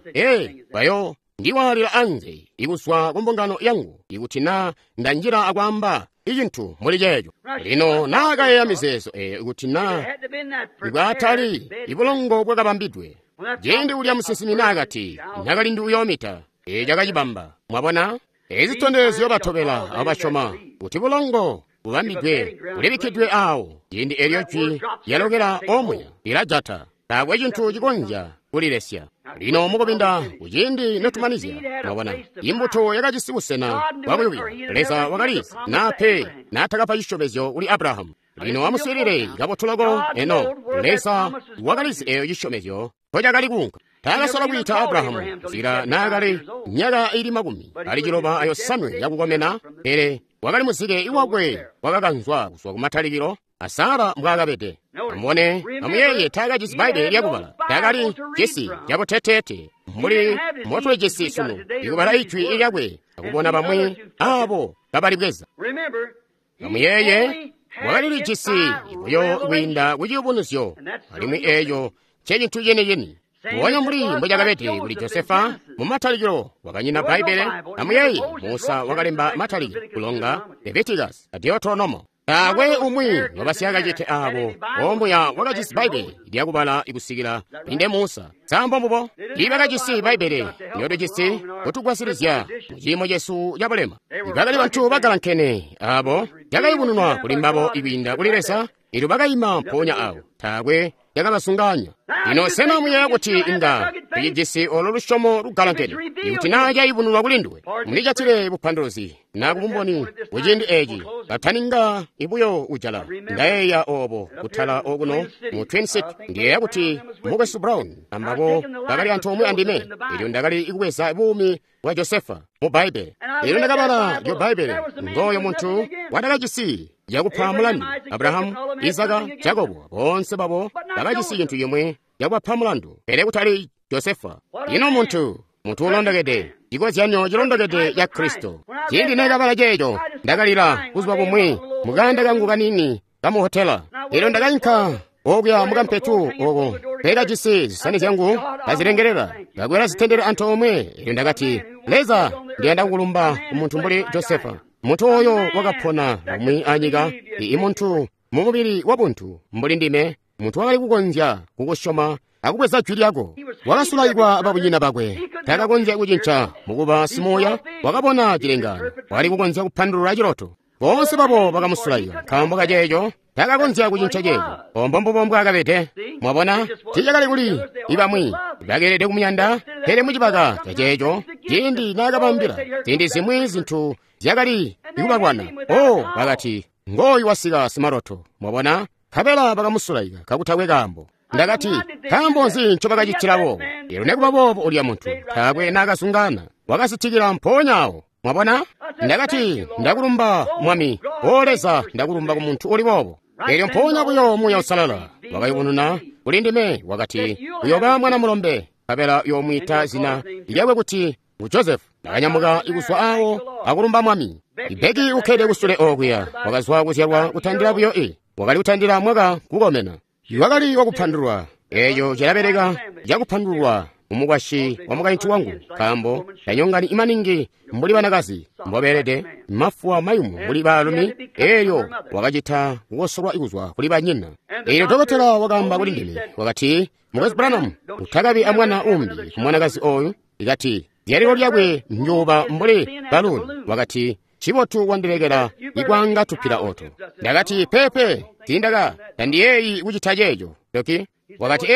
bayo ndiwaalila anze ikuzwa ku mbungano yangu ikuti naa ndanjila akwaamba icintu muli ceeco. Lino naakayeeya mizeezo eyo ikuti naa ibwatali ibulongo bwakabambidwe. Ciindi ulya musinsimi naakati nakalindu uyoomita, eco cakacibamba. Mwabona, ezi zitondezyo batobela abasyoma kuti bulongo bubambidwe bulibikkidwe awo. Ciindi elyo jwi lyalokela omuya lilajata, taakwe cintu cikonzya kulilesya. Lino mukubinda kuciindi notumanizya, mwabona, imbuto yakajisi busena bwakuyubila. Leza wakalizi naa pe naatakapa cisyomezyo kuli Abrahamu. Lino amuswiilile kabotu loko eno. Leza wakalizi eyo cisyomezyo mpocakali kuunka. Taakasola kwiita Abrahamu kusikila naakali myaka ili 97 yakukomena, pele wakali muzike iwakwe wakakanzwa kuzwa kumatalikilo a Sara mbwaakabede. Amubone, amuyeeye, taakajisi Bbaibbele lyakubala, taakali cisi cabuteteete mbuli mbotulijisi sunu, ikubala ijwi lyakwe akubona bamwi aabo kabalibweza. Amuyeeye, wakalilijisi buyo kwiinda kuciyubunuzyo, alimwi eeco ncecintu cini-cini. Mbubonya mbuli mbocakabede kuli Josefa mumatalikilo wakanyina Bbaibbele. Amuyeeye, Musa wakalemba Matalikilo, Kulonga, Leviticus a Deuteronomo. Taakwe umwi wabasyakacite aabo omuya wakajisi Bbaibbele lyakubala ikusikila inde Musa. Sambo mbubo tiibakajisi Bbaibbele lyotujisi kutugwasilizya mu ciimo cesu cabulema. Bakali bantu bagalankene aabo lyakayubununwa kuli mbabo ikwiinda kuli Leza, elyo bakayima mpoonya awo, taakwe lyakabasunganya. Lino sena muyeeya kuti inga tucijisi olo lusyomo lugalankene ikuti naa cayubununwa kuli nduwe? Mulijatile bupanduluzi na kubumboni kuciindi eci kataninga ibuyo ujala. Ndayeeya oobo kutala okuno mu Twin City. Ndiyeeya kuti Mukwesu Brown ambabo bakali antoomwe andime, elyo ndakali kubweza buumi bwa Josefa mu Bbaibbele. Elyo ndakabala lyo Bbaibbele, ngooyo muntu watakajisi yakupa mulandu. Abrahamu, Isaka, Jakobo, boonse babo bakajisi cintu cimwe cakubapa mulandu, pele kutali Josefa. Ino muntu ulondokede, cikozyanyo cilondokede ca Kristo. Ciindi neekabala ceeco, ndakalila buzuba bumwi mukanda kangu kaniini kamuhotela. Elyo ndakainka okuya mukampetu oko peekajisi zisani zyangu kazilengelela, kakwela zitendele antoomwe. Elyo ndakati, Leza, ndiyanda kukulumba ku muntu mbuli Josefa, muntu oyo wakapona lumwi anyika, imuntu mu mubili wabuntu mbuli ndime, muntu wakali kukonzya kukusyoma akubweza jwi lyako. Wakasulaikwa babunyina bakwe, takakonzya kucinca mukuba simuuya. Wakabona cilengaano, wakali kukonzya kupandulula ciloto. Boonse babo bakamusulaika nkaambo kaceeco, takakonzya kucinca ceeco. Ombo mbubo mbwaakabede. Mwabona, tiicakali kuli ibamwi bakeelede kumuyanda, pele mucibaka caceeco, ciindi naakabambila ziindi zimwi zintu zyakali kubalwana, bakati, ngooyu wasika simaloto. Mwabona, nkabela bakamusulaika kakutakwe kaambo. Ndakati, nkaambo nzi ncobakacitila boobo? Elyo nekuba boobo ulya muntu taakwe naakazungaana, wakasitikila mpoonya awo. Mwabona? Ndakati, ndakulumba Mwami. O Leza, ndakulumba ku muntu uli boobo. Elyo mpoonya buyo Muuya Uusalala wakayubununa kuli ndime, wakati, uyooba mwana mulombe, nkabela uyoomwiita zina lyakwe kuti ngu Joseph. Ndakanyamuka kuzwa awo akulumba Mwami. Becky ukkede kusule okuya, wakazwa kuzyalwa kutandila buyo wakali kutandila mwaka kukomena. Wakali wakupandulwa. Eeco cilabeleka cakupandulwa mumukwasyi wa mukaintu wangu, nkaambo tanyongani maningi mbuli banakazi mbobeelede, mafuwa mayumu mbuli baalumi. Eelyo wakacita kukosolwa kuzwa kuli banyina. Eelyo dokotela wakaamba kuli ndime, wakati, Mukwesu Branham, utakabi amwana umbi ku mwanakazi oyu. Ikati zyalilo lyakwe njuba mbuli baluni. Wakati, cibotu wandilekela ikwanga tupila oto. Ndakati, pepe, tiindaka tandiyeeyi kucita ceeco, doki. Wakati,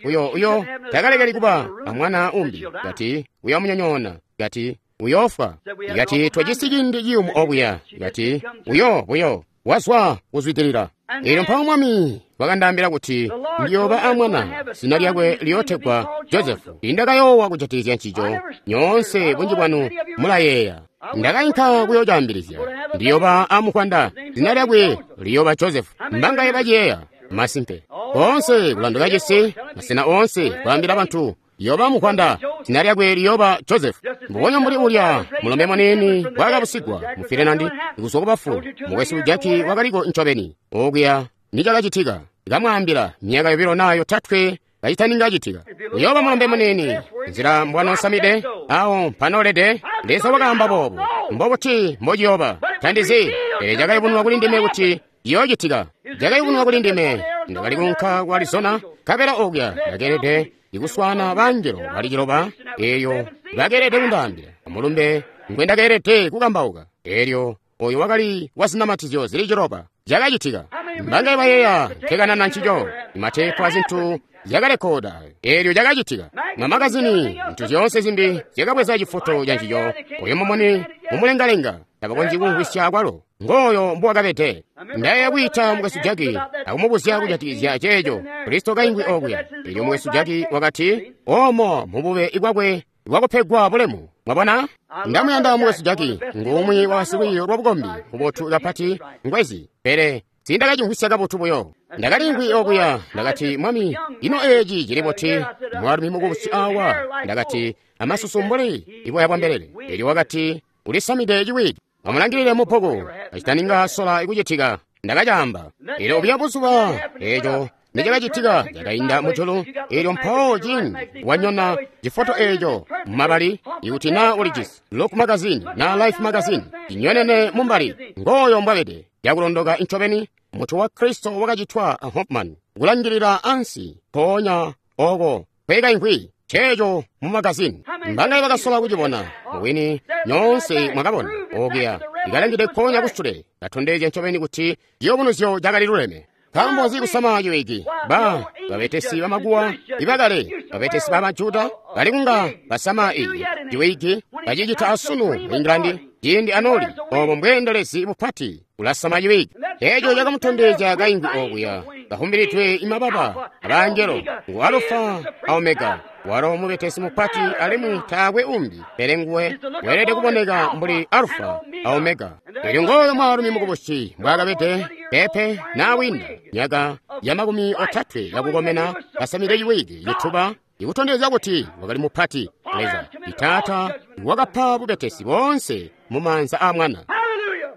uyo takalekeli kuba amwana umbi. Kati, uyomunyonyoona. Kati, uyofwa. Kati, twajisi ciindi ciyumu obuya. Kati, uyo buyo wazwa kuzwidilila. Eelyo mpawo Mwami wakandaambila kuti ndiyooba amwana, zina lyakwe liyootegwa Josefu. Tiindakayoowa kujatikizya ncico, nyoonse bunji bwanu mulayeeya. Ndakainka kuyocaambilizya, ndiyooba amukwanda, zina lyakwe liyooba Josefu. Mbangaye baciyeeya? Masimpe. Koonse kulanduka cisi, masena oonse kwaambila bantu, liyooba mukwanda, zina lyakwe liyooba Josefu. Mbubonya mbuli ulya mulombe muniini bwakabusigwa mu Finland kuzwa ku bafu, mukwesu Jackie wakaliko ncobeni okuya nicakacitika. Kamwaambila myaka yobilo naa yotatwe kacitaninga citika. Uyooba mulombe muniini, nzila mbwanosamide, awo mpanoolede. Leza wakaamba boobu. Mbobuti mbociyooba? Tandizi, pele cakayubununwa kuli ndime kuti ciyoocitika. Cakayubununwa kuli ndime. Ndakali kuunka ku Arizona, nkabela okuya ndakeelede ikuswaana bangelo bali ciloba, eeyo bakeelede kundaambila amulumbe ngwendakeelede kukambauka. Eelyo oyo wakali wazinamatizyo zili ciloba. Cakacitika. Mbangaye bayeeya nkekanana ncico? Mateepu azintu zyakalekoda. Eelyo cakacitika. Mamagazini, zintu zyoonse zimbi zyakabweza cifoto ca ncico. Oyo mumuni mumulengalenga tabakonzyi kumvwisya akwalo. Ngooyo mbuwakabede. Ndayeeya kwiita mukwesu Jackie akumubuzya kujatikizya ceeco Kristo kaingwi okuya. Eelyo mukwesu Jackie wakati, omo mubube bwakwe bwakupegwa bulemu. Mwabona? Ndamuyanda mukwesu Jackie, ngumwi wa basilwiiyo lwa bukombi bubotu kapati ngwezi, pele tiindakacimvwisya kabotu buyo. Ndakaliimvwi okuya, ndakati, Mwami, ino eeci cili buti? Mwaalumi mukubusi awa, ndakati, amasusu mbuli iboya bwa mbelele. Eelyo wakati, ulisamide ciwigi. Amulangilile mubbuku, kacitaninga sola kucitika. Ndakacaamba. Eelyo buya buzuba, eeco nicakacitika cakainda mujulu. Eelyo mpawo ciindi wanyona cifoto eeco mumabali, ikuti naa ulijisi Look magazine na Life magazine, cinyonene mumbali, ngooyo mbwabede. Cakulondoka ncobeni, mutwe wa Kristo wakacitwa a Hofmann, kulangilila ansi, mpoonya oko kwekaimvwi ceeco mu magazini. Mbangaye bakasola kucibona? Mubwini nyoonse mwakabona okuya ikalangide mpoonya kusule, katondezya ncobeni kuti ciyubunuzyo cakali luleme. Nkaambo nzi kusama ciwigi? Ba babetesi bamakuwa ibakale, babetesi ba Bajuda bali kunga basama iyi ciwigi, bacicita asunu mu England ciindi anoli obo mbweendelezi bupati ulasama ciwigi. Eeco cakamutondezya kaingwi okuya kahumbilidwe imababa abangelo, ngu Alufa a Omega, walo mubetesi mupati alimwi taakwe umbi pele nguwe weelede kuboneka mbuli Alufa a Omega. Eelyo ngooyo mwaalumi mukubusi mbwaakabede, pepe naawinda myaka ya 30 yakukomena, kasamide ciwigi cituba, ikutondezya kuti wakali mupati. Leza Taata wakapa bubetesi boonse mumaanza a Mwana.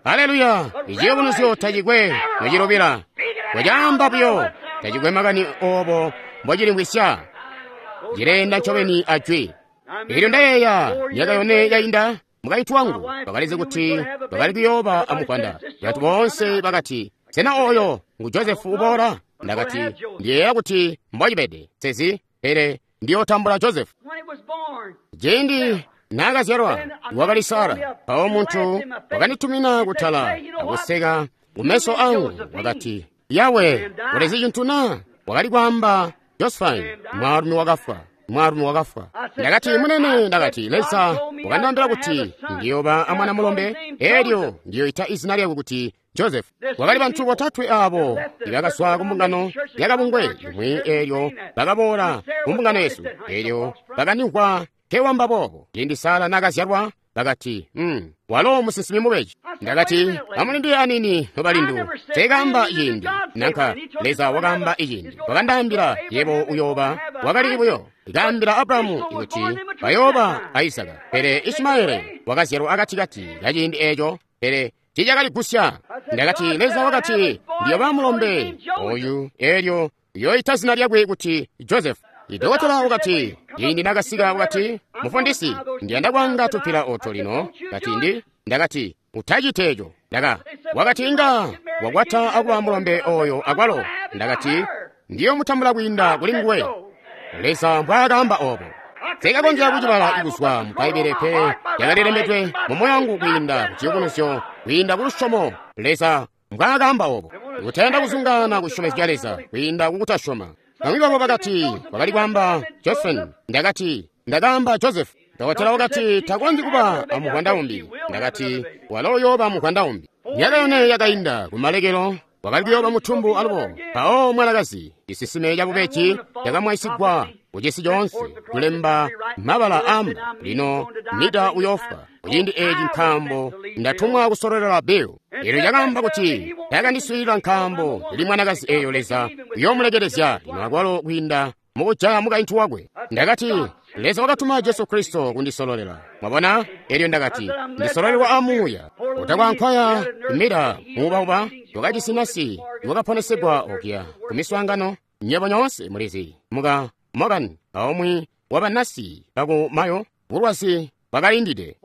Haleluya! Iciyubunuzyo tacikwe nocilubila, wacaamba buyo, tacikwe makani oobo mbocilimvwisya, cileenda ncobeni ajwi. Eelyo ndayeeya myaka yone yainda, mukaintu wangu wakalizi kuti bakali kuyooba amukwanda. Bantu boonse bakati, sena oyo ngu Josefu uboola? Ndakati, ndiyeeya kuti mbocibede, sezi, pele ndiyootambula Josefu. Ciindi naakazyalwa wakali Sara. Mpawo muntu wakanditumina kutala akuseka kumeso angu, wakati, Yawe, ulizi cintu na? Wakali kwaamba Josephine, mwaalumi wakafwa. Mwaalumi wakafwa. Ndakati, munene, ndakati, Leza wakandaambila kuti ndiyooba amwana mulombe, eelyo ndiyoita izina lyakwe kuti Joseph. Wakali bantu botatwe abo ibakazwa kumbungano yakabungwe imwi, eelyo bakaboola kumbungano yesu, eelyo bakandimvwa nkewamba boobo. Ciindi Sara naakazyalwa, Bakati, walo musinsimi mubeji. Ndakati, amulindile anini nobalindu. Teekaamba ciindi, nanka Leza wakaamba iciindi. Wakandaambila, yebo uyooba, wakali buyo. Kaambila Abrahamu kuti bayooba a Isaka. Pele Ishimaele wakazyalwa akatikati kaciindi eeco, pele tiicakaligusya. Ndakati, Leza wakati, ndiyooba mulombe oyu, eelyo uyooyita zina lyakwe kuti Joseph. Idokotela wakati, ciindi nakasika wakati, mufundisi, ndiyanda kwanga tupila oto lino. Kati ndakati, utacite eco. Wakati inga wakwata akuba mulombe oyo akwalo. Ndakati, ndiyomutambula kwiinda kuli nguwe. Leza mbwaakaamba obo. Sikakonzya kucibala kuzwa mu Bbaibbele pe yakalilembedwe mu moyo wangu kwiinda ku ciyubunuzyo, kwiinda ku lusyomo. Leza mbwaakaamba obo. Kutayanda kuzungaana kusyomezya Leza kwiinda kukutasyoma. Bamwi babo bakati, wakali kwaamba Josephine. Ndakati, ndakaamba Joseph. Dokotela wakati, takonzyi kuba amuvwanda umbi. Ndakati, walo uyooba muvwanda umbi. Myaka yone yakainda kumalekelo, wakali kuyooba mutumbu alubo. Mpawo mwanakazi, cisisime cabubeji cakamwaisigwa kucisi coonse, kulemba mabala amba, lino Mida uyoofwa. Kuciindi eeci nkaambo ndatumwa kusololela Bill. Eelyo cakaamba kuti takandiswiilila nkaambo ndili mwanakazi eeyo Leza uyoomulekelezya lino akwalo kwiinda mukujaya mukaintu wakwe. Ndakati, Leza wakatuma Jesu Kristo kundisololela. Mwabona? Eelyo ndakati, ndisololelwa amuuya. Utakwankwaya Mida muubauba wakajisi nasi wakaponesegwa okuya kumiswaangano. Nywebo nyoonse mulizi muka Morgan aumwi wabanasi baku Mayo bulwazi bwakaindide.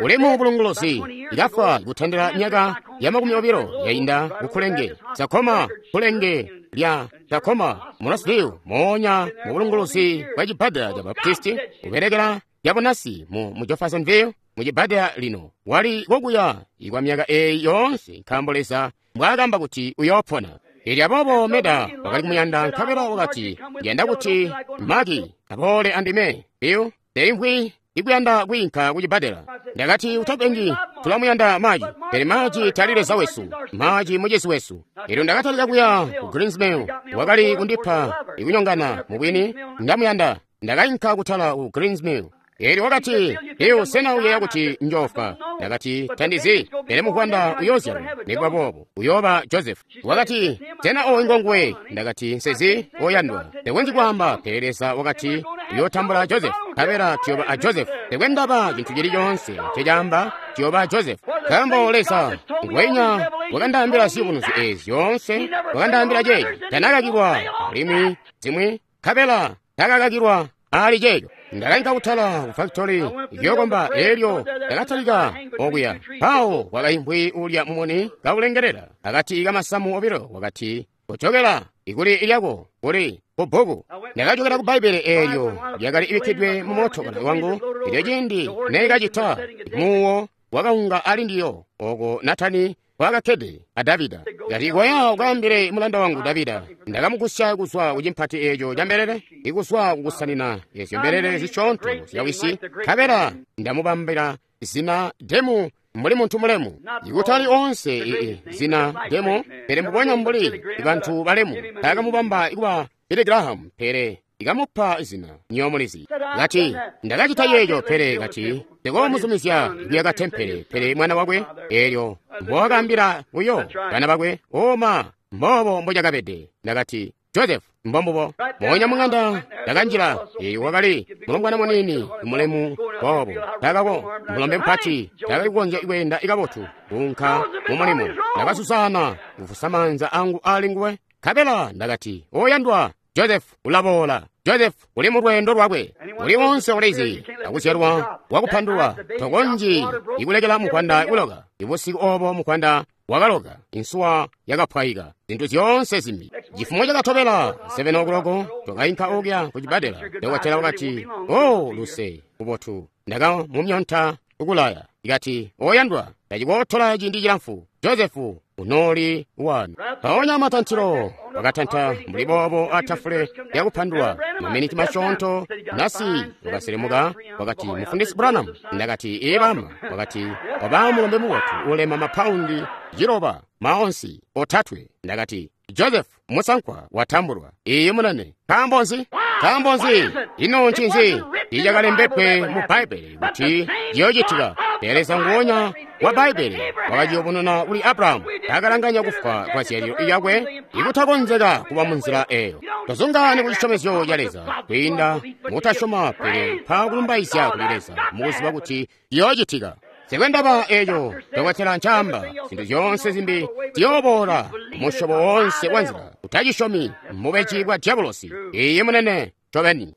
Ulemu bulunguluzi ikafwa kutandila myaka ya 20 yainda kukulenge Sakoma kulenge lya Sakoma Monosville moonya mu bulunguluzi bwa cibbadela ca Baptisti kubelekela yabunasi mu Jeffersonville mu cibbadela lino wali kokuya ikwa myaka eeyi yoonse nkaambo Leza mbwaakamba kuti uyoopona. Eelyo aboobo Meda wakali kumuyanda nkabela wakati, ndiyanda kuti Maki aboole andime. Bill, teimvwi ikuyanda kwiinka kucibbadela. Ndakati, utapengi, tulamuyanda Maki, pele Maki tali Leza wesu, Maki mucisi wesu. Eelyo ndakatalika kuya ku Greensmill, wakali kundipa ikunyongana mubwini, ndamuyanda. Ndakainka kutala ku Greensmill. Eelyo wakati, Bill, sena uyeeya kuti njoofa? Ndakati, tandizi, pele muvwanda uyoozyalwa. Nikuba boobo, uyooba Joseph. Wakati, sena ooyu ngonguwe? Ndakati, nsezi, oyandwa. Tekonzyi kwaamba, pele Leza wakati, uyootambula Joseph. Nkabela tuyooba a Joseph. Tekwe ndaba cintu cili coonse ncecaamba, tuyooba a Joseph. Nkaambo Leza ngwenya wakandaambila ziyubunuzyo eezi zyoonse, wakandaambila ceeci. Tanakakilwa alimwi zimwi, nkabela takakakilwa ali ceeco. Ndakainka kutala ku factory yokomba eelyo ndakatalika okuya. Mpawo kwakaimvwi ulya mumuni kaulengelela akati kamasamu obilo wakati, kojokela ikuli lyako kuli kubbuku. Ndakajokela ku Bbaibbele eelyo lyakali ibikkidwe mu mootokala wangu. Elyo ciindi neekacita, muuwo wakaunga ali ndiyo oko Natani kwakakkede a Davida. Kati, koya ukaambile mulanda wangu Davida, ndakamugusya kuzwa ku cimpati eeco ca mbelele, ikuzwa kukusanina ezyo mbelele zisyoonto zya wisi, nkabela ndamubambila zina demu mbuli muntu mulemu. Ikutali onse zina demu, pele mbubonya mbuli bantu balemu. Takamubamba ikuba Billy Graham, pele ikamupa zina nyomulizi. Kati, ndakacita yeeyo, pele kati, tekoomuzumizya kuyaka tempele, pele mwana wakwe, eelyo mbowakaambila uyo bana bakwe, oma, mboobo mbocakabede. Ndakati, Joseph, mbombubo. Moonya mung'anda ndakanjila, eeyo wakali mulombwana muniini mulemu boobo. Takako mulombe mupati, takali kukonzya kweenda kabotu kuunka mu mulimo. Ndakasusana kufusa maanza angu ali nguwe, nkabela ndakati, oyandwa Joseph ulaboola. Joseph uli mu lweendo lwakwe. Uli wonse ulizi akuzyalwa wakupandulwa tokonzyi ikulekela mukwanda kuloka. Ibusiku obo mukwanda wakaloka, insuwa yakapwayika, zintu zyoonse zimbi. Chifumo chakatobela 7 o'clock twakainka okuya ku cibbadela. Dokotela wakati, "Oh, luse kubotu." Ndakamumyonta ukulaya. Ikati, "Oyandwa, tacikootola ciindi cilamfu. Joseph unooli wanu." Mpoonya matantilo wakatanta mbuli boobo atafule lyakupandulwa. Maminiti masyoonto nasi wakaselemuka wakati, "Mufundisi Branham." Ndakati, "Ee bama." Wakati, "Waba mulombe mubotu ulema mapaundi 9 maonsi 3." Ndakati, "Joseph musankwa watambulwa." Iye munene. Nkaambo nzi? Nkaambo nzi? Ino ncinzi? Tiicakalembedwe mu Bbaibbele kuti ciyoocitika. Pele Leza nguonya wa Bbaibbele wakaciyubununa kuli Abrahamu, taakalanganya kufwa kwa zyalilo lyakwe ikutakonzeka kuba munzila eyo. Tozungaani ku cisyomezyo ca Leza kwiinda mukutasyoma, pele mpa kulumbaizya kuli Leza mukuziba kuti ciyoocitika. Nsikwendaba eeco dokotela ncaamba, zintu zyoonse zimbi ziyooboola musyobo woonse wa nzila. Utacisyomi mubeji bwa diabolosi. Iiyi munene, ncobeni.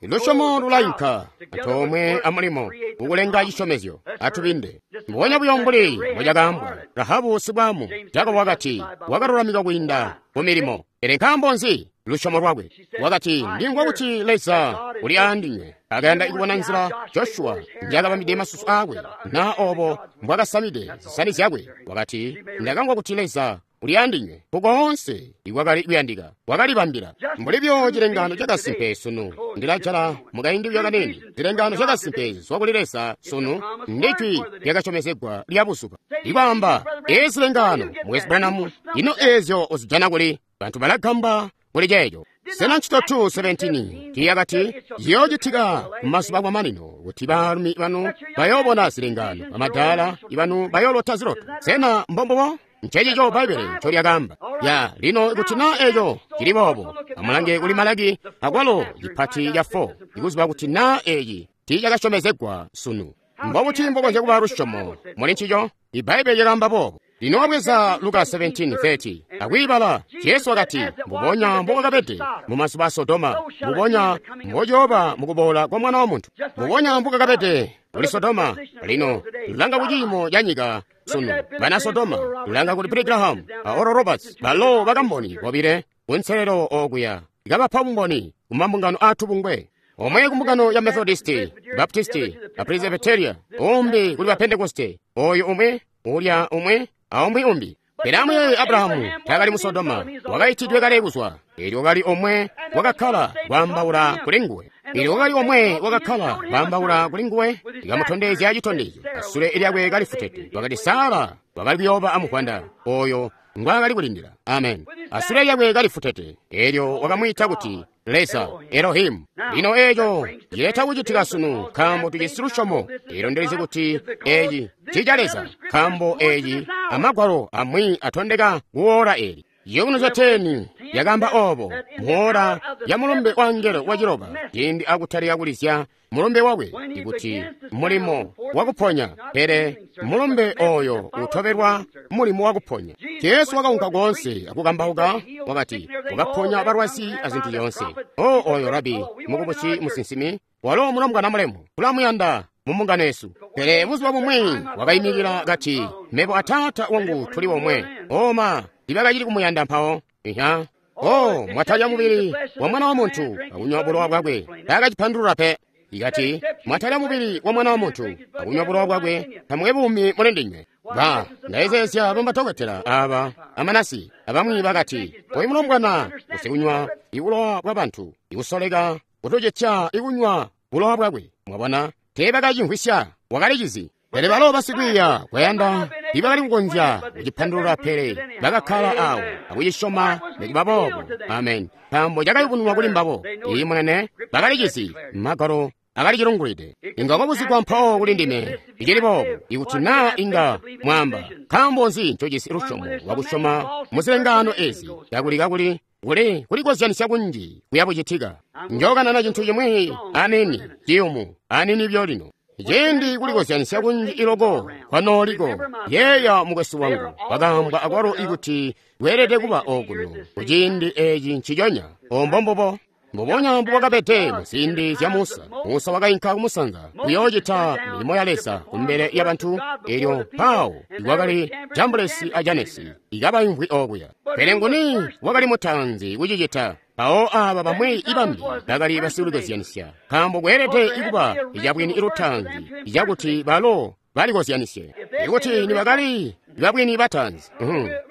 Lusyomo lulainka antoomwe amulimo kukulenga cisyomezyo. Atubinde mbubonya buyo mbuli mbocakaambwa Rahabu sibwaamu. Jakobo wakati wakalulamikwa kwiinda ku milimo. Pele nkaambo nzi? Lusyomo lwakwe. Wakati ndimvwa kuti Leza uli aandinywe. Akayanda kubona nzila Joshua njakabambide masusu aakwe na obo mbwakasamide zisani zyakwe. Wakati ndakamvwa kuti Leza uli aandinywe. Kukoonse ikwakali kuyandika wakalibambila. Mbuli byo cilengano cakasimpe sunu ndilajala mukaindi buyo kanini. Zilengano zyakasimpe zizwa kuli Leza sunu ndijwi lyakasyomezegwa lya buzuba. Ikwaamba ezi zilengano mukwesu Branham, ino eezyo uzijana kuli? Bantu balagamba kuli ceeco. Sena ncito 2:17 tiyakati ciyoocitika mumazuba amamanino kuti baalumi banu bayoobona zilengano, bamadaala banu bayoolota ziloto. Sena mbombubo? Ncencico Bbaibbele ncolyakaamba. Ya lino ikuti naa eeco cili boobo, amulange kuli Malaki akwalo cipati ca 4 ikuziba kuti naa eeci tiicakasyomezegwa sunu. Mbobuti mbokonzya kuba lusyomo muli ncico? Ibbaibbele lyakaamba boobo. Lino wabweza Luka 17:30 akwiibala, Jesu wakati, mbubonya mbokwakabede mumazuba a Sodoma, mbubonya mbociyooba mukuboola kwa Mwana wa Muntu. Mbubonya mbokwakabede kuli Sodoma. Lino lulanga kuciimo ca nyika sunu. Bana Sodoma lulanga kuli Billy Graham a Oral Roberts, balo bakamboni bobile kunselelo okuya kabapa bumboni kumambungano aatubungwe. Omwe kumbungano ya Methodisti, Baptisti, a Presbyteria, umbi kuli ba Pentekoste, oyu umwe, ulya umwe, aumwi umbi. Pele amuyeeye Abrahamu taakali mu Sodoma, wakaitidwe kale kuzwa. Eelyo wakali omwe wakakkala kwaambaula kuli nguwe. Eelyo wakali omwe wakakkala kwaambaula kuli nguwe, ikamutondezya citondezyo. Asule lyakwe kalifutete. Wakati Sara wakali kuyooba amuvwanda oyo ngwaakali kulindila. Amen. Asule lyakwe kalifutete. Eelyo wakamwiita kuti Leza Elohimu. Lino eeco cileta kucitika sunu nkaambo tujisi lusyomo. Eelyo ndilizi kuti eeci ncica Leza, nkaambo eeci amagwalo amwi atondeka kuwoola eeli. Ciyubunuzyo 10 yakaamba oobo muwoola ya mulumbe wa angelo waciloba, ciindi akutalika kulizya mulumbe wakwe, ikuti mulimo wakuponya, pele mulumbe oyo utobelwa mulimo wakuponya. Jesu wakaunka koonse akukambauka, wakati wakaponya balwazi azintu zyoonse. O oyo rabi mukubusi musinsimi, walo mulombwana mulemu, tulamuyanda mumbungano yesu. Pele buzuba bumwi wakaimikila kati, mebo a Taata wangu tuli omwe. Oma tibakacili kumuyanda mpawo. Iha. O mwatalya mubili wa Mwana wa Muntu akunywa bulowa bwakwe. Taakacipandulula pe. Ikati mwatalya mubili wa Mwana wa Muntu akunywa bulowa bwakwe, tamukwe buumi muli ndinywe. Ba ndayezeezya bamadokotela aba amanasi abamwi bakati, oyu mulombwana usikunywa ibulowa bwa bantu, ikusoleka kutucitya ikunywa bulowa bwakwe. Mwabona, teebakacimvwisya, wakalicizi. Pele balo basikwiiya kwayanda tiibakali kukonzya kucipandulula, pele bakakkala awo akucisyoma nikuba boobo. Amen. Nkaambo cakayubununwa kuli mbabo. Iiyi munene, bakalicizi. Magwalo akalicilungulide. Inga kwabuzigwa mpawo kuli ndime icili boobo, ikuti naa inga mwaamba, nkaambo nzi ncojisi lusyomo lwakusyoma muzilengaano ezi, kakuli kuli kulikozyanisya kunji kuya bucitika. Njookanana cintu cimwi anini ciyumu anini byo lino. Ciindi kulikozyanisya kunji iloko kwanooliko, yeeya mukwesu wangu, wakaambwa akwalo ikuti weelede kuba okuno kuciindi eeci nciconya. Ombombubo mbubonya mbubwakabede muziindi zya Musa. Musa wakainka kumusanza kuyoocita milimo ya Leza kumbele ya bantu, eelyo mpawo ikwakali Jambulesi a Janesi ikabaimvwi okuya. Pele nguni wakali mutaanzi kucicita? Mpawo aaba bamwi ibambi bakali basikulikozyanisya, nkaambo kweelede ikuba icabwini ilutaanzi icakuti balo balikozyanisye. Ikuti nibakali babwini bataanzi,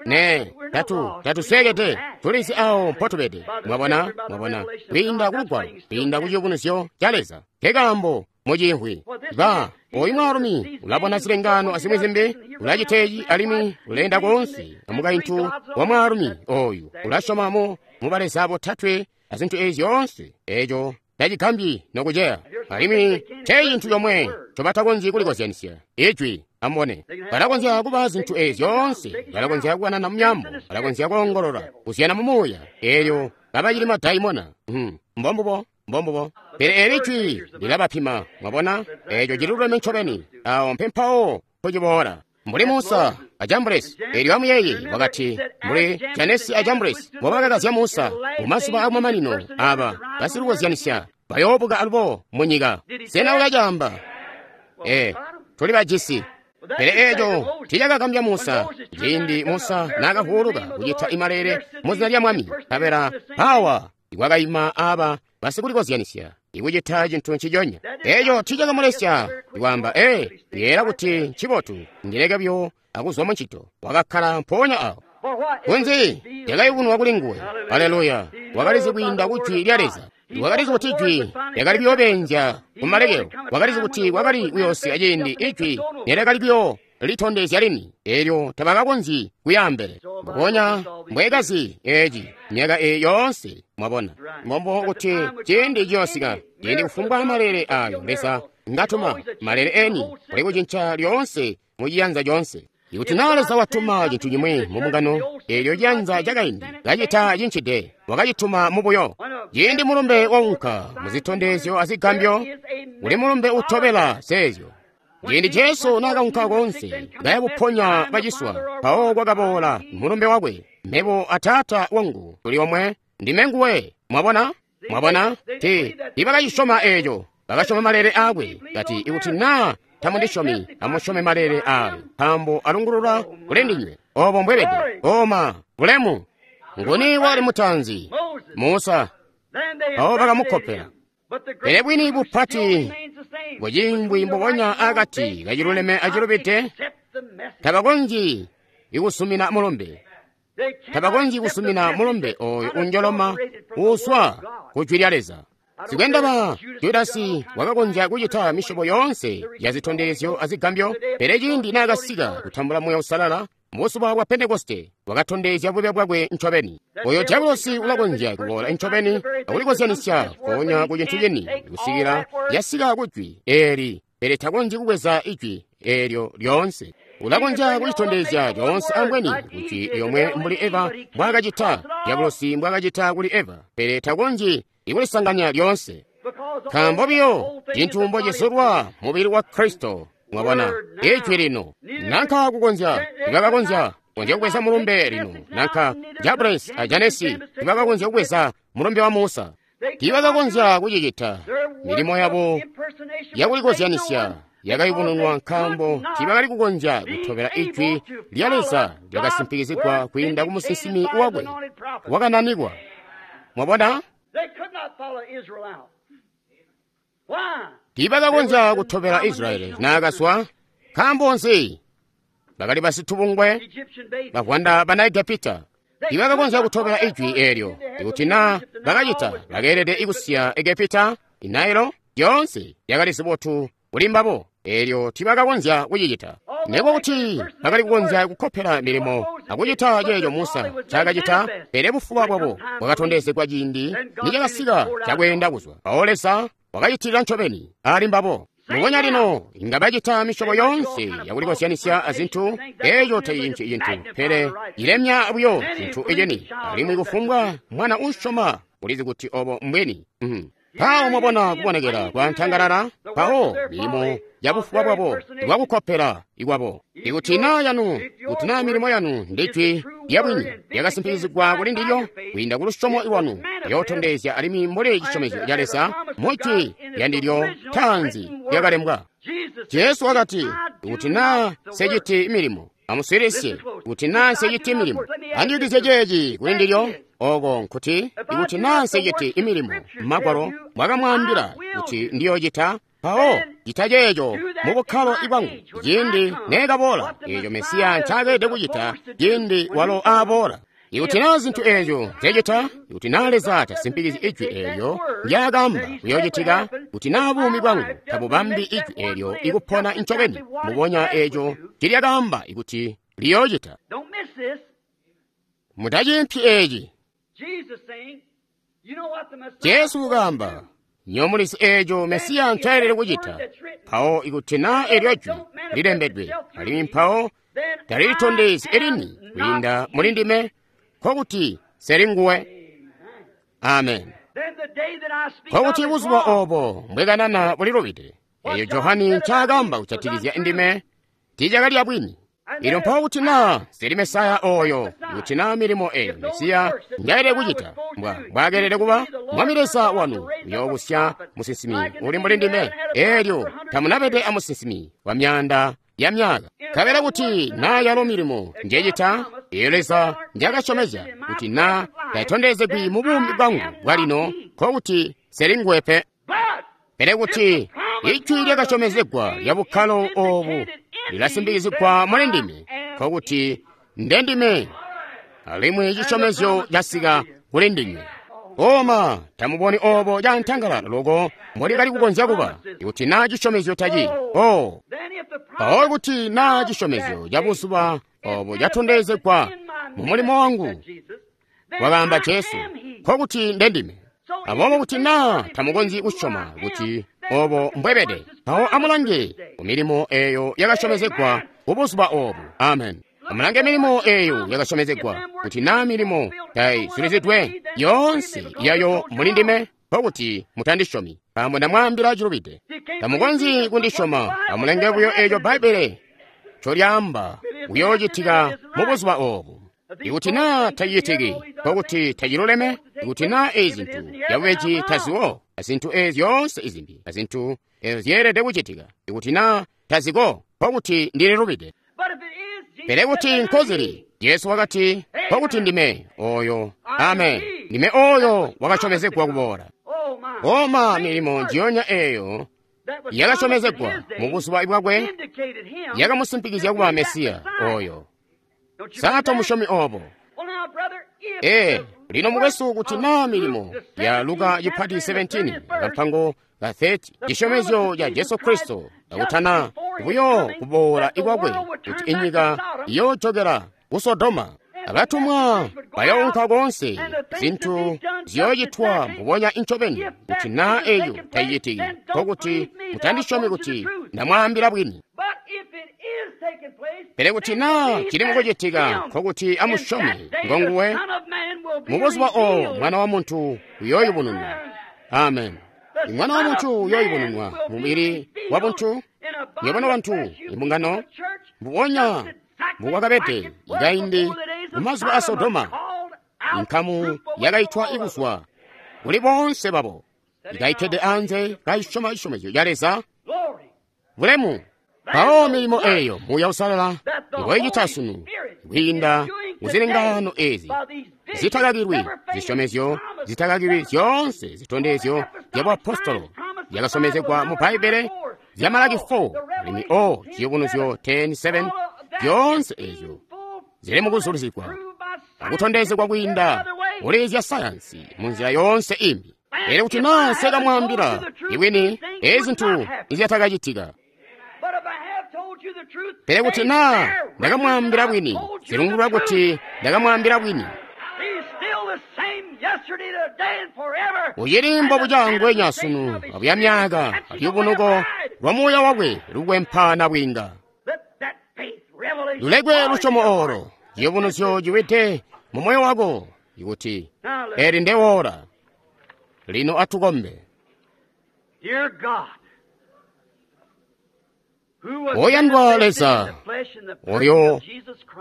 ne tatusweekede, tulizi awo mpotubede. Mwabona, mwabona, kwiinda kulugwalo, kwiinda ku ciyubunuzyo ca Leza. Nkekaambo muciimvwi ba oyu mwaalumi ulabona zilengaano azimwi zimbi, ulacita eci alimwi uleenda koonse amukaintu wa mwaalumi oyu, ulasyoma mu baleza botatwe azintu ezi zyoonse. Eco tacigambyi nokuceya. Alimwi nce cintu comwe ncobatakonzyi kulikozyanisya Ijwi. Amubone, balakonzya kuba zintu ezi zyoonse, balakonzya kukanana mu myaambo, balakonzya koongolola, kuzyana mu muuya, eelyo kabacili madaimona. Mbombubo, mbombubo. Pele eli Ijwi lilabapima, mwabona, eco cililuleme ncobeni. Awo mpempawo mpociboola. Mbuli Musa a Jambresi, eelyo amuyeeye, wakati, mbuli Janesi a Jambresi mbobakakazya Musa mu mazuba akumamanino, aba basikukozyanisya bayoobuka alubo mu nyika. Sena ulacaamba? Tuli bajisi. Pele eco tiicakagambya Musa, ciindi Musa naakavuuluka kucita imalele mu zina lya Mwami, nkabela awa ikwakaima aba basikulikozyanisya ikucita cintu nciconya. Eco tiicakamulesya ikwaamba, yeera kuti ncibotu ndileke buyo akuzwa mu ncito. Wakakkala mpoonya awo. Kunzi lyakayubunwa kuli nguwe. Aleluya! Wakalizi kwiinda ku Jwi lya Leza. Wakalizi kuti Ijwi lyakali kuyoobenzya kumalekelo. Wakalizi kuti kwakali kuyoosika ciindi Ijwi nelyakali kuyo litondezya lini, eelyo tabakakonzyi kuyaambele. Mbubonya mbwekazi eci myaka eyi yoonse, mwabona. Mbombo kuti ciindi ciyoosika, ciindi kufumbwa malele ayo Leza ngatuma, malele eni kuli kucinca lyoonse mu ciyanza coonse. Ikuti naa Leza watuma cintu cimwi mu mbungano, eelyo ciyanza cakaindi kacita cincide, wakacituma mubuyo. Ciindi mulumbe waunka mu zitondezyo azigambyo, kuli mulumbe utobela zeezyo. Ciindi Jesu naakaunka koonse kaya kuponya baciswa, mpawo kwakaboola mulumbe wakwe, Mebo a Taata wangu tuli omwe, ndime nguwe. Mwabona? Mwabona? Tiibakacisyoma eeco, bakasyoma malele aakwe. Kati, ikuti naa tamundisyomi, amusyome malele aayo, nkaambo alungulula kuli ndinywe. Obo mbwebede. Oma, bulemu. Nguni wakali mutaanzi? Musa. Mpawo bakamukopela. Pele bwini bupati bwacimbwi mbubonya akati kaciluleme acilubide, tabakonzyi ikusumina mulumbe. Tabakonzyi kusumina mulumbe oyo unjoloma uuswa ku Jwi lya Leza. Sikwendaba Judasi wakakonzya kucita misyobo yoonse ya zitondezyo azigambyo, pele ciindi naakasika kutambula Muuya Uusalala mubuzuba bwa Pentekoste, wakatondezya bube bwakwe ncobeni. Oyo diabolosi ulakonzya kuboola ncobeni akulikozyanisya mpoonya ku cintu cini kusikila yasika ku Jwi eeli, pele takonzyi kubweza Ijwi eelyo lyoonse. Ulakonzya kucitondezya coonse ambweni ku Jwi lyomwe mbuli Eva mbwaakacita, diabolosi mbwaakacita kuli Eva, pele takonzyi ikulisanganya lyoonse. Nkaambo biyo cintu mbocizulwa mubili wa Kristo, mwabona, Ijwi lino. Nanka kukonzya, tibakakonzya konzya kubweza mulumbe lino, nanka Jabres a Janesi tibakakonzya kubweza mulumbe wa Musa. Tibakakonzya kucicita. Milimo yabo yakulikozyanisya yakayubununwa nkaambo tibakali kukonzya kutobela Ijwi lya Leza lyakasimpikizigwa kwiinda ku musinsimi wakwe wakananikwa. Mwabona? Tiibakakonzya kutobela Israyeli naakazwa. Nkaambo nzi? Bakali basitubungwe bavwanda bana Egepita. Tiibakakonzya kutobela Ijwi eelyo. Ikuti naa bakacita, bakeelede ikusiya Egepita, Nailo, lyoonse lyakali zibotu kuli mbabo. Eelyo tiibakakonzya kucicita. Nekuba kuti bakali kukonzya kukopela milimo akucita ceeco Musa ncaakacita, pele bufuba bwabo bwakatondezegwa ciindi nicakasika cakweenda kuzwa. Mpawo Leza wakacitilila ncobeni ali mbabo. Mubonya lino inga bacita misyobo yoonse yakulikozyanisya azintu, eeco tacinci cintu, pele ilemya buyo cintu iceni. Alimwi kufumbwa mwana uusyoma ulizi kuti obo mbwini. Mpawo mwabona kubonekela kwa ntangalala, mpawo milimo ya bufuba bwabo bwakukopela ikwabo. Ikuti naa yanu, kuti naa milimo yanu ndi Jwi lya bwini lyakasimpikizigwa kuli ndilyo kwiinda ku lusyomo lwanu, liyootondezya alimwi mbuli cisyomezyo ca Leza mu Jwi lya ndilyo taanzi lyakalembwa. Jesu wakati, ikuti naa nseciti milimo, amuswiilisye, kuti naa nseciti milimo, andiyungizye ceeci kuli ndilyo. Oko nkuti, ikuti naa nseciti imilimo Magwalo mwakamwaambila kuti ndiyocita, mpawo cita ceeco mu bukkalo bwangu ciindi neekaboola, eeco Mesiya ncaakelede kucita ciindi walo aaboola. Ikuti naa zintu eezyo nzecita, ikuti naa Leza tasimpikizyi Ijwi eelyo ndyaakaamba kuyoocitika, kuti naa buumi bwangu tabubambi Ijwi eelyo ikupona ncobeni, mbubonya eeco ncilyakaamba ikuti liyoocita. Mutaciimpyi eeci. Jesu wakaamba, nywebo mulizi eeco Mesiya ncaelele kucita. Mpawo ikuti naa eelyo jwi lilembedwe, alimwi mpawo talilitondezyi elini kwiinda muli ndime, nkokuti seli nguwe. Amen. Nkokuti buzuba oobo mbwekanana bulilubide. Eeyo Johani ncaakamba kujatikizya ndime tiicakali yabwini. Elyo mpawo kuti naa seli Mesaya ooyo, kuti naa milimo eeyo Mesiya njaelele kucita, mbwaakelele kuba, Mwami Leza wanu uyoobusya musinsimi uli mbuli ndime. Eelyo tamunabede amusinsimi wa myaanda ya myaka. Nkabela kuti naa yalo milimo njecita, eeyo Leza njaakasyomezya, kuti naa taitondezegwi mu buumi bwangu bwalino, nkokuti seli nguwe pe. Pele kuti ijwi lyakasyomezegwa lya bukkalo oobu lilasimbikizigwa muli ndime, nkokuti ndendime, alimwi cisyomezyo casika kuli ndinywe. Oma tamuboni oobo cantangalala loko mbolikali kukonzya kuba, ikuti naa cisyomezyo taci o mpawo kuti naa cisyomezyo ca buzuba oobo catondezegwa mu mulimo wangu, wakaamba Jesu, nkokuti ndendime. Aboobo kuti naa tamukonzyi kusyoma kuti oobo mbwebede, mpawo amulange ku milimo eeyo yakasyomezegwa kubuzuba oobu. Amen. Amulange milimo eeyo yakasyomezegwa, kuti naa milimo taizulizidwe yoonse yayo muli ndime, nkokuti mutandisyomi, nkaambo ndamwaambila cilubide. Tamukonzyi kundisyoma, amulenge buyo eeco Bbaibbele ncolyaamba kuyoocitika mubuzuba oobu. Ikuti naa tacicitiki, nkokuti taciluleme. Ikuti naa eezi zintu zyabubeji taziwo, azintu eezi zyoonse izimbi, azintu eezyo zyeelede kucitika, ikuti naa taziko, nkokuti ndililubide. Pele kuti nkozili, Jesu wakati, nkokuti ndime ooyo. Amen. Ndime ooyo wakasyomezegwa kuboola. Oma milimo njiyonya eeyo yakasyomezegwa mubuzuba bwakwe yakamusimpikizya kuba Mesiya ooyo. Sa tomusyomi oobo? Ee, lino mukwesu, kuti naa milimo ya Luka cipati 17 kampango ka 30, cisyomezyo ca Jesu Kristo akutana buyo kuboola ikwakwe, kuti inyika iyoojokela ku Sodoma, abatumwa bayounka koonse, zintu ziyoocitwa mbubonya incobeni. Kuti naa eeyo tayicitiki, nkokuti mutandisyomi kuti ndamwaambila bwini. Pele kuti naa cili mukucitika, nkokuti amusyome ngonguwe. Mubuzuba oobo Mwana wa Muntu uyooyubununwa. Amen. Mwana wa Muntu uyooyubununwa mubili wa buntu. Nywebo bantu, imbungano, mbubonya mbukwakabede ikaindi mumazuba a Sodoma, inkamu yakaitwa ikuzwa kuli boonse babo, ikaitede anze kayisyoma cisyomezyo ca Leza. Bulemu! Mpawo milimo eeyo Muuya Uusalala ngoicita sunu kwiinda muzilengaano eezi zitakakilwi, zisyomezyo zitakakilwi zyoonse zitondezyo zya buapostolo zyakasyomezegwa mu Bbaibbele zya Malaki 4 alimwi o Ciyubunuzyo 10:7, zyoonse eezyo zili mukuzulizigwa akutondezegwa kwiinda muli zya sayansi munzila yoonse imbi. Pele kuti naa nsekamwaambila ibwini, eezi zintu nizyatakacitika. Pele kuti naa ndakamwaambila bwini, zilungulwa kuti ndakamwaambila bwini. Ucili mbobuca ngwenya sunu abuya myaka, alyubunuko lwa muuya wakwe lukwempana bwinga. Lulekwe lusyomo oolo, ciyubunuzyo ciwide mu moyo wako, ikuti eli ndewoola. Lino atukombe. Oyandwa Leza, oyo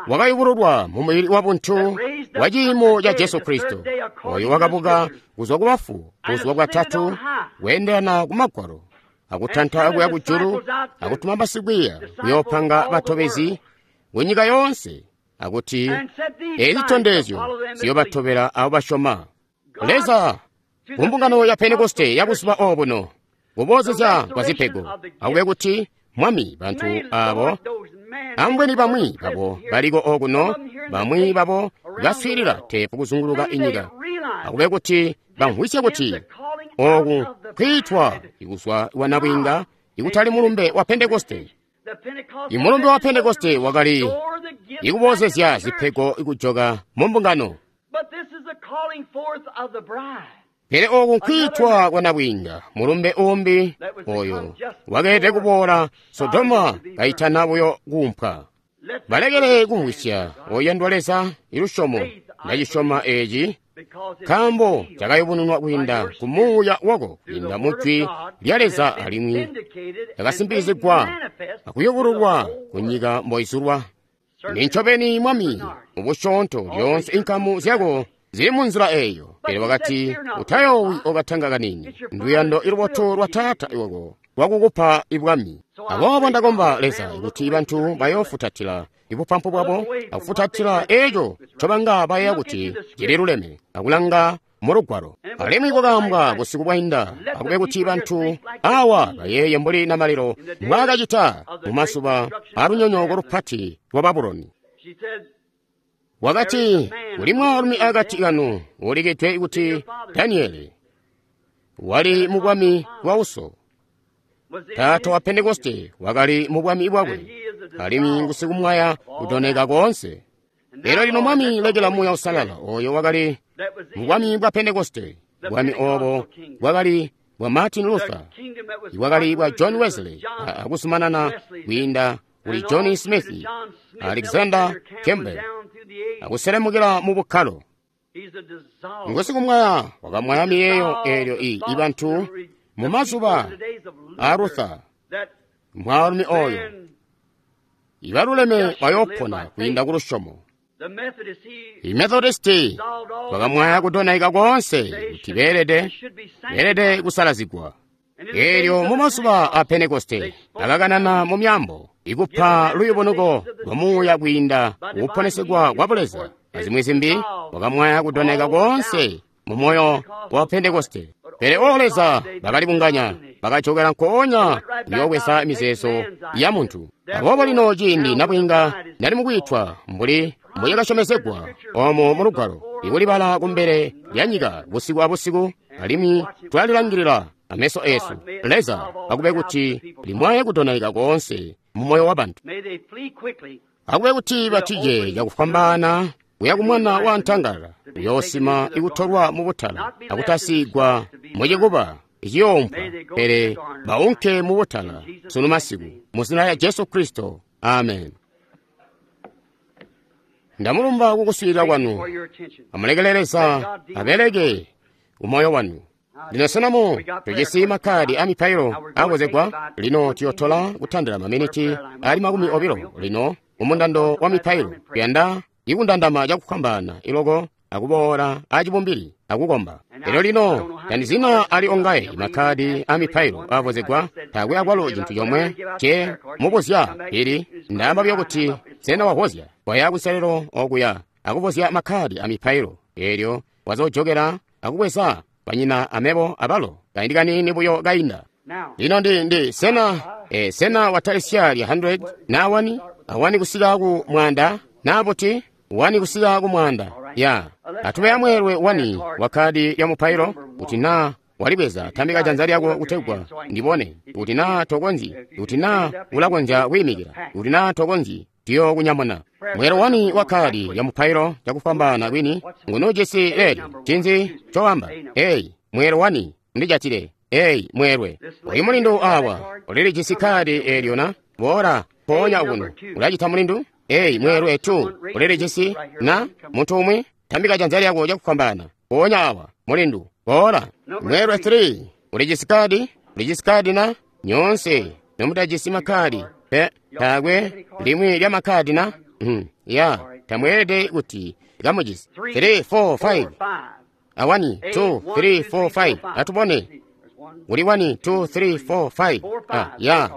wakayubululwa mu mubili wa buntu wa ciimo ca Jesu Kristo, oyo wakabuka kuzwa ku bafu buzuba bwatatu kweendelana ku Magwalo, akutanta kuya kujulu, akutuma basikwiiya kuyoopanga batobezi ku nyika yoonse, akuti eezi zitondezyo ziyoobatobela abo basyoma. Leza, ku mbungano ya Pentekoste ya buzuba obuno, kuboozezya kwa zipego, akube kuti Mwami, bantu abo ambweni bamwi babo baliko okuno, bamwi babo baswiilila teepu kuzunguluka inyika, akube kuti bamvwisye kuti oku kwiitwa ikuzwa wa nabwiinga ikutali mulumbe wa Pentekoste. Imulumbe wa Pentekoste wakali ikuboozezya zipego ikujoka mu mbungano. Pele oku nkwiitwa kwa nabwiinga, mulumbe umbi oyo wakeelede kuboola Sodoma kaitana buyo kuumpwa. Balekele kumvwisya, oyandwa Leza, ilusyomo ndacisyoma eci, nkaambo cakayubununwa kwiinda ku Muuya wako, kwiinda mu Jwi lya Leza, alimwi cakasimpikizigwa akuyubululwa ku nyika mboizulwa. Nincobeni, Mwami, mubusyoonto lyoonse inkamu zyako zili mu nzila eyo. Pele wakati, utayoowi okatanga kanini, nduyando ilubotu lwa Taata wako lwakukupa ibwami. Aboobo ndakomba, Leza, kuti bantu bayoofutatila ibupampu bwabo akufutatila eco ncobanga bayeeya kuti cililuleme, akulanga mu Lugwalo. Alimwi kwakaambwa busiku bwainda, akube kuti bantu awa bayeeye mbuli namalelo mbwaakacita mu mazuba alunyonyooko lupati lwa Babuloni. Wakati, kuli mwaalumi akati kanu ulikidwe kuti Daniele, wali mu bwami bwa uso. Taata wa Pentekoste wakali mu bwami bwakwe, alimwi ngusikumwaya kudooneka koonse. Lero lino, Mwami, lekela Muuya Uusalala oyo wakali mu bwami bwa Pentekoste, bwami obo bwakali bwa Martin Luther, bwakali bwa John Wesley, akuzumanana kwiinda kuli John Smith, Alexander Campbell, akuselemukila mu bukkalo. Ngusikumwaya wakamwaya miyeeyo eelyo i bantu mu mazuba a Luther, mwaalumi oyo ibaluleme bayoopona kwiinda ku lusyomo. I-Methodisti bakamwaya kudonaika koonse kuti beelede kusalazigwa. Eelyo mu mazuba a Pentekoste bakakanana mu myaambo, ikupa luyubunuko lwa Muuya kwiinda kukuponesegwa kwa Buleza. Azimwi zimbi wakamwaya kudonaika koonse mu moyo wa Pentekoste. Pele o Leza, bakalibunganya, bakajokela nkoonya kuyoobweza mizeezo ya muntu. Aboobo lino ciindi nabwiinga nali mukwiitwa mbuli mbuyakasyomezegwa omo mu Lugwalo, ikulibala kumbele lya nyika busiku abusiku, alimwi twalilangilila ameso esu. Leza, akube kuti limwaye kudonaika koonse mu moyo wa bantu. Akube kuti batije cakufwambaana kuya kumwana wa ntangala, uyoosima ikutolwa mu butala akutasigwa mu cikuba iciyoompwa, pele baunke mu butala sunu masiku, mu zina lya Jesu Kristo. Amen. Ndamulumba kukuswiilila kwanu. Amulekele Leza abeleke umoyo wanu. Lino senamu tujisi makkadi a mipailo akozegwa. Lino tuyotola kutandila maminiti ali 20 lino mumundando wa mipailo. Kuyanda ikundandama cakufwambaana iloko akuboola acibumbili akukomba. Lero lino tandizina ali ongaye makkadi a mipailo akozegwa, taakwe akwalo cintu comwe ce mubuzya ili ndaamba buyo kuti sena wavozya waya kuselelo okuya akuvozya makkadi a mipailo, eelyo wazojokera akubweza banyina amebo abalo kaindi kaniini buyo kainda. Lino ndi sena sena watalisya lya 100 na 1 awani kusika ku mwanda na buti 1 kusika ku mwanda ya atube amweelwe 1 wa kadi ya mupailo. Kuti na walibweza, tambika janza lyako kutegwa ndibone. Kuti na tokonzyi, kuti na ulakonzya kuyimikila, kuti na tokonzyi, tiyo kunyamuna. Mwelo 1 wa kadi ya mupailo cakufwambaana kwini ngunujisi leelyo. Cinzi cowamba? Eyi mwelo 1 ndijatile. Eyi mwelwe uyu mulindu awa ulilijisi kadi eelyo na boola mpoonya kuno ulacita mulindu. Eyi mwelwe 2 ulilijisi na muntu umwi, tambika janza lyako cakufwambaana mpoonya awa mulindu boola. Mwelwe 3 ulijisi kadi, ulijisi kadi na nyoonse nomutajisi makkadi pe taakwe limwi lya makkadi na ya tamweelede kuti kamujisi. 3 4 5 a 1 2 3 4 5 atubone uli 1 2 3 4 5 ya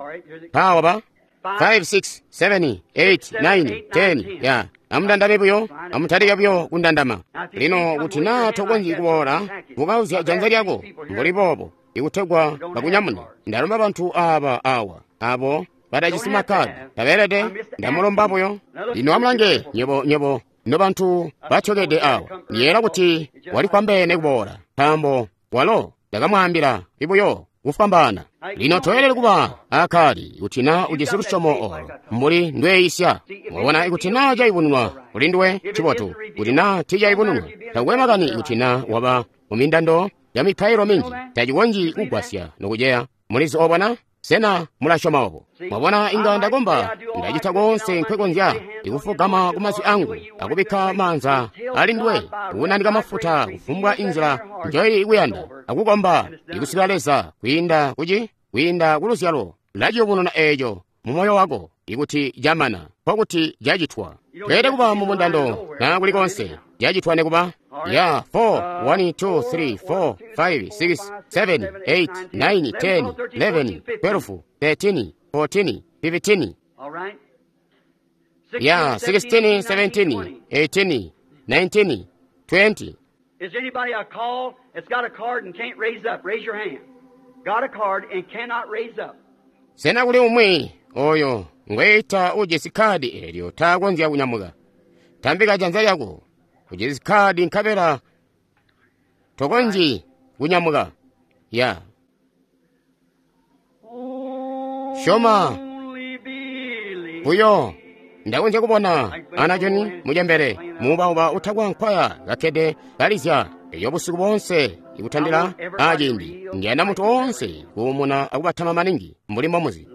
pawa ba 5 6 7 8 9 10 ya amundandame buyo, amutalike buyo kundandama. Lino kuti na tokonzyi kuboola, mukauzya janza lyako mbuli boobo ikutegwa bakunyamune. Ndalomba bantu aba awa abo batajisi makkadi tabeelede, ndamulomba buyo. Lino amulange nywebo nobantu batyokede awa, ndiyeera kuti walikwambene kuboola, nkaambo walo ndakamwaambila ibuyo kufwambaana. Lino toyelede kuba akali kuti na ujisi lusyomo olo mbuli ndweyisya. Wabona, ikuti na cayubununwa kuli nduwe ncibotu, kuti na tiicayubununwa takwe makani ikuti na waba mumindando ca mipailo minji tacikonzyi kugwasya nokuceya. Mulizi obo na? Sena mulasyoma obo? Mwabona, inga ndakomba, ndacita koonse nkwekonzya ikufugama ku mazwi angu akubikka maanza ali nduwe, kukunanika mafuta kufumbwa inzila njoili kuyanda, akukomba ikusikila Leza kwiinda kuci kwiinda ku luzyalo laciyubununa eeco mu moyo wako ikuti camana, nkokuti cacitwa. Tweelede kuba mu mundando na kuli konse cacitwa nekuba ya 4 1 2 3 4 5 6 7 8 9 10 11 12 13 14 15. All right. Ya 16 17 18 19 20. Is anybody a call that's got a card and can't raise up? Raise your hand. Got a card and cannot raise up. Sena kuli umwi oyo ngweita ujisi khadi elyo takonzya kunyamuka? Tambika janza lyako. Ujisi khadi nkabela tokonzyi kunyamuka. Ya Syoma. Only believe. Buyo ndakonzya kubona ana Joni mucembele muubauba utakwa nkwaya kakkede kalizya eyo busiku boonse ikutandila aciindi. Ndiyanda munthu woonse kuumuna akubatama maningi mbuli mbomuzi.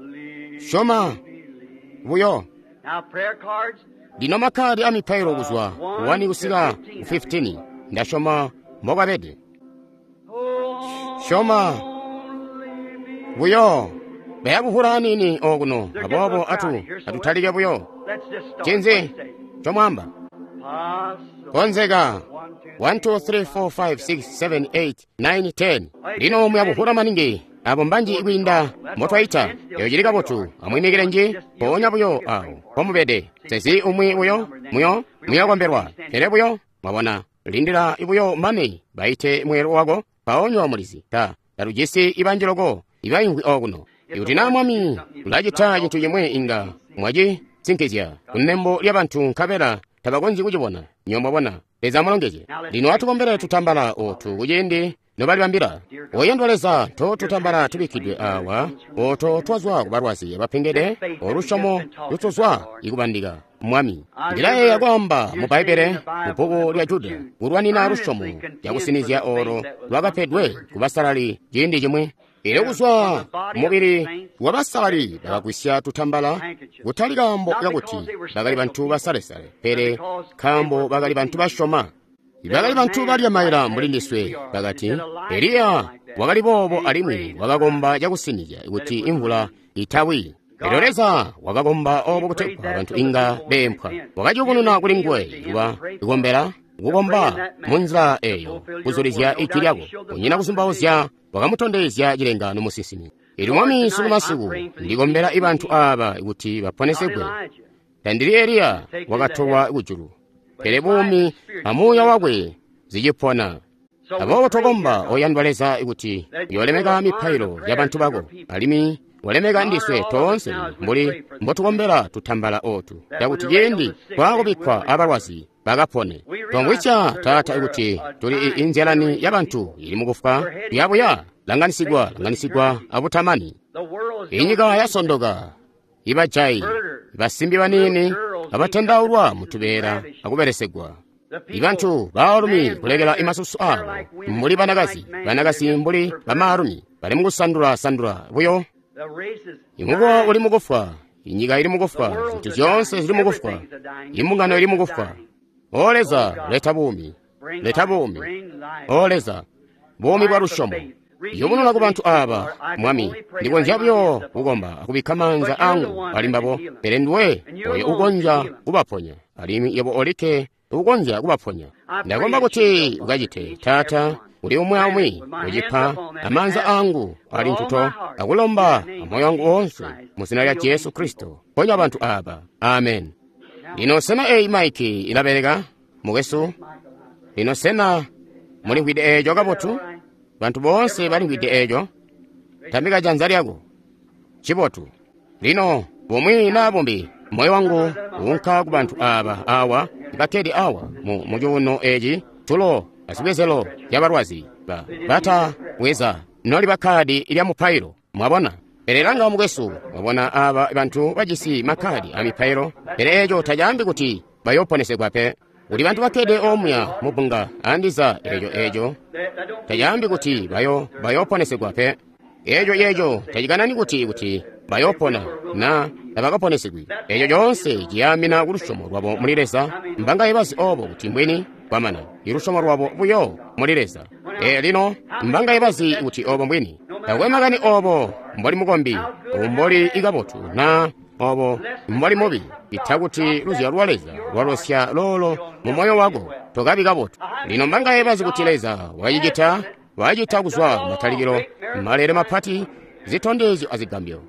Syoma buyo. Now prayer cards. Lino makhadi a mipailo kuzwa 1 kusika ku 15 ndasyoma mbokwabede. Syoma Only believe. buyo. Bayakuhula aniini okuno, aboobo atutalike buyo. Let's just start. Cinzi What do you say? chomwamba Possible. konzeka. 1, 2, 1 2 3 4 5 6 7 8 9 10. Lino muyakuhula maningi abo mbanji kwiinda motwaita. Eyo cili kabotu. Amwiimikile nji mpoonya buyo awo pomubede. Sezi umwi buyo muyo muyakombelwa pele buyo mwabona lindila buyo mane baite mweelo wako mpaonyo mulizi ta talujisi ibanji loko ibaimvwi okuno. Ikuti naa Mwami ulacita cintu cimwi inga mwacisinkizya kunembo lya bantu nkabela tabakonzyi kucibona. Nyo mwabona. Leza amulongezye. Lino atukombele tutambala otu kuciindi nobalibambila. Oyandwa Leza, to tutambala tubikkidwe awa oto twazwa ku balwazi abapengede olusyomo lutuzwa ikubandika. Mwami, ndilayeeya kwaamba mu Bbaibbele mu bbuku lya Juda kulwanina lusyomo lyakusinizya olo lwakapedwe ku basalali ciindi cimwi. Elyo kuzwa mubili wa basalali bakagwisya tutambala, kutali kaambo kakuti bakali bantu basalesale, pele nkaambo bakali bantu basyoma. Bakali bantu balya maila mbuli ndiswe. Bakati Eliya wakali boobo alimwi wakakomba cakusinizya kuti imvula itawi. Elyo Leza wakakomba obo kutegwa bantu inga beempwa. Wakaciyubununa kuli nguwe kuba kukombela kukomba munzila eyo kuzulizya ijwi lyako. Kunyina kuzumbauzya wakamutondezya cilengaano musinsimi. Elyo Mwami, sunu masiku ndikombela ibantu aaba kuti baponesegwe. Tandili Eliya wakatolwa kujulu, pele buumi amuuya wakwe zicipona. Aboobo twakomba, oyandwa Leza, kuti uyolemeka mipailo ya bantu bako, alimwi walemeka ndiswe toonse mbuli mbotukombela tutambala otu, cakuti ciindi twaakubikkwa abalwazi bakapone. Twamvwisya, Taata, kuti tuli inzyalani ya bantu ili mukufwa kuyabuya langanisigwa langanisigwa abutamani. Inyika yasondoka, ibajayi, basimbi baniini abatendaulwa mutubeela akubelesegwa. Ibantu baalumi kulekela imasusu abo mbuli banakazi, banakazi mbuli bamaalumi bali mukusandula-sandula buyo. Imukowa uli mukufwa, inyika ili mukufwa, zintu zyoonse zili mukufwa, imbungano ili mukufwa. O Leza, leta buumi, leta buumi. O Leza, buumi bwa lusyomo. Yubununa ku bantu aaba, Mwami, ndikonzya buyo kukomba akubikka maanza angu ali mbabo, pele nduwe oyo ukonzya kubaponya, alimwi yebo olikke ukonzya kubaponya. Ndakomba kuti ukacite, Taata, uli umwi aumwi ucipa amaanza angu ali ntuto akulomba amoyo wangu woonse mu zina lya Jesu Kristo. Ponya bantu aaba. Amen. Lino sena eyi maiki ilabeleka, mukwesu? Lino sena mulimvwide eeco kabotu? Bantu boonse balimvwide eeco? Tambika janza lyako. Cibotu. Lino bumwi naa bumbi moyo wangu uunka ku bantu aaba awa bakkede awa mu cuuno eeci tulo azibwezelo zyabalwazi bata bweza noliba kkaadi lya mupailo. Mwabona? Pele langa mukwesu, mwabona aaba bantu bajisi makkaadi a mipailo, pele eeco tacaambi kuti bayooponesegwa pe. Kuli bantu bakkede omuya mu bbunga andiza eeco tacaambi kuti bayooponesegwa pe. Eeco tacikanani kuti bayoopona na tabakaponesegwi. Eeco coonse ciyaamina ku lusyomo lwabo muli Leza. Mbangaye bazi obo kuti mbwini kwamana ilusyomo lwabo buyo muli Leza. Lino mbangaye bazi kuti obo mbwini. Takwe makani obo mboli mukombi, mboli ikabotu na obo mboli mubi, ita kuti luzyalo lwa Leza lwalosya loolo mu moyo wako, tokabi kabotu. Lino mbangaye bazi kuti Leza wacita kuzwa kumatalikilo malele mapati, zitondezyo azigambyo.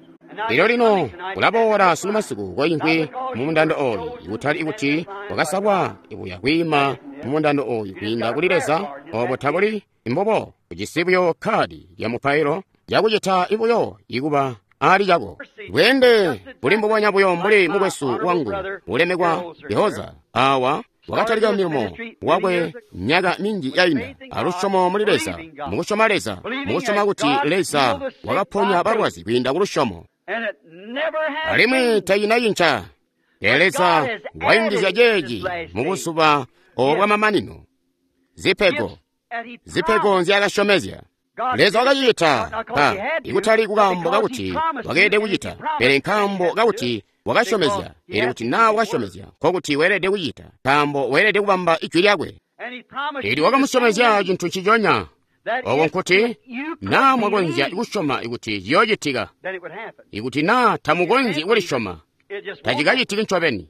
Lino lino kulaboola sunu masiku koimvwi mu mundando oyu, ikutali kuti wakasalwa kuya kwiima mu mundando oyu kwiinda kuli Leza, obo tabuli mbubo. Ujisi buyo kkaadi lya mupailo yakucita buyo ikuba ali cako. Bweende buli mbubonya buyo mbuli mukwesu wangu ulemekwa Yehoza awa wakatalika milimo wakwe myaka minji yainda alusyomo muli Leza, mukusyoma Leza, mukusyoma kuti Leza wakaponya balwazi kwiinda ku lusyomo. Alimwi tayinayinca. Leza wayungizya ceeci mu buzuba obo bwamamanino. Zipego nzyaakasyomezya. Leza wakacita ikutali kukaambo kakuti wakeelede kucita, pele nkaambo kakuti wakasyomezya. Pele kuti naa wakasyomezya, nkokuti weelede kucita, nkaambo weelede kubamba ijwi lyakwe. Eli wakamusyomezya cintu nciconya, oko nkuti naa mwakonzya kusyoma kuti ciyoocitika. Ikuti naa tamukonzyi kulisyoma, tacikacitiki ncobeni.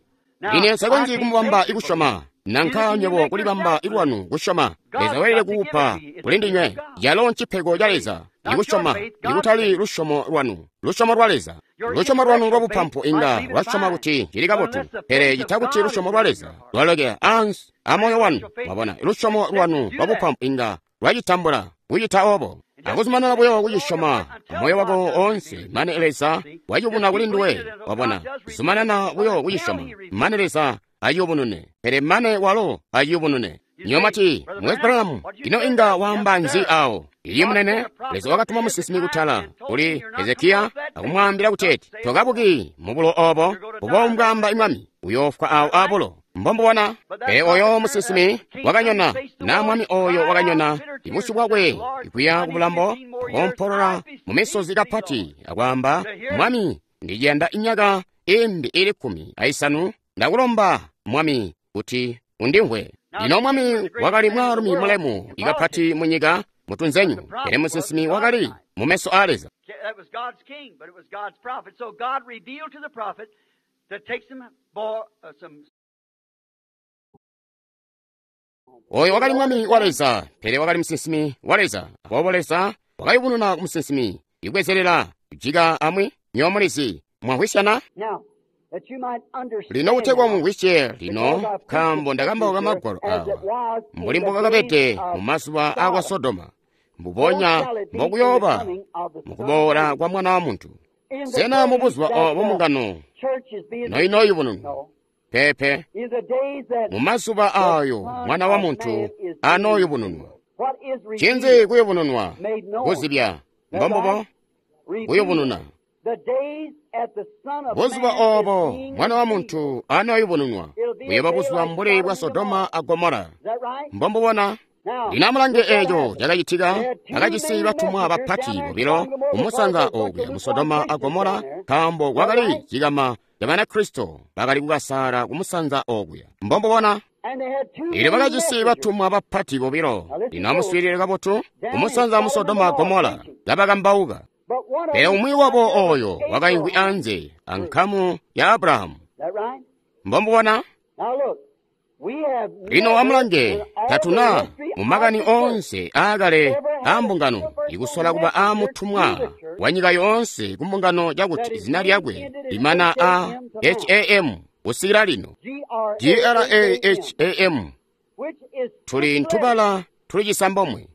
Ine nsikonzyi kumubamba ikusyoma, nanka nywebo kulibamba lwanu kusyoma. Leza weelede kukupa kuli ndinywe. Yalo ncipego ca Leza ikusyoma, ikutali lusyomo lwanu, lusyomo lwa Leza. Lusyomo lwanu lwabupampu inga lwasyoma kuti cili kabotu, pele cita kuti lusyomo lwa Leza lwalokela ansi amoyo wanu. Mwabona, lusyomo lwanu lwabupampu inga lwacitambula kucita obo, akuzumanana buyo kucisyoma amoyo wako oonse mane Leza wacibuna kuli nduwe. Wabona, zumanana buyo kucisyoma mane Leza aciyubunune, pele mane walo aciyubunune. Nyomati, Mukwesu Branham, ino inga waamba nzi awo? Iye munene, Leza wakatuma musinsimi kutala kuli Hezekiya akumwaambila kuteeti, tokabuki mubulo obo, bubo mbwaamba mwami, uyoofwa awo abulo. Mbombubona, pele oyo musinsimi wakanyona, na mwami oyo wakanyona, ibusyu bwakwe ikuya kubulambo, akompolola mu misozi kapati, akwaamba, Mwami, ndiciyanda inyaka imbi ili 15, ndakulomba, Mwami, kuti undimvwe. Lino mwami wakali mwaalumi mulemu ikapati munyika mutunzenyu, pele musinsimi wakali mu meso a Leza. Oyo wakali mwami wa Leza, pele wakali musinsimi wa Leza. Aboobo Leza wakayubununa ku musinsimi, ikubwezelela kujika amwi nyomulizi. Mwamvwisyana? Lino kutegwa mumvwisye lino, nkaambo ndakambauka magwalo awa mbuli mbokakabede mu mazuba akwa Sodoma, mbubonya mbokuyooba mukuboola kwa Mwana wa Muntu. Sena mubuzuba obo mbungano noinoyubununwa? Peepe. Mu mazuba ayo Mwana wa Muntu anooyubununwa. Cinzi kuyubununwa? Kuzibya. Mbombubo? Kuyubununa. Buzuba obo Mwana wa Muntu anooyubununwa buyooba buzuba mbuli bwa Sodoma a Gomora. Mbombubona? Lino amulange eeco cakacitika. Bakajisi batumwa bapati bobilo kumusanza okuya mu Sodoma a Gomora, nkaambo kwakali cikama ca Banakristo bakali kukasaala kumusanza okuya. Mbombubona? Elyo bakajisi batumwa bapati bobilo. Lino amuswiilile kabotu, kumusanza mu Sodoma a Gomora kabakambauka. Pele umwi wabo oyo wakaimvwi anze ankamu ya Abrahamu. Mbombubona? Lino amulange, tatuna mu makani oonse aakale a mbungano ikusola kuba aamutumwa wa nyika yoonse ku mbungano cakuti zina lyakwe limana a HAM kusikila lino. GRAHAM tuli ntubala tuli cisambomwe.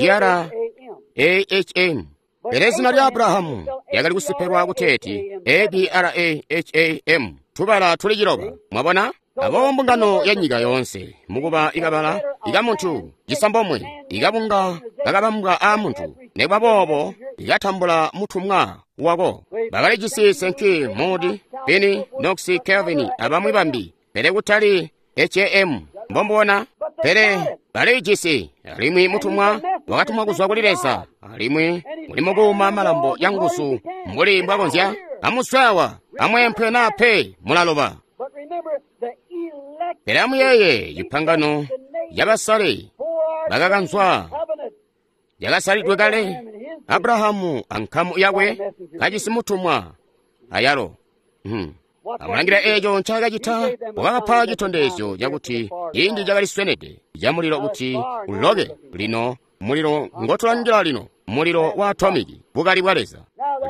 GRAHM. Pele zina lya Abrahamu lyakali kusipelwa kuteeti ABRAHAM, tubala tuli ciloba. Mwabona? Abo mbungano ya nyika yoonse mukuba ikabala ikamuntu cisambomwe ikabunga kakabambwa aamuntu, nekuba boobo ikatambula mutumwa wako. Bakalijisi Sankey, Moody, Finney, Knox, Calvin abamwi bambi, pele kutali HAM. Mbombona? Pele baliijisi, alimwi mutumwa wakatumwa kuzwa kuli Leza, alimwi muli mukuuma malambo ya nguzu mbuli mbwakonzya. Amuswawa, amweempwe naa pe, mulaloba. Pele amuyeeye cipangano cabasale bakakanzwa yakasalidwe kale, Abrahamu ankamu yakwe kajisi mutumwa ayalo. Amulangila eeco ncaakacita, wakabapa citondezyo cakuti ciindi cakaliswenede camulilo kuti uloke. Lino mulilo ngotulangila lino, mulilo wa atomiki, bukali bwa Leza.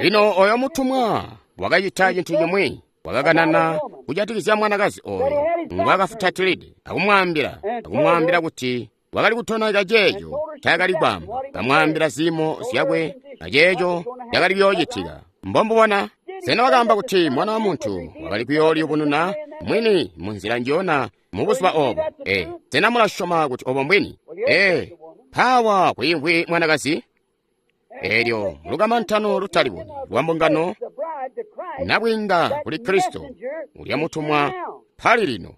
Lino oyo mutumwa wakacita cintu cimwi, wakakanana kujatikizya mwanakazi oyo ngwakafutatilide, akumwaambila kuti wakali kutonaika ceeco ncaakali kwaamba, kamwaambila ziimo zyakwe aceeco cakali kuyoocitika. Mbombubona? Sena wakaamba kuti Mwana wa Muntu wakali kuyooliyubununa mwini munzila njiyona mubuzuba obo? Sena mulasyoma kuti obo mbwini? Mpaawa kwiimvwi mwanakazi. Eelyo lukamantano lutalibonyi lwa mbungano nabwiinga kuli Kristo ulya mutumwa pali lino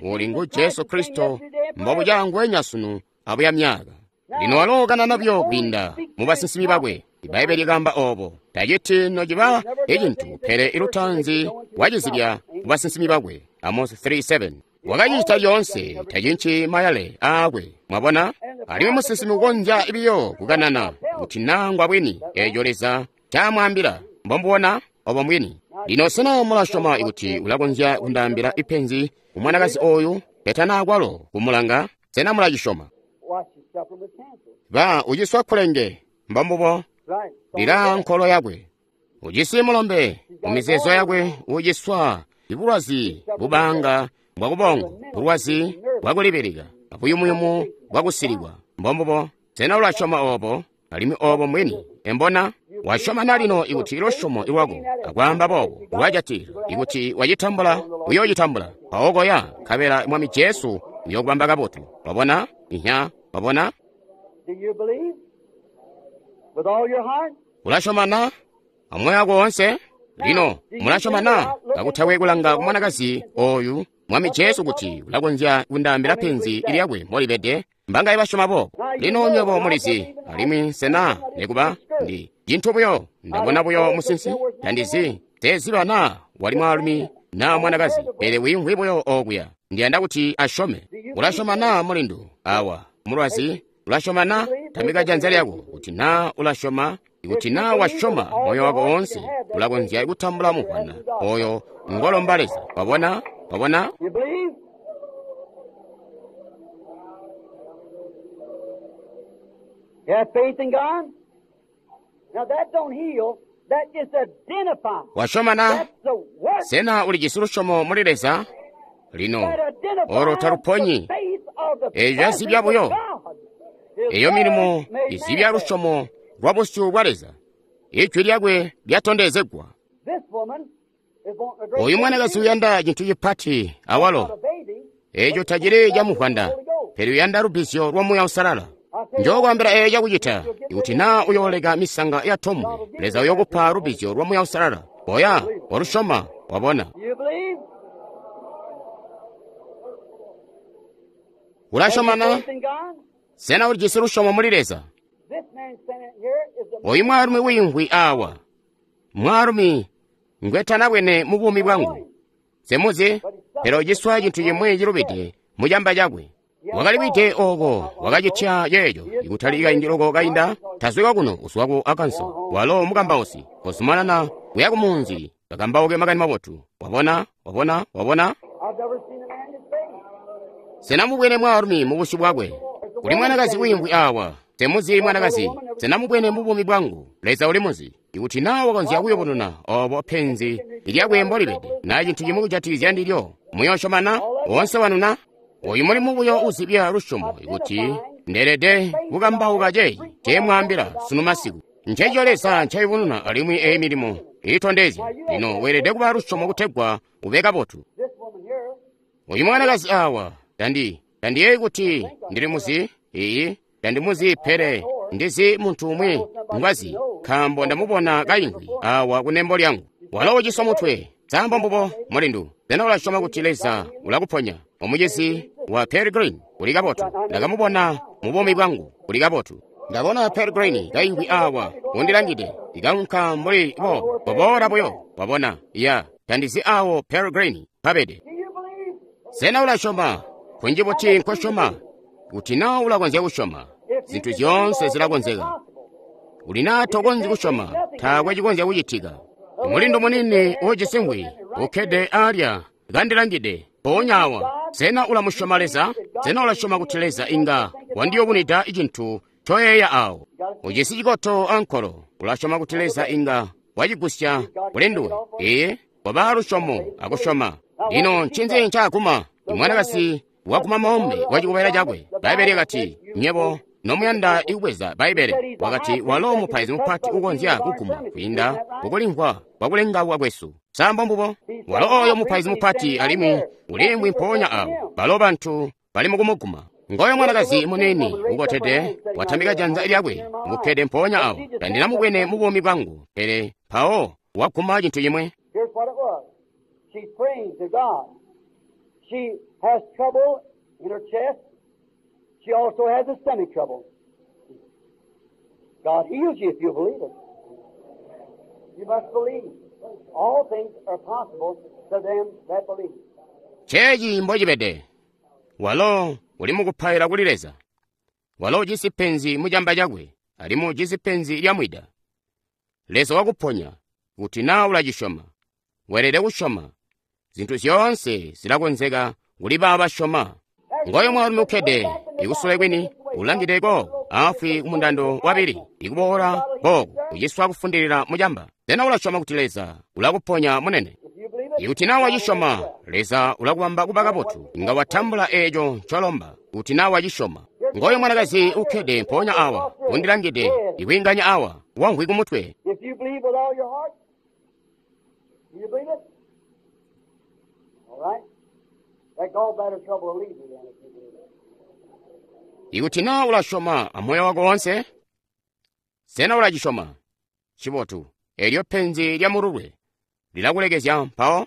uli ngu Jesu Kristo mbobucangwenya sunu abuya myaka. Lino walo kanana buyo kwiinda mu basinsimi bakwe. Ibbaibbele likaamba obo, taciti nociba ecintu, pele ilutanzi wacizibya mu basinsimi bakwe. Amos 3:7. Wakacita lyoonse, tacinci mayale aakwe. Mwabona? Alimwi musinsimi ukonzya biyo kukanana kuti nangwa bwini eeco Leza ncaamwaambila. Mbombubona? Obo mbwini. Lino sena mulasyoma kuti ulakonzya kundaambila ipenzi kumwanakazi oyu petana akwalo kumulanga? Sena mulacisyoma? Ba uciswa kkulenge, mbombubo, lila nkolo yakwe. Ujisi mulombe mumizeezo yakwe, uciswa ibulwazi bubanga bwakubongo, bulwazi bwakulibilika, abuyumuyumu bwakusilikwa. Mbombubo, sena ulasyoma obo? Alimwi obo mbwini. Embona? Wasyoma na lino ikuti lusyomo lwako akwaamba boobo lwajatila, ikuti wacitambula, uyoocitambula. Mpawo koya, nkabela Mwami Jesu uyokubamba kabotu. Wabona? Inya, wabona? Ulasyoma na amoyo wako woonse? Lino mulasyoma na kakutakwe kulanga ku mwanakazi oyu Mwami Jesu kuti ulakonzya kundaambila penzi lyakwe mbolibede? Mbangaye basyoma boobo? Lino nywebo mulizi, alimwi sena nekuba ndi cintu buyo, ndabona buyo musinsi, tandizi, teziba naa wali mwaalumi naa mwanakazi, pele wiimvwi buyo okuya. Ndiyanda kuti asyome. Ulasyoma naa mulindu awa mulwazi? Ulasyoma na? Tambika janza lyako kuti naa ulasyoma. Ikuti naa wasyoma moyo wako woonse, ulakonzya kutambula muvwana oyo ngolomba Leza. Wabona? Wabona? Wasyoma na? Sena ulijisi lusyomo muli Leza? Lino olo taluponyi. Eeyo yazibya buyo. Eyo milimo izibya lusyomo lwa busyu bwa Leza. Ijwi lyakwe lyatondezegwa. Oyu mwanakazi uyanda cintu cipati awalo. Eeco tacili camuvwanda, pele uyanda lubbizyo lwa Muuya Uusalala. Njokwaambila eeco cakucita, ikuti naa uyooleka misanga ya tombwe, Leza uyokupa lubbizyo lwa Muuya Uusalala. Koya, walusyoma, wabona. Ulasyoma na? Sena ulijisi lusyomo muli Leza? Oyu mwaalumi wiimvwi awa, mwaalumi ngwetanabwene mu buumi bwangu. Semuzi, pele uciswa cintu cimwi cilubide mucamba cakwe. Wakali wide oko, wakacitya ceeco, ikutali kaindi loko kainda, tazwika kuno uzwa ku Arkansas. Walo mukambausi, kozumanana kuya kumunzi, kakambauke makani mabotu. Wabona, wabona, wabona? Sena mubwene mwaalumi mu busyu bwakwe? Kuli mwanakazi wiimvwi awa. Semuzi mwanakazi, sena mubwene mu buumi bwangu? Leza ulimuzi. Ikuti naa wakonzya kuyubununa obo penzi lyakwe mbolibede, naa cintu cimwi kujatikizya ndilyo, muyoosyoma na? Woonse wanu na? Oyu mulimu buyo uzibya lusyomo ikuti ndeelede kukambauka ceeci nceemwaambila sunu masiku. Nceeco Leza ncayubununa alimwi eyi milimo iitondezya. Lino weelede kuba lusyomo kutegwa ube kabotu. Oyu mwanakazi awa, tandiyeeyi kuti ndilimuzi, iyi, tandimuzi pele ndizi muntu umwi ngwazi, nkaambo ndamubona kaimvwi awa kunembo lyangu. Walo uciswa mutwe, sambo mbubo, mulindu. Sena ulasyoma kuti Leza ulakuponya? Omucizi, wa Pearl Green. Kuli kabotu. Ndakamubona mu buumi bwangu. Kuli kabotu. Ndabona Pearl Green kaimvwi awa, undilangide, ikaunka mbuli boobo, koboola buyo, wabona. Ya, tandizi awo Pearl Green pabede. Sena ulasyoma? Kunji buti nkosyoma? Kuti naa ulakonzya kusyoma, zintu zyoonse zilakonzeka. Uli naa tokonzyi kusyoma, taakwe cikonzya kucitika. Mulindu muniini uujisi ngwi, ukkede alya, kandilangide, mpoonya awa. Sena ulamusyoma Leza? Sena ulasyoma kuti Leza inga wandiyubunwida cintu ncoyeeya awo? Ujisi cikoto ankolo, ulasyoma kuti Leza inga wacigusya kuli nduwe? Ee, waba lusyomo akusyoma. Lino ncinzi ncaaguma? Imwanakazi waguma moombe wa cikobela cakwe. Bbaibbele lyakati, nywebo nomuyanda ikubweza Bbaibbele, wakati walo mupaizi mupati ukonzya kuguma kwiinda kukulimvwa kwakulengauka kwesu. Sa mbombubo? Walo oyo mupaizi mupati alimwi uliimvwi mpoonya awo. Balo bantu bali mukumuguma. Ngoyo mwanakazi muniini ukotede watambika janza lyakwe, ukkede mpoonya awo. Tandinamubwene mu buumi bwangu, pele mpawo waguma cintu cimwe. Here's what it was. She's praying to God. She has trouble in her chest. She also has a stomach trouble. God heals you if you believe it. You must believe. All things are possible to them that believe. Chechi mbocibede. Walo uli mukupaila kuli Leza. Walo ujisi penzi mucamba cakwe, alimwi ujisi penzi lya mwida. Leza wakuponya, kuti naa ulacisyoma. Weelede kusyoma. Zintu zyoonse zilakonzeka kuli baabo basyoma. Ngoyo mwaalumi ukkede, ikusule kwini, ulangide kooko, afwi kumundando wabili, ikuboola kooko, uciswa kufundilila mucamba. Sena ulasyoma kuti Leza ulakuponya munene? If you believe it, Ikuti naa wacisyoma, Leza ulakubamba kuba kabotu. Inga watambula eeco ncolomba, kuti naa wacisyoma. Ngoyo mwanakazi ukkede mpoonya awa, undilangide, ikwiinganya awa, wamvwi kumutwe. if you believe with all your heart, do you believe it? All right. That gallbladder trouble will leave you then if you believe it. Ikuti naa ulasyoma amoyo wako wonse, sena ulacisyoma? Cibotu, eelyo penzi lya mululwe lilakulekezya mpawo,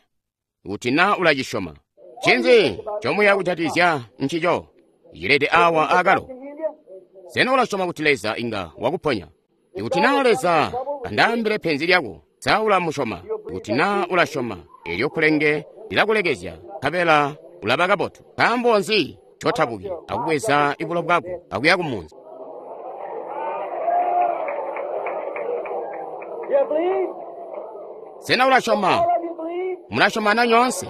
kuti naa ulacisyoma. Ncinzi ncomuya kujatikizya ncico? Cilede awa akalo. Can heal you? Sena ulasyoma kuti Leza inga wakuponya? Ikuti naa Leza andaambile penzi lyako, sa ulamusyoma? Ikuti naa ulasyoma, eelyo kulenge lilakulekezya, nkabela ulaba kabotu. Nkaambo nzi ncotabuki akubweza bulo bwako akuya kumunzi? You believe? Sena ulasyoma? All of you believe? Mulasyoma na nyoonse?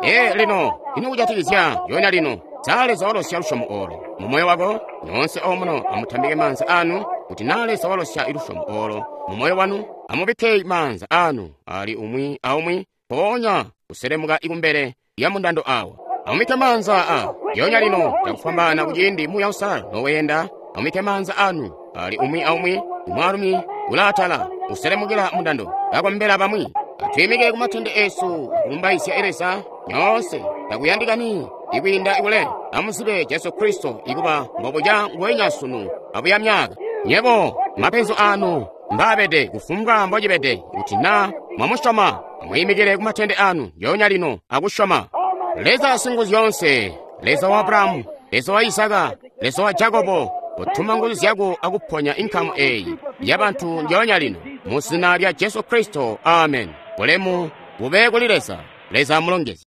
Ee, lino, ino kujatikizya yoona lino, sa Leza walosya lusyomo olo mu moyo wako? Nyoonse omuno amutambike maanza anu, kuti naa Leza walosya lusyomo olo mu moyo wanu, amubikke maanza anu ali umwi aumwi, mpoonya kuselemuka ikumbele ya mundando awa. Amubikke maanza a yonya lino cakufwambaana kuciindi Muuya Uusalala noweenda. Amubikke maanza anu ali umwi aumwi, mwaalumi ulaatala uselemukila mundando kakombela bamwi. Atwiimike kumatende esu akulumbaizya Leza nyoonse takuyandikani ikwiinda ikule. Amuzibe Jesu Kristo ikuba mbobuca nguwenya sunu abuya myaka. Nyebo mapenzi anu mbaabede kufumbwa mbocibede, kuti naa mwamusyoma amwiimikile kumatende anu yonya lino akusyoma. Leza Singuzyoonse, Leza wa Abrahamu, Leza wa Isaka, Leza wa Jakobo, kutuma nguzu zyako akuponya inkamu eyi ya bantu njoonya lino mu zina lya Jesu Kristo, amen. Bulemu bube kuli Leza. Leza amulongezye.